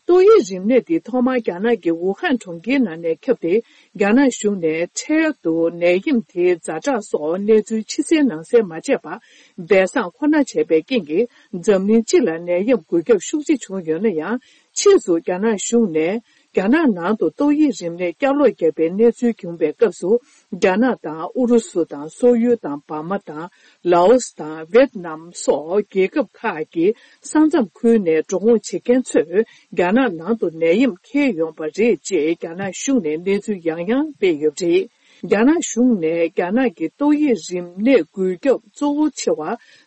ཏོག་དབྱིབས་རིམས་ནད་འདི་ཐོག་མར་རྒྱ་ནག་གི་ཝུ་ཧན་གྲོང་ཁྱེར་ནང་ནས་ཁྱབ་སྟེ། རྒྱ་ནག་གཞུང་ནས་འཕྲལ་དུ་ནད་ཡམས་དེའི་ཛ་དྲག་སོགས་གནས་ཚུལ་ཕྱི་གསལ་ནང་གསལ་མ་བྱས་པར། སྦས་གསང་ཁོ་ན་བྱས་པའི་རྐྱེན་གྱིས། འཛམ་གླིང་སྤྱི་ལ་ནད་ཡམས་འགོས་ཁྱབ་ཤུགས་ཆེ་བྱུང་ཡོད་ན་ཡང་། ཕྱིས་སུ་རྒྱ་ནག་གཞུང་ནས། རྒྱ་ནག་ནང་དུ་ཏོག་དབྱིབས་རིམས་ནད་བསྐྱར་ལོག་བརྒྱབ་པའི་གནས་ཚུལ་བྱུང་བའི་སྐབས་སུ། རྒྱ་ནག་དང་ཨུ་རུ་སུ་དང་སོག་ཡུལ་དང་འབར་མ་དང་། ལའོ་སི་དང་ཝེད་ནམ་སོགས་རྒྱལ་ཁབ་ཁག་གི་ས་མཚམས་ཁུལ་ནས་འགྲོ་འོང་བྱེད་མཁན་ཚོས་རྒྱ་ནག་ནང་དུ་ནད་ཡམས་འཁྱེར་ཡོང་པ་རེད་ཅེས་རྒྱ་ནག་གཞུང་ནས་གནས་ཚུལ་ཡང་ཡང་སྤེལ་ཡོད་པ་རེད། རྒྱ་ནག་གཞུང་ནས་རྒྱ་ནག་གི་ཏོག་དབྱིབས་རིམས་ནད་འགོས་ཁྱབ་གཙོ་བོ་ཆེ་བ་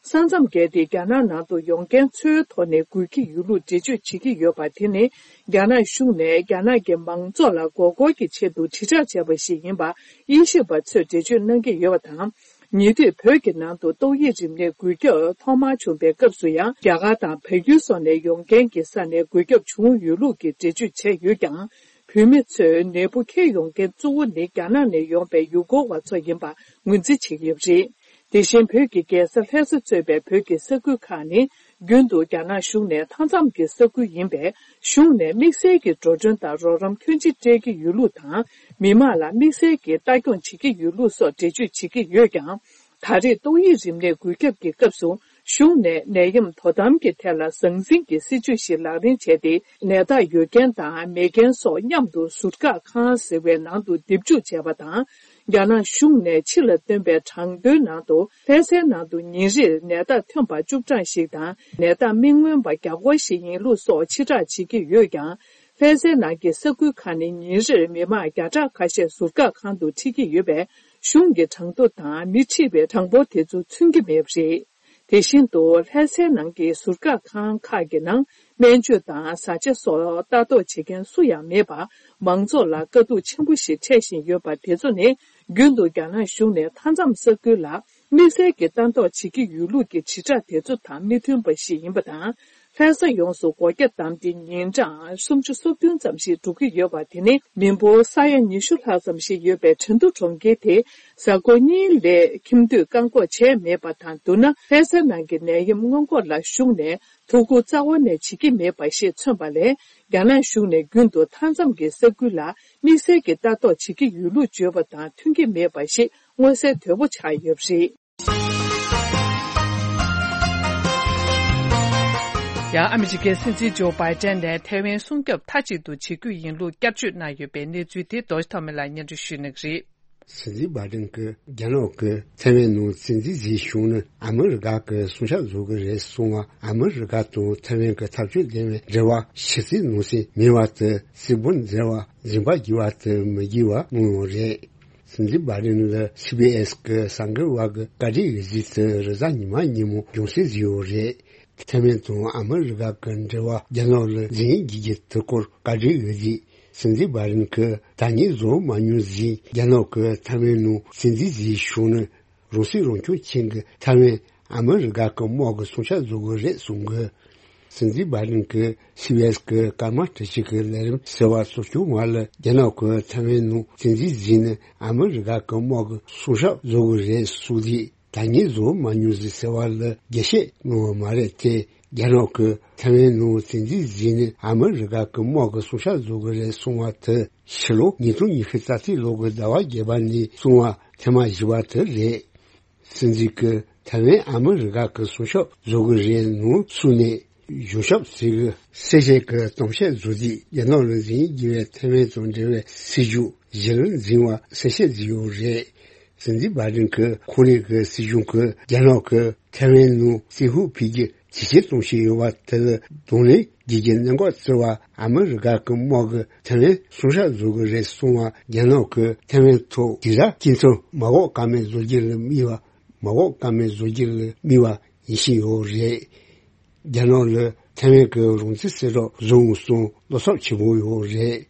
ས་མཚམས་བརྒལ་ཏེ་རྒྱ་ནག་ནང་དུ་ཡོང་མཁན་ཚོའི་ཐོག་ནས་འགོས་ཀྱི་ཡོད་ལུགས་འགྲེལ་བརྗོད་བྱེད་ཀྱི་ཡོད་པ་དེ་ནི། རྒྱ་ནག་གཞུང་ནས་རྒྱ་ནག་གི་མང་ཚོགས་ལ་མགོ་སྐོར་གྱི་ཆེད་དུ་དྲིལ་བསྒྲགས་བྱས་པ་ཞིག་ཡིན་པ་དབྱེ་ཞིབ་པ་ཚོས་འགྲེལ་བརྗོད་གནང་གི་ཡོད་པ་དང་། ཉེ་དུས་བོད་ཀྱི་ནང་དུ་ཏོག་དབྱིབས་རིམས་ནད་འགོས་ཁྱབ་ཐོག་མར་བྱུང་པའི་སྐབས་སུ་ཡང་། རྒྱ་གར་དང་བལ་ཡུལ་སོགས་ནས་ཡོང་མཁན་གྱི་ས་ནས་འགོས་ཁྱབ་བྱུང་ཡོད་ལུགས་ཀྱི་འགྲེལ་བརྗོད་བྱས་ཡོད་ཀྱང་། བོད་མི་ཚོས་ནད་འབུ་འཁྱེར་ཡོང་མཁན་གཙོ་བོ་ནི་རྒྱ་ནག་ནས་ཡོང་པའི་ཡུལ་སྐོར་བ་ཚོ་ཡིན་པ་ངོས་འཛིན་བྱེད་ཀྱི་ཡོད་པ་རེད། དེ་བཞིན་བོད་ཀྱི་རྒྱལ་ས་ལྷ་ས་གཙོས་པའི་བོད་ཀྱི་ས་ཁུལ་ཁག་ནི། རྒྱུན་དུ་རྒྱ་ནག་གཞུང་ནས་མཐའ་མཚམས་ཀྱི་ས་ཁུལ་ཡིན་པས། གཞུང་ནས་དམིགས་བསལ་གྱི་འགྲོ་གྲོན་དང་རོགས་རམ་ཁྱོན་ཆེ་སྤྲད་ཀྱི་ཡོད་ལུགས་དང་། མི་མང་ལ་དམིགས་བསལ་གྱི་ལྟ་སྐྱོང་བྱེད་ཀྱི་ཡོད་ལུགས་སོགས་འགྲེལ་བརྗོད་བྱེད་ཀྱི་ཡོད་ཀྱང་། ད་རེས་ཏོག་དབྱིབས་རིམས་ནད་འགོས་ཁྱབ་ཀྱི་སྐབས་སུ། གཞུང་ནས་ནད་ཡམས་དོ་དམ་གྱི་ཐད་ལ་ཟང་ཟིང་གི་སྲིད་ཇུས་ཤིག་ལག་ལེན་བྱས་ཏེ། ནད་རྟགས་ཡོད་མཁན་དང་མེད་མཁན་སོགས་མཉམ་དུ་ཟུར་བཀག་ཁང་ཟེར་བའི་ནང་དུ་འདེབས་འཇུག་བྱས་པ་དང་། རྒྱ་ནག་གཞུང་ནས་ཕྱི་ལ་བཏོན་པའི་གྲངས་ཐོའི་ནང་དུ། ལྷ་སའི་ནང་དུ་ཉིན་རེར་ནད་རྟགས་ཐོན་པ་བཅུ་གྲངས་ཤིག་དང་། ནད་རྟགས་མི་མངོན་པ་བརྒྱ་སྐོར་ཞིག་ཡིན་ལུགས་སོགས་ཕྱིར་བསྒྲགས་བྱེད་ཀྱི་ཡོད་ཀྱང་། ལྷ་སའི་ནང་གི་ས་ཁུལ་ཁག་ནས་ཉིན་རེར་མི་མང་བརྒྱ་ཕྲག་ཁ་ཤས་ཟུར་བཀག་ཁང་དུ་ཁྲིད་ཀྱི་ཡོད་པས། གཞུང་གི་གྲངས་ཐོ་དང་མི་ཁྲིད་པའི་གྲངས་འབོར་དེ་ཚོ་མཚོན་གྱི་མེད་པ་རེད། དེ་བཞིན་དུ། ལྷ་སའི་ནང་གི་ཟུར་བཀག་ཁང་ཁག་གི་ནང་སྨན་བཅོས་དང་བཟའ་བཅའ་སོགས་ལྟ་རྟོག་བྱེད་མཁན་སུ་ཡང་མེད་པར། མང་ཚོགས་ལ་དཀའ་སྡུག་ཆེན་པོ་ཞིག་འཕྲད་བཞིན་ཡོད་པ་དེ་ཚོ་ནི། རྒྱུན་དུ་རྒྱ་ནག་གཞུང་ནས་མཐའ་མཚམས་ས་ཁུལ་ལ་དམིགས་བསལ་གྱི་ལྟ་རྟོག་བྱེད་ཀྱི་ཡོད་ལུགས་ཀྱི་དྲིལ་བསྒྲགས་དེ་ཚོ་དང་མི་མཐུན་པ་ཞིག་ཡིན་པ་དང་། ལྷ་ས་ཡོངས་སུ་སྒོ་རྒྱ་བསྡམས་ཏེ་ཉིན་གྲངས་སུམ་ཅུ་སོ་བདུན་ཙམ་ཞིག་འགྲོ་གི་ཡོད་པ་དེ་ནི། མི་འབོར་ས་ཡ་ཉི་ཤུ་ལྷག་ཙམ་ཞིག་ཡོད་པའི་ཁྲེང་ཏུའུ་གྲོང་ཁྱེར་དེ། གཟའ་འཁོར་གཉིས་ལས་ཁྱིམ་སྡོད་བཀག་འགོག་བྱས་མེད་པ་དང་བསྡུར་ན། ལྷ་སའི་ནང་གི་ནད་ཡམས་སྔོན་འགོག་ལ་གཞུང་ནས་ཐུགས་ཁུར་རྩ་བ་ནས་བྱེད་ཀྱི་མེད་པ་ཞིག་མཚོན་པ་ལས། རྒྱ་ནག་གཞུང་ནས་རྒྱུན་དུ་མཐའ་མཚམས་ཀྱི་ས་ཁུལ་ལ་དམིགས་བསལ་གྱི་ལྟ་རྟོག་བྱེད་ཀྱི་ཡོད་ལུགས་བརྗོད་པ་དང་མཐུན་གྱི་མེད་པ་ཞིག་མངོན་གསལ་དོད་པོ་ཆགས་ཡོད་པ་རེད། ཡང་ཨ་མི་རི་ཀའི་སྲིད་འཛིན་ཇོ་བྷའི་ཏན་ནས་ཐའེ་ཝན་སྲུང་སྐྱོབ་མཐའ་གཅིག་ཏུ་བྱེད་རྒྱུ་ཡིན་ལུགས་བསྐྱར་བརྗོད་གནང་ཡོད་པའི་གནས་ཚུལ་དེ་རྡོ་རྗེ་ཐོགས་མེད་ལགས་སྙན་སྒྲོན་ཞུ་གནང་གི་རེད། སྲིད་འཛིན་བྷའི་ཏན་གྱིས་རྒྱ་ནག་གིས་ཐའེ་ཝན་ནང་བཙན་འཛུལ་བཟོས་བྱུང་ན་ཨ་མི་རི་ཀ་གིས་སྲུང་སྐྱོབ་བཟོ་གི་རེད་གསུངས་པ། ཨ་མི་རི་ཀ་དང་ཐའེ་ཝན་གྱི་འཐབ་ཕྱོགས་ལྡན་པའི་འབྲེལ་བ་ཞི་རྩའི་ནང་གསེས་མེད་པ་དང་། སྲིད་དབང་འཛིན་པ་འཛིན་པ་བགྱི་བ་དང་མི་བགྱི་བ་གནང་ཡོད་རེད། སྲིད་འཛིན་བྷའི་ཏན་ལ་སི་བྷི་ཨེས་ཀྱི་གསར་འགོད་པ་གིས་བཀའ་འདྲི་ཡོད་ཚུལ་དེ་རེས་གཟའ་ཉི་མ་ཉིན་མོ་རྒྱང་སྲིང་བཟོས་ཡོད་རེད། ཐའེ་ཝན་དང་ཨ་མི་རི་ཀ་གི་འབྲེལ་བ་རྒྱ་ནག་ལ་འཛིན་བགྱིད་རྒྱུ་དེ་སྐོར་བཀའ་འདྲི་ཡོད་དུས། སྲིད་འཛིན་བྷའི་ཏན་གྱིས་ད་ངས་བཟོ་མ་མྱོང་ཟིན། རྒྱ་ནག་གིས་ཐའེ་ཝན་ནང་བཙན་འཛུལ་བཟོས་བྱུང་ན། རང་སྲིད་རང་སྐྱོང་ཅན་གྱི་ཐའེ་ཝན་ཨ་མི་རི་ཀ་གི་དམག་གིས་སྲུང་སྐྱོབ་བཟོ་གི་རེད་གསུངས་ཀྱི། སྲིད་འཛིན་བྷའི་ཏན་གྱིས་སི་བྷི་ཨེས་ཀྱི་སྐར་མ་ཁྲི་གཅིག་གི་ལས་རིམ་ཟེར་བ་སོགས་བྱུང་བ་ལ། རྒྱ་ནག་གིས་ཐའེ་ཝན་ནང་བཙན་འཛུལ་བཟོས་ན་ཨ་མི་རི་ཀ་གི་དམག་གིས་སྲུང་སྐྱོབ་བཟོ་གི་རེད་གསུངས་དུས། ད་ངས་བཟོ་མ་མྱོང་ཟིན་ཟེར་བ་ལ་རྒྱས་བཤད་གནང་བ་མ་རེད་དེ། རྒྱ་ནག་གིས་ཐའེ་ཝན་ནང་བཙན་འཛུལ་བཟོས་ནས་ཨ་མི་རི་ཀ་གི་དམག་གིས་སྲུང་སྐྱོབ་བཟོ་གི་རེད་གསུངས་པ་དེ་ཕྱི་ལོ་ཉིས་སྟོང་ཉི་ཤུ་རྩ་གཅིག་ལོ་གི་ཟླ་བ་བརྒྱད་པ་ནས་གསུངས་པ་ཐེངས་མ་བཞི་པ་དེ་རེད། སྲིད་འཛིན་གྱིས་ཐའེ་ཝན་ཨ་མི་རི་ཀ་གིས་སྲུང་སྐྱོབ་བཟོ་གི་རེད་ནང་གསུངས་ནས། གཞུང་ཞབས་ཟེར་གི་གསལ་བཤད་ཀྱི་གཏམ་བཤད་བཟོ་དུས། རྒྱ་ནག་ལ་འཛིན་བགྱིད་པའི་ཐའེ་ཝན་དང་འབྲེལ་བའི་སྲིད་ཇུས་གཞི་ལ་འཛིན་པ་གསལ་བཤད་བཟོས་ཡོད་རེད། སྲིད་འཛིན་བྷའི་ཏན་གྱིས་ཁོང་རང་གི་སྲིད་གཞུང་གིས་རྒྱ་ནག་གིས་ཐའེ་ཝན་ནང་བཙན་ཤུགས་ཕུད་རྒྱུ་ ཇེ་ཆེར་གཏོང་བཞིན་ཡོད་པ་དེ་ལ་གདོང་ལེན་བགྱིད་རྒྱུའི་གནད་འགག་བརྩི་བར་ཨ་མི་རི་ཀ་གི་དམག་གིས་ཐའེ་ཝན་སྲུང་བྱ་བཟོ་གི་རེད་གསུངས་པར། རྒྱ་ནག་གིས་ཐའེ་ཝན་ཐོག་དེ་ར་སྐྱིན་ཚབ་མ་འགོག་ཀ་མེད་བཟོ་རྒྱུ་ལ་དམིགས་པ། མ་འགོག་ཀ་མེད་བཟོ་རྒྱུ་ལ་དམིགས་པ་ཡིན་བཞིན་ཡོད་རེད། རྒྱ་ནག་ལ་ཐའེ་ཝན་གྱི་རང་བཙན་གསལ་བསྒྲགས་བཟོ་འོང་གསུངས་བློ་འཚབ་ཆེན་པོ་ཡོད་རེད།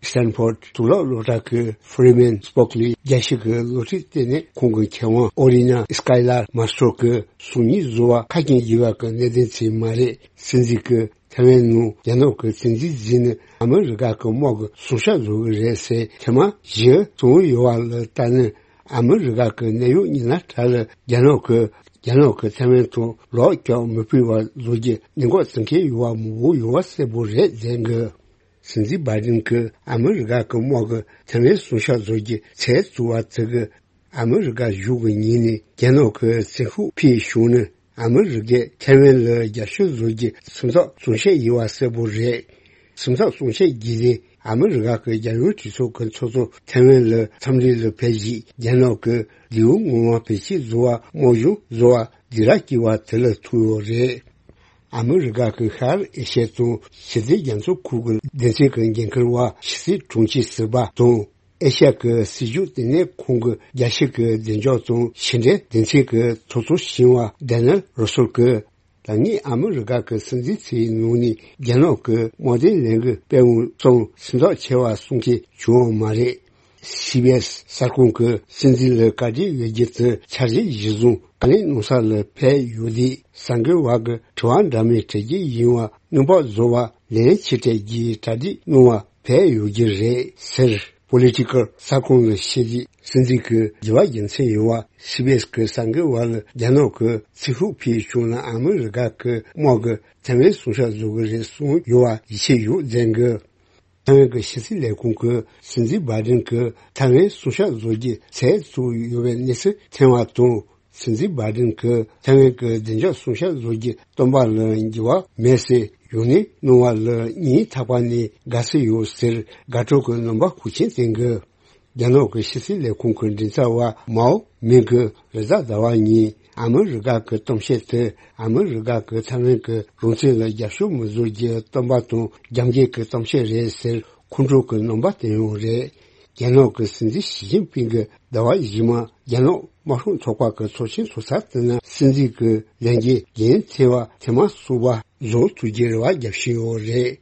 སི་ཏན་ཕོར་དུག་ལོག་སློབ་གྲྭ་གི་ཧྥི་རི་མན་སྤོག་ལི་རྒྱལ་སྤྱི་གི་སློབ་ཁྲིད་ལྟེ་གནས་ཁང་གི་མཁས་དབང་ཨོ་རི་ན་སི་ཀའི་ལར་མཱ་སི་ཏྲོ་གིས་གསུང་ཉིན་བཟོ་བ་ཁ་སྐྱེངས་ཡོད་པ་གི་གནད་དོན་ཅིག་མ་རེད། སྲིད་འཛིན་གྱིས་ཐའེ་ཝན་ནང་རྒྱ་ནག་གི་བཙན་འཛུལ་བཟོས་ནས་ཨ་མི་རི་ཀ་གི་དམག་གིས་སྲུང་བྱ་བཟོ་གི་རེད་ཟེར་ཐེངས་མ་བཞི་གསུངས་ཡོད་པ་ལ་ལྟ་ན། ཨ་མི་རི་ཀ་གི་གནད་ཡོད་མི་སྣ་དག་ལ་རྒྱ་ནག་གིས་རྒྱ་ནག་གིས་ཐའེ་ཝན་དུ་ལོག་ཀྱང་མི་ཕུད་པ་བཟོ་རྒྱུ་གནད་འགག་བརྩི་མཁན་ཡོད་པ་མང་པོ་ཡོད་པ་གསལ་པོ་རེད་ཟེར་གི། སྲིད་འཛིན་བྷའི་ཌེན་གྱིས་ཨ་མི་རི་ཀ་གི་དམག་གིས་ཐའེ་ཝན་སྲུང་བྱ་བཟོ་རྒྱུ་ཚད་བཙུགས་པ་དེ་གིས་ཨ་མི་རི་ཀ་གཞུང་གི་ངོས་ནས་རྒྱ་ནག་གི་བཙན་ཤུགས་འཕེལ་བྱུང་ན། ཨ་མི་རི་ཀས་ཐའེ་ཝན་ལ་རྒྱབ་སྐྱོར་བཟོ་རྒྱུ་སེམས་ཐག་གཙང་བཤད་ཡིན་པ་གསལ་པོ་རེད། སེམས་ཐག་གཙང་བཤད་བརྒྱུད་ནས་ཨ་མི་རི་ཀ་གི་རྒྱལ་ཡོངས་གྲོས་ཚོགས་ཀྱི་ཚོགས་གཙོ་ཐའེ་ཝན་ལ་འཚམས་འདྲི་ལ་ཕེབས་རྗེས་རྒྱ་ནག་གི་ལིའུ་ངོ་མ་བེད་སྤྱོད་བཟོ་བ་དམག་གཞུང་བཟོ་བ་སྡིགས་ར་སྐྱེལ་བ་དེ་ལ་ཐུག་ཡོད་རེད། ཨ་མི་རི་ཀ་གི་ཤར་ཨེ་ཤི་ཡ་དང་ཞི་བདེ་རྒྱ་མཚོ་ཁུལ་གྱི་སྡེ་ཚན་གྱི་འགན་འཁུར་བ་ཕྱི་སྲིད་དྲུང་ཆེ་ཟུར་པ་དང་། ཨེ་ཤ་ཡ་གི་སྲིད་བྱུས་ལྟེ་གནས་ཁང་གི་རྒྱལ་སྤྱི་གི་བདེ་འཇགས་དང་ཕྱི་འབྲེལ་སྡེ་ཚན་གྱི་ཚོགས་གཙོ་གཞོན་པ་ཌེ་ནེལ་རོ་སོལ་གྱིས། ད་ངས་ཨ་མི་རི་ཀ་གི་སྲིད་འཛིན་ཚོའི་ནང་ནས་རྒྱ་ནག་གི་དམག་དོན་ལས་འགུལ་སྤེལ་འོང་གསུངས་སེམས་ཐག་ཆད་པ་གསུང་མཁན་བྱུང་བ་མ་རེད། སི་བི་ཨེས་གསར་ཁང་གིས་སྲིད་འཛིན་ལ་བཀའ་འདྲི་ཡོད་རྒྱུ་དེ་འཆར་གཞི་གཞིར་བཟུང་བཀའ་ལན་གནང་ས་ལ་ཕེབས་ཡོད་དུས། གསར་འགོད་པ་གིས་དྲི་བ་འདྲ་མིན་དྲི་རྒྱུ་ཡིན་པ་སྔོན་དཔག་བཟོ་བར་ལན་ཕྱིར་སྤྲད་རྒྱུའི་གྲ་སྒྲིག་གནང་བར་ཕེབས་ཡོད་རྒྱུ་རེད་ཟེར། པོ་ལི་ཊི་ཀལ་གསར་ཁང་ལ་བཤད་དུས། སྲིད་འཛིན་གྱི་དྲི་བར་རྒྱུ་མཚན་ཡོད་པ་སི་བི་ཨེས་ཀྱི་གསར་འགོད་པ་ལ་རྒྱ་ནག་གི་བཙན་ཤུགས་འཕེལ་བྱུང་ན་ཨ་མི་རི་ཀ་གི་དམག་གིས་ཐའེ་ཝན་སྲུང་བྱ་བཟོ་གི་རེད་གསུངས་ཡོད་པ་ཡིད་ཆེས་ཡོད་ཟེར་གི། ཐའེ་ཝན་གྱི་ཕྱི་སྲིད་ལས་ཁུངས་ཀྱིས་སྲིད་འཛིན་བྷའི་ཌེན་གྱིས་ཐའེ་ཝན་སྲུང་བྱ་བཟོ་རྒྱུ་ཚད་བཙུགས་ཡོད་པའི་གནས་ཚུལ་ཐོན་པ་དང་། སྲིད་འཛིན་བྷའི་ཌེན་གྱིས་ཐའེ་ཝན་གྱི་བདེ་འཇགས་སྲུང་བྱ་བཟོ་རྒྱུའི་བསྟུན་པ་ལ་འགྱུར་བ་མེད་ཟེར་ཡོང་སྣེ་གནང་བ་ལ་སྙིང་ཐག་པ་ནས་དགའ་བསུ་ཡོད་ཟེར་དགའ་སྤྲོ་གི་རྣམ་པ་ཤུགས་ཆེན་བསྟན་གི། རྒྱ་ནག་གི་ཕྱི་སྲིད་ལས་ཁུངས་ཀྱི་མགྲིན་ཚབ་པ་མའོ་མིང་གིས་རེས་གཟའ་ཟླ་བ་ཉིན་ཨ་མི་རི་ཀ་གི་གཏམ་བཤད་དེ་ཨ་མི་རི་ཀ་གིས་ཐའེ་ཝན་གྱི་རང་བཙན་ལ་རྒྱབ་སྐྱོར་མི་བཟོ་རྒྱུའི་བསྟུན་པ་དང་རྒྱབ་འགལ་གྱི་གཏམ་བཤད་རེད་ཟེར་ཁོང་ཁྲོ་གི་རྣམ་པ་བསྟན་ཡོད་རེད། རྒྱ་ནག་གི་སྲིད་འཛིན་ཞི་ཅིན་ཕིང་གིས་ཟླ་བ་རྗེས་མ་རྒྱ་ནག་དམར་ཤོག་ཚོགས་པ་གི་ཚོགས་ཆེན་ཚོགས་ས་དེ་ན་སྲིད་འཛིན་གྱི་ལས་འགན་འགན་འཁྱེར་བ་ཐེངས་མ་གསུམ་པ་བཟོ་ཐུབ་རྒྱུའི་རེ་བ་རྒྱག་བཞིན་ཡོད་རེད།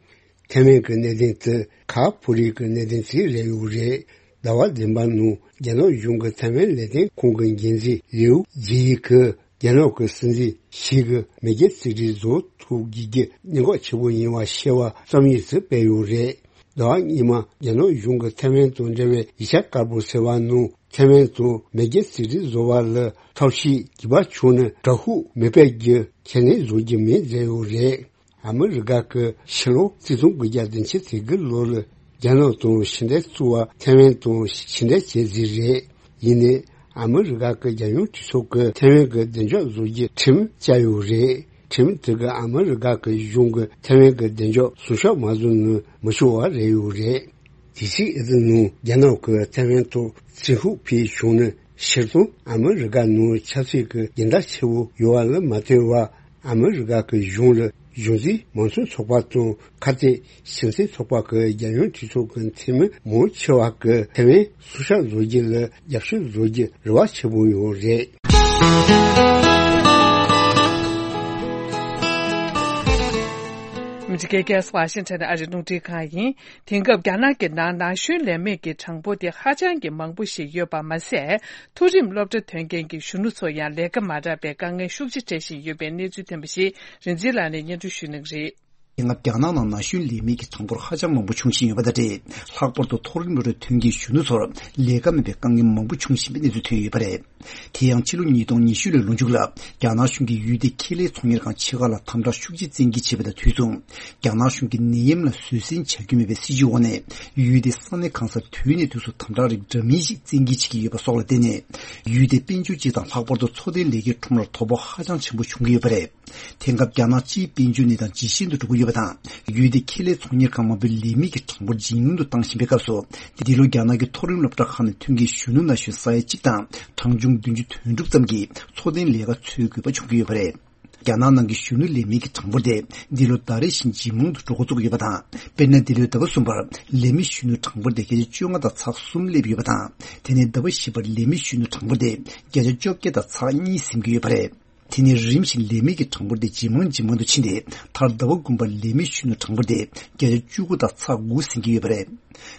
ཐའེ་ཝན་གྱི་གནད་དོན་དེ་ཁ་ཕོ་རིགས་ཀྱི་གནད་དོན་ཅིག་རེད་ཡོད་རེད། ཟླ་བ་བདུན་པ་ནང་རྒྱ་ནག་གཞུང་གི་ཐའེ་ཝན་ལས་དོན་ཁང་གི་འགན་འཛིན་ལིའུ་ཇི་ཡི་གིས་རྒྱ་ནག་གི་སྲིད་འཛིན་ཞིག་གིས་མེས་རྒྱལ་རྩིས་སྤྲོད་བཟོ་ཐུབ་དགོས་རྒྱུ་གནད་འགག་ཆེ་པོ་ཡིན་པ་བཤད་པ་རྩོམ་ཡིག་ཅིག་སྤེལ་ཡོད་རེད། ཟླ་བ་སྔོན་མ་རྒྱ་ནག་གཞུང་གིས་ཐའེ་ཝན་དང་འབྲེལ་བའི་ཡིག་ཆ་དཀར་པོ་ཟེར་བ་ནང་ཐའེ་ཝན་དང་མེས་རྒྱལ་རྩིས་སྤྲོད་བཟོ་བ་ལ་ཐབས་ཤེས་རྒྱས་པ་བྱུང་ན་དྲག་ཤུགས་མི་སྤེལ་རྒྱུ་ཁས་ལེན་བཟོ་རྒྱུ་མིན་ཟེར་ཡོད་རེད། ཨ་མི་རི་ཀ་གི་ཕྱི་ལོ་གཅིག་སྟོང་དགུ་བརྒྱ་བདུན་ཅུ་དོན་དགུ་ལོ་ལ་རྒྱ་ནག་དང་ཕྱི་འབྲེལ་བཙུགས་པ་ཐའེ་ཝན་དང་ཕྱི་འབྲེལ་བྱས་རྗེས་རེད། ཡིན་ནའི་ཨ་མི་རི་ཀ་གི་རྒྱལ་ཡོངས་གྲོས་ཚོགས་ཀྱིས་ཐའེ་ཝན་གྱི་བདེ་འཇགས་བཟོ་རྒྱུའི་ཁྲིམས་བཅའ་ཡོད་རེད། ཁྲིམས་དེ་གིས་ཨ་མི་རི་ཀ་གི་གཞུང་གིས་ཐའེ་ཝན་གྱི་བདེ་འཇགས་སྲུང་སྐྱོབ་མ་བཟོས་ན་མི་ཆོག་པ་རེད་ཡོད་རེད། དེ་ཕྱིར་ཨེ་ཙི་ནང་རྒྱ་ནག་གིས་ཐའེ་ཝན་ཐོག་བཙན་ཤུགས་འཕེལ་བྱུང་ན་སྤྱིར་བཏང་ཨ་མི་རི་ཀ་ནང་ཆབ་སྲིད་ཀྱི་འགལ་ཟླ་ཆེ་བོ་ཡོད་པ་ལ་མ་ལྟོས་པར། ཨ་མི་རི་ཀ་གི་གཞུང་ལ་གཞུང་འཛིན་མང་གཙོའི་ཚོགས་པ་དང་ཁ་གཏད་གཞི་རྩའི་ཚོགས་པ་གི་རྒྱལ་ཡོངས་གྲོས་ཚོགས་ཀྱི་འཐུས་མི་མང་ཆེ་བ་གིས་ཐའེ་ཝན་སྲུང་སྐྱོབ་བཟོ་རྒྱུ་ལ་རྒྱབ་སྐྱོར་བཟོ་རྒྱུ་རེ་བ་ཆེན་པོ་ཡོད་རེད། མི་ཚེ་གེ་ཀེ་སི་ཝ་ཤིང་ཊོན་ཨ་རིའི་རླུང་འཕྲིན་ཁང་ཡིན། དེང་སྐབས་རྒྱ་ནག་གི་ནང་ན་གཞོན་ལས་མེད་ཀྱི་གྲངས་འབོར་དེ་ཧ་ཅང་གི་མང་པོ་ཞིག་ཡོད་པ་མ་ཟད། མཐོ་རིམ་སློབ་གྲྭ་ཐོན་མཁན་གྱི་གཞོན་ནུ་ཚོ་ཡང་ལས་ཀ་མ་རག་པའི་དཀའ་ངལ་ཤུགས་ཆེ་འཕྲད་བཞིན་ཡོད་པའི་གནས་ཚུལ་ཐོན་པ་ཞིག་རིག་འཛིན་ལགས་ནས་སྙན་སྒྲོན་ཞུ་གནང་གི་རེད། དེང་སྐབས་རྒྱ་ནག་ནང་ན་གཞོན་ལས་མེད་ཀྱི་གྲངས་འབོར་ཧ་ཅང་མང་པོ་འབྱུང་བཞིན་ཡོད་པ་དང་འབྲེལ། ལྷག་པར་དུ་མཐོ་རིམ་སློབ་གྲྭ་ཐོན་མཁན་གཞོན་ནུ་ཚོར་ལས་ཀ་མེད་པའི་དཀའ་ངལ་མང་པོ་འབྱུང་བཞིན་པའི་གནས་ཚུལ་ཐོན་ཡོད་པ་རེད། དེ་ཡང་ཕྱི་ལོ་ཉིས་སྟོང་ཉི་ཤུ་ལོའི་ལོ་མཇུག་ལ་རྒྱ་ནག་གཞུང་གིས་ཡུལ་དེའི་ཁེ་ལས་ཚོང་གཉེར་ཁང་ཆེ་ཁག་ལ་དམ་དྲག་ཤུགས་ཆེ་བཙན་འགེལ་བྱས་པ་དང་དུས་མཚུངས། རྒྱ་ནག་གཞུང་གིས་ནད་ཡམས་ལ་བཟོད་བསྲན་བྱ་རྒྱུ་མེད་པའི་སྲིད་ཇུས་འོག་ནས་ཡུལ་དེའི་ས་གནས་གང་སར་དུས་ནས་དུས་སུ་དམ་དྲག་རིགས་འདྲ་མིན་ཞིག་བཙན་འགེལ་བྱེད་ཀྱི་ཡོད་པ་སོགས་ལ་བརྟེན་ནས། ཡུལ་དེའི་དཔལ་འབྱོར་སྤྱི་དང་ལྷག་པར་དུ་འཚོ་རྟེན་ལས་ཀའི་ཁྲོམ་ལ་དོ་ཕོག་ཧ་ཅང་ཆེན་པོ་བྱུང་གི་ཡོད་པ་རེད། དེང་སྐབས་རྒྱ་ནག་སྤྱིའི་དཔལ་འབྱོར་གནས་སྟངས་ཇེ་ཞན་དུ་འགྲོ་གི་ཡོད་པ་དང་། ཡུལ་དེའི་ཁེ་ལས་ཚོང་གཉེར་ཁང་མང་པོའི་ལས་མེད་ཀྱི་གྲངས་འབོར་ཇེ་ཉུང་དུ་བཏང་བཞིན་པའི་སྐབས་སུ། འདི་ལོ་རྒྱ་ནག་གི་མཐོ་རིམ་སློབ་གྲྭ་ཁག་ནས་ཐོན་མཁན་གཞོན་ནུ་ན་གཞོན་ས་ཡ་གཅིག་དང་གྲངས་ཆུང་བདུན་ཅུ་དོན་དྲུག་ཙམ་གྱིས་འཚོ་རྟེན་ལས་ཀ་འཚོལ་དགོས་པ་བྱུང་གི་ཡོད་པ་རེད། རྒྱ་ནག་ནང་གི་གཞོན་ནུ་ལས་མེད་ཀྱི་གྲངས་འབོར་དེ་འདི་ལོ་ཟླ་རེ་བཞིན་ཇེ་མང་དུ་འགྲོ་འགོ་བཙུགས་ཡོད་པ་དང་། དཔེར་ན། འདི་ལོའི་ཟླ་བ་གསུམ་པར་ལས་མེད་གཞོན་ནུའི་གྲངས་འབོར་དེ་བརྒྱ་ཆ་བཅོ་ལྔ་དང་ཚེག་གསུམ་སླེབས་ཡོད་པ་དང་། དེ་ནས་ཟླ་བ་བཞི་པར་ལས་མེད་གཞོན་ནུའི་གྲངས་འབོར་དེ་བརྒྱ་ཆ་བཅོ་བརྒྱད་དང་ཚེག་གཉིས་ཟིན་གྱི་ཡོད་པ་རེད། དེ་ནས་རིམ་བཞིན་ལས་མེད་ཀྱི་གྲངས་འབོར་དེ་ཇེ་མང་ཇེ་མང་དུ་ཕྱིན་ཏེ། མཐར་ཟླ་བ་དགུ་པར་ལས་མེད་གཞོན་ནུའི་གྲངས་འབོར་དེ་བརྒྱ་ཆ་བཅུ་དགུ་དང་ཚེག་དགུ་ཟིན་གྱི་ཡོད་པ་རེད།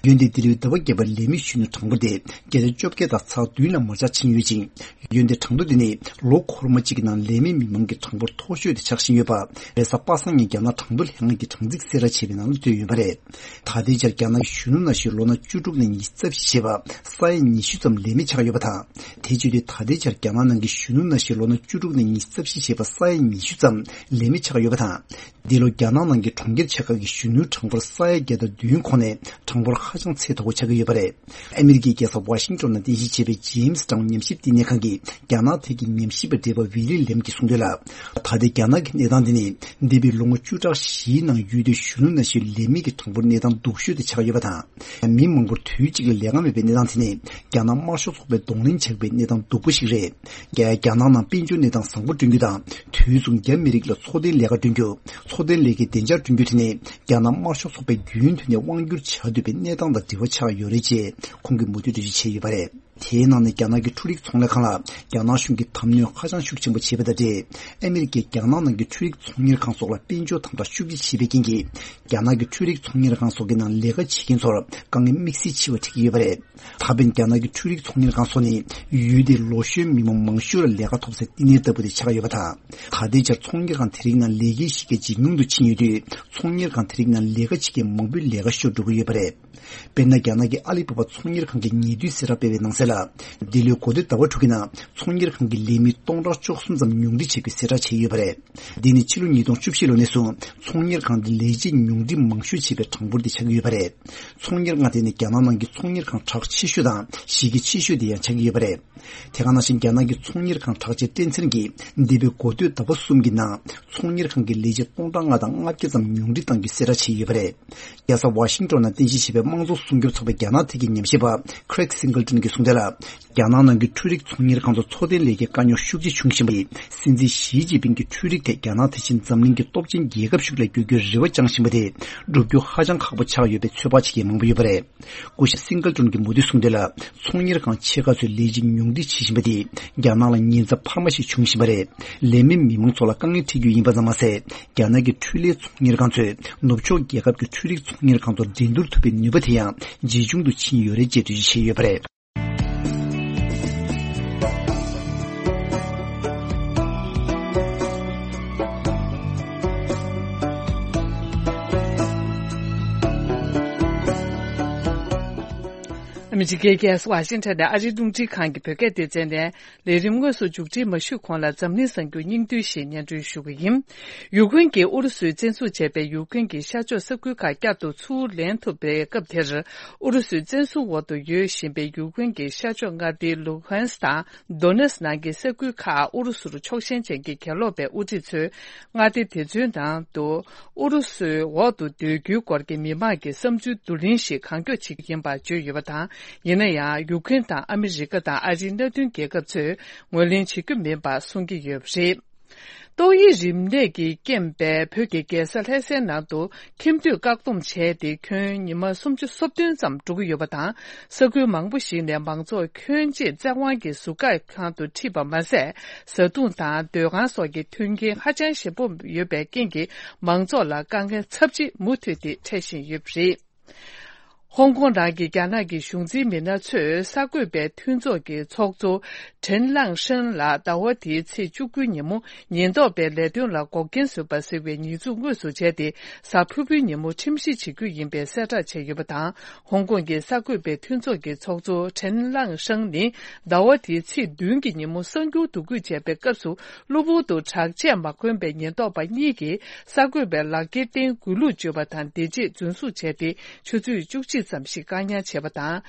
འོན་ཏེ་འདི་ལོའི་ཟླ་བ་བརྒྱད་པར་ལས་མེད་གཞོན་ནུའི་གྲངས་འབོར་དེ་བརྒྱ་ཆ་བཅོ་བརྒྱད་དང་ཚེག་བདུན་ལ་མར་ཆག་ཕྱིན་ཡོད་ཅིང་། འོན་ཏེ་གྲངས་ཐོ་འདི་ནི་ལོ་འཁོར་མ་གཅིག་གི་ནང་ལས་མེད་མི་མང་གི་གྲངས་འབོར་མཐོ་ཤོས་དེ་ཆགས་བཞིན་ཡོད་པ། རེས་གཟའ་པ་སངས་ཉིན་རྒྱ་ནག་གྲངས་ཐོ་ལྷན་ཁང་གིས་གྲངས་རྩིས་གསལ་བསྒྲགས་བྱས་པའི་ནང་ལ་བཏོན་ཡོད་པ་རེད། ད་ལྟའི་ཆར་རྒྱ་ནག་གི་གཞོན་ནུ་ན་གཞོན་ལོ་ན་བཅུ་དྲུག་ནས་ཉི་ཤུ་རྩ་བཞི་བྱས་པ་ས་ཡ་ཉི་ཤུ་ཙམ་ལས་མེད་ཆགས་ཡོད་པ་དང་། དེ་བྱེད་དུས་ད་ལྟའི་ཆར་རྒྱ་ནག་ནང་གི་གཞོན་ནུ་ན་གཞོན་ལོ་ན་བཅུ་དྲུག་ནས་ཉི་ཤུ་རྩ་བཞི་བྱས་པ་ས་ཡ་ཉི་ཤུ་ཙམ་ལས་མེད་ཆགས་ཡོད་པ་དང་། འདི་ལོ་རྒྱ་ནག་ནང་གི་གྲོང་ཁྱེར་ཆེ་ཁག་གི་གཞོན་ནུའི་གྲངས་འབོར་ས་ཡ་བརྒྱ་དང་བདུན་ཁོངས་ནས་གྲངས་འབོར་ཧ་ཅང་ཚད་མཐོ་པོ་ཆགས་ཀྱི་ཡོད་པ་རེད། ཨ་མི་རི་ཀའི་རྒྱལ་ས་ཝ་ཤིང་ཏོན་ནང་རྟེན་གཞི་བྱས་པའི་ཇེམ་སི་ཊའུན་ཉམས་ཞིབ་བསྟི་གནས་ཁང་གི་རྒྱ་ནག་ཐད་ཀྱི་ཉམས་ཞིབ་པ་བགྲེས་པ་ཝི་ལི་ལེམ་གྱིས་གསུངས་དོན་ལ། ད་ལྟའི་རྒྱ་ནག་གི་གནས་སྟངས་འདི་ནི་འདས་པའི་ལོ་ངོ་བཅུ་ཕྲག་བཞིའི་ནང་ཡུལ་དེའི་གཞོན་ནུ་ན་གཞོན་ལས་མེད་ཀྱི་གྲངས་འབོར་གནས་སྟངས་སྡུག་ཤོས་དེ་ཆགས་ཡོད་པ་དང་། མི་མང་པོར་དུས་གཅིག་ལ་ལས་ཀ་མེད་པའི་གནས་སྟངས་དེ་ནི་རྒྱ་ནག་དམར་ཤོག་ཚོགས་པས་གདོང་ལེན་བྱེད་པའི་གནས་སྟངས་སྡུག་པོ་ཞིག་རེད། རྒྱ་རྒྱ་ནག་ནང་དཔལ་འབྱོར་གནས་སྟངས་བཟང་པོ་བསྐྲུན་རྒྱུ་དང་། དུས་མཚུངས་རྒྱ་མི་རིགས་ལ་འཚོ་རྟེན་ལས་ཀ་བསྐྲུན་རྒྱུ། འཚོ་རྟེན་ལས་ཀའི་བདེ་འཇགས་བསྐྲུན་རྒྱུ་དེ་ནི་རྒྱ་ནག་དམར་ཤོག་ཚོགས་པས་རྒྱུན་མཐུད་ནས་དབང་སྒྱུར་བྱ་འདོད་པའི་གནས་སྟངས་དང་འབྲེལ་བ་ཆགས་ཡོད་རེད་ཅེས་ཁོང་གིས་མུ་མཐུད་འགྲེལ་བརྗོད་བྱས་ཡོད་པ་རེད། དེའི་ནང་ནས་རྒྱ་ནག་གི་འཕྲུལ་རིག་ཚོང་ལས་ཁང་ལ་རྒྱ་ནག་གཞུང་གིས་དམ་གནོན་ཧ་ཅང་ཤུགས་ཆེན་པོ་བྱས་པ་དང་འབྲེལ། ཨ་མི་རི་ཀས་རྒྱ་ནག་ནང་གི་འཕྲུལ་རིག་ཚོང་གཉེར་ཁང་སོགས་ལ་དཔལ་འབྱོར་དམ་དྲག་ཤུགས་ཆེ་བྱས་པའི་རྐྱེན་གྱིས། རྒྱ་ནག་གི་འཕྲུལ་རིག་ཚོང་གཉེར་ཁང་སོགས་ཀྱི་ནང་ལས་ཀ་བྱེད་མཁན་ཚོར་དཀའ་ངལ་དམིགས་བསལ་ཆེ་བ་འཕྲད་ཀྱི་ཡོད་པ་རེད། ད་ཕན་རྒྱ་ནག་གི་འཕྲུལ་རིག་ཚོང་གཉེར་ཁང་སོགས་ནི་ཡུལ་དེའི་ལོ་གཞོན་མི་མང་མང་ཤོས་ལ་ལས་ཀ་ཐོབ་སའི་བསྟི་གནས་ལྟ་བུ་དེ་ཆགས་ཡོད་པ་དང་། ད་ལྟའི་ཆར་ཚོང་གཉེར་ཁང་དེ་རིགས་ནང་ལས་ཀའི་གཞི་རྒྱ་ཇེ་ཉུང་དུ་ཕྱིན་ཡོད་དུས། ཚོང་གཉེར་ཁང་དེ་རིགས་ནང་ལས་ཀ་བྱེད་མཁན་མང་པོའི་ལས་ཀ་ཤོར་འགྲོ་གི་ཡོད་པ་རེད། དཔེར་ན། རྒྱ་ནག་གི་ཨ་ལི་བྷ་བྷ་ཚོང་གཉེར་ཁང་གིས་ཉེ་དུས་གསལ་བསྒྲགས་སྤེལ་བའི་ནང་གསལ་ལ། འདི་ལོའི་འགོ་སྟོད་ཟླ་བ་དྲུག་གི་ནང་ཚོང་གཉེར་ཁང་གི་ལས་མི་སྟོང་ཕྲག་བཅུ་གསུམ་ཙམ་ཉུང་འཕྲི་བྱེད་རྒྱུའི་གསལ་བསྒྲགས་བྱས་ཡོད་པ་རེད། འདི་ནི་ཕྱི་ལོ་ཉིས་སྟོང་བཅུ་བཞི་ལོ་ནས་བཟུང་ཚོང་གཉེར་ཁང་དེ་ལས་བྱེད་ཉུང་འཕྲི་མང་ཤོས་བྱས་པའི་གྲངས་འབོར་དེ་ཆགས་ཀྱི་ཡོད་པ་རེད། ཚོང་གཉེར་ཁང་དེ་ནི་རྒྱ་ནག་ནང་གི་ཚོང་གཉེར་ཁང་གྲགས་ཆེ་ཤོས་དང་གཞི་རྒྱ་ཆེ་ཤོས་དེ་ཡང་ཆགས་ཀྱི་ཡོད་པ་རེད། དེ་ག་ནང་བཞིན། རྒྱ་ནག་གི་ཚོང་གཉེར་ཁང་གྲགས་ཅན་ཀྲེན་ཚེན་གྱིས་འདས་པའི་འགོ་སྟོད་ཟླ་བ་གསུམ་གྱི་ནང་ཚོང་གཉེར་ཁང་གི་ལས་བྱེད་སྟོང་ཕྲག་ལྔ་དང་ལྔ་བརྒྱ་ཙམ་ཉུང་འཕྲི་བཏང་རྒྱུའི་གསལ་བསྒྲགས་བྱས་ཡོད་པ་རེད། རྒྱལ་ས་ཝ་ཤིང་ཏོན་ནང་རྟེན་གཞི་བྱས་པའི་དམངས་གཙོ་སྲུང་སྐྱོབ་ཚོགས་པའི་རྒྱ་ནག་ཐད་ཀྱི་ཉམས་ཞིབ་པ་Craig Singleton གྱིས་གསུངས་དོན་ལ། རྒྱ་ནག་ནང་གི་འཕྲུལ་རིག་ཚོང་གཉེར་ཁང་དུ་འཚོ་རྟེན་ལས་ཀའི་དཀའ་རྙོག་ཤུགས་ཆེ་བྱུང་བཞིན་པ་ཡིས། སྲིད་འཛིན་ཞི་ཅིན་ཕིང་གིས་འཕྲུལ་རིག་ཐད་རྒྱ་ནག་དེ་བཞིན་འཛམ་གླིང་གི་སྟོབས་ཆེན་རྒྱལ་ཁབ་ཤིག་ལ་འགྱུར་རྒྱུའི་རེ་བ་བཅངས་བཞིན་པ་དེ་འགྲུབ་རྒྱུ་ཧ་ཅང་ཁག་པོ་ཆགས་ཡོད་པའི་ཚོད་དཔག་བྱེད་མཁན་མང་པོ་ཡོད་པ་རེད། སྐུ་ཞབས་སིང་གལ་ཀྲུན་གྱིས་མུ་མཐུད་གསུངས་དོན་ལ། ཚོང་གཉེར་ཁང་ཆེ་ཁག་ཚོས་ལས་བྱེད་ཉུང་འཕྲི་བྱེད་བཞིན་པ་དེས་རྒྱ་ནག་ལ་ཉེན་ཚབས་འཕར་མ་ཞིག་འབྱུང་བཞིན་པ་རེད། ལས་མེད་མི་མང་ཚོ་ལ་དཀའ་ངལ་འཕྲད་རྒྱུ་ཡིན་པ་ཙམ་མ་ཟད། རྒྱ་ནག་གི་འཕྲུལ་ལས་ཚོང་གཉེར་ཁང་ཚོས་ནུབ་ཕྱོགས་རྒྱལ་ཁབ་ཀྱི་འཕྲུལ་རིག་ཚོང་གཉེར་ཁང་དུ་འགྲན་བསྡུར་ཐུབ་པའི་ནུས་པ་དེ་ཡང་ཇེ་ཆུང་དུ་ཕྱིན་ཡོད་རེད་ཅེས་འགྲེལ་བརྗོད་བྱས་ཡོད་པ་རེད། ཨ་མི་རི་ཀའི་རྒྱལ་ས་ཝ་ཤིང་ཊོན་ནས་ཨ་རིའི་རླུང་འཕྲིན་ཁང་གི་བོད་སྐད་སྡེ་ཚན་ནས། ལས་རིམ་དངོས་སུ་མཇུག་སྒྲིལ་མ་ཞུས་གོང་ལ་འཛམ་གླིང་གསར་འགྱུར་སྙིང་བསྡུས་ཤིག་སྙན་སྒྲོན་ཞུ་གི་ཡིན། ཡུཀ་རེན་གྱིས་ཨུ་རུ་སུས་བཙན་འཛུལ་བྱས་པའི་ཡུཀ་རེན་གྱི་ཤར་ཕྱོགས་ས་ཁུལ་ཁག་བསྐྱར་དུ་ཚུར་ལེན་ཐུབ་པའི་སྐབས་དེར། ཨུ་རུ་སུའི་བཙན་བཟུང་འོག་ཏུ་ཡོད་བཞིན་པའི་ཡུཀ་རེན་གྱི་ཤར་ཕྱོགས་མངའ་སྡེ་ལུ་ཧན་སི་དང་། དོ་ནེ་སི་ནང་གི་ས་ཁུལ་ཁག་ཨུ་རུ་སུར་ཕྱོགས་ཞེན་ཅན་གྱི་གྱེན་ལོག་པའི་དབུ་ཁྲིད་ཚོས་མངའ་སྡེ་དེ་ཚོའི་ནང་དུ་ཨུ་རུ་སུའི་འོག་ཏུ་སྡོད་རྒྱུའི་སྐོར་གྱི་མི་མང་གི་བསམ་ཚུལ་བསྡུ་ལེན་ཞིག་གང་མགྱོགས་བྱེད་ཀྱི་ཡིན་པ་བརྗོད་ཡོད་པ་དང་། ཡིན་ན་ཡང་ཡུཀ་རེན་དང་ཨ་མི་རི་ཀ་དང་ཨ་རིའི་མནའ་མཐུན་རྒྱལ་ཁབ་ཚོས་ངོས་ལེན་བྱེད་ཀྱི་མིན་པ་གསུང་གི་ཡོད་པ་རེད། ཏོག་དབྱིབས་རིམས་ནད་ཀྱིས་རྐྱེན་པས་བོད་ཀྱི་རྒྱལ་ས་ལྷ་སའི་ནང་དུ་ཁྱིམ་སྡོད་བཀག་སྡོམ་བྱས་ཏེ་ཁྱོན་ཉི་མ་སུམ་ཅུ་སོ་བདུན་ཙམ་འགྲོ་གི་ཡོད་པ་དང་། ས་ཁུལ་མང་པོ་ཞིག་ནས་མང་ཚོགས་ཁྱོན་ཆེ་བཙན་དབང་གིས་ཟུར་བཀག་ཁང་དུ་ཁྲིད་པ་མ་ཟད། བཟའ་བཏུང་དང་སྡོད་ཁང་སོགས་ཀྱི་མཐུན་རྐྱེན་ཧ་ཅང་ཞན་པོ་ཡོད་པའི་རྐྱེན་གྱིས་མང་ཚོགས་ལ་དཀའ་ངལ་ཚབས་ཆེ་མུ་མཐུད་དེ་འཕྲད་བཞིན་ཡོད་པ་རེད། ཧོང་ཀོང་ནང་གི་རྒྱ་ནག་གི་གཞུང་འཛིན་མི་སྣ་ཚོས་གསར་འགོད་པའི་མཐུན་ཚོགས་ཀྱི་ཚོགས་གཙོ་ཁྲེན་ལང་ཧྲན་ལ་ཟླ་བ་འདིའི་ཚེས་བཅུ་དགུའི་ཉིན་མོ་ཉེན་རྟོག་པས་ལས་དོན་ལ་འགོག་རྐྱེན་བཟོས་པ་ཟེར་བའི་ཉེས་འཛུགས་དངོས་སུ་བྱས་ཏེ། གཟའ་ཕུར་བུའི་ཉིན་མོ་ཁྲིམས་ཞིབ་བྱེད་རྒྱུ་ཡིན་པའི་གསལ་བསྒྲགས་བྱས་ཡོད་པ་དང་། ཧོང་ཀོང་གི་གསར་འགོད་པའི་མཐུན་ཚོགས་ཀྱི་ཚོགས་གཙོ་ཁྲེན་ལང་ཧྲན་ནི་ཟླ་བ་འདིའི་ཚེས་བདུན་གྱི་ཉིན་མོ་གསར་འགྱུར་བསྡུ་སྐུལ་བྱས་པའི་སྐབས་སུ། གློ་བུར་དུ་དྲག་ཆས་མ་གོན་པའི་ཉེན་རྟོག་པ་གཉིས་ཀྱིས་གསར་འགོད་པའི་ལག་འཁྱེར་སྟེང་གུས་ལུགས་བརྗོད་པ་དང་། འདི་རྗེས་རྫུན་བཟུང་བྱས་ཏེ་ཆུ་ཚོད་བཅུ་གཅིག་ཙམ་ཞིག་བཀག་ཉར་བྱས་པ་དང་།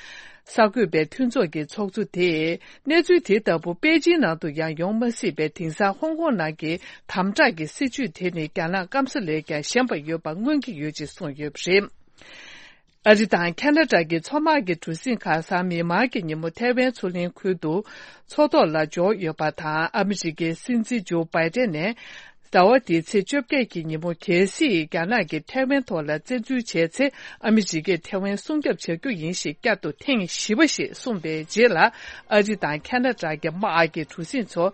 གསར་འགོད་པའི་མཐུན་ཚོགས་ཀྱི་ཚོགས་གཙོ་དེས། གནས་ཚུལ་དེ་ལྟ་བུ་པེ་ཅིན་ནང་དུ་ཡང་ཡོང་མ་སྲིད་པའི་དེང་སང་ཧོང་ཀོང་ནང་གི་དམ་དྲག་གི་སྲིད་བྱུས་དེ་ནི་རྒྱ་ནག་སྐམ་ས་ལས་ཀྱང་ཞན་པ་ཡོད་པ་མངོན་གྱི་ཡོད་ཅེས་གསུངས་ཡོད་པ་རེད། ཨ་རི་དང་ཁ་ན་ཌ་གི་མཚོ་དམག་གི་གྲུ་གཟིངས་ཁག་གཟའ་མིག་དམར་གྱི་ཉིན་མོ་ཐའེ་ཝན་མཚོ་གླིང་ཁུལ་དུ་མཚོ་ཐོག་ལ་འབྱོར་ཡོད་པ་དང་། ཨ་མི་རི་ཀའི་སྲིད་འཛིན་ཇོ་བྷའི་ཏན་ནས་ ཟླ་བ་འདིའི་ཚེས་བཅོ་བརྒྱད་ཀྱི་ཉིན་མོ། གལ་སྲིད་རྒྱ་ནག་གིས་ཐའེ་ཝན་ཐོག་ལ་བཙན་འཛུལ་བྱས་ཚེ། ཨ་མི་རི་ཀས་ཐའེ་ཝན་སྲུང་སྐྱོབ་བྱ་རྒྱུ་ཡིན་ཞེས་བསྐྱར་དུ་ཐེངས་བཞི་པ་ཞིག་གསུངས་པའི་རྗེས་ལ། ཨ་རི་དང་ཁ་ན་ཌ་གི་དམག་གི་གྲུ་གཟིངས་ཚོ་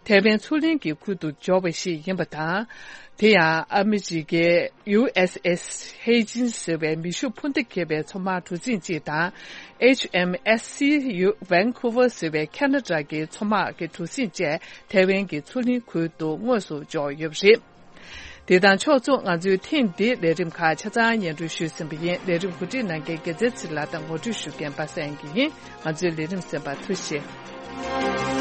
ཐའེ་ཝན་མཚོ་གླིང་གི་ཁུལ་དུ་འབྱོར་བ་ཞིག་ཡིན་པ་དང་། དེ་ཡང་ཨ་མི་རི་ཀའི་ཡུ་ཨེས་ཨེས་ཧེ་ཇིན་ཟེར་བའི་མེ་ཤུགས་འཕུར་མདའ་འཁྱེར་བའི་མཚོ་དམག་གྲུ་གཟིངས་གཅིག་དང་། ཨེཆ་ཨེམ་ཨེས་སི་ཡུ་ཝན་ཁུ་ཝར་ཟེར་བའི་ཁ་ན་ཌ་གི་མཚོ་དམག་གི་གྲུ་གཟིངས་བཅས་ཐའེ་ཝན་གྱི་མཚོ་གླིང་ཁུལ་དུ་དངོས་སུ་འབྱོར་ཡོད་པ་རེད། དེ་དང་ཕྱོགས་མཚུངས། ང་ཚོའི་ཐེངས་འདིའི་ལས་རིམ་ཁག་ཆ་ཚང་སྙན་སྒྲོན་ཞུས་ཟིན་པ་ཡིན། ལས་རིམ་གོ་སྒྲིག་གནང་མཁན་རྒྱལ་མཚན་ཚེ་རིང་ལགས་དང་ངོ་སྤྲོད་ཞུ་མཁན་པ་སངས་སྐྱིད་ཡིན། ང་ཚོའི་ལས་རིམ་གསན་པར་ཐུགས་རྗེ་ཆེ།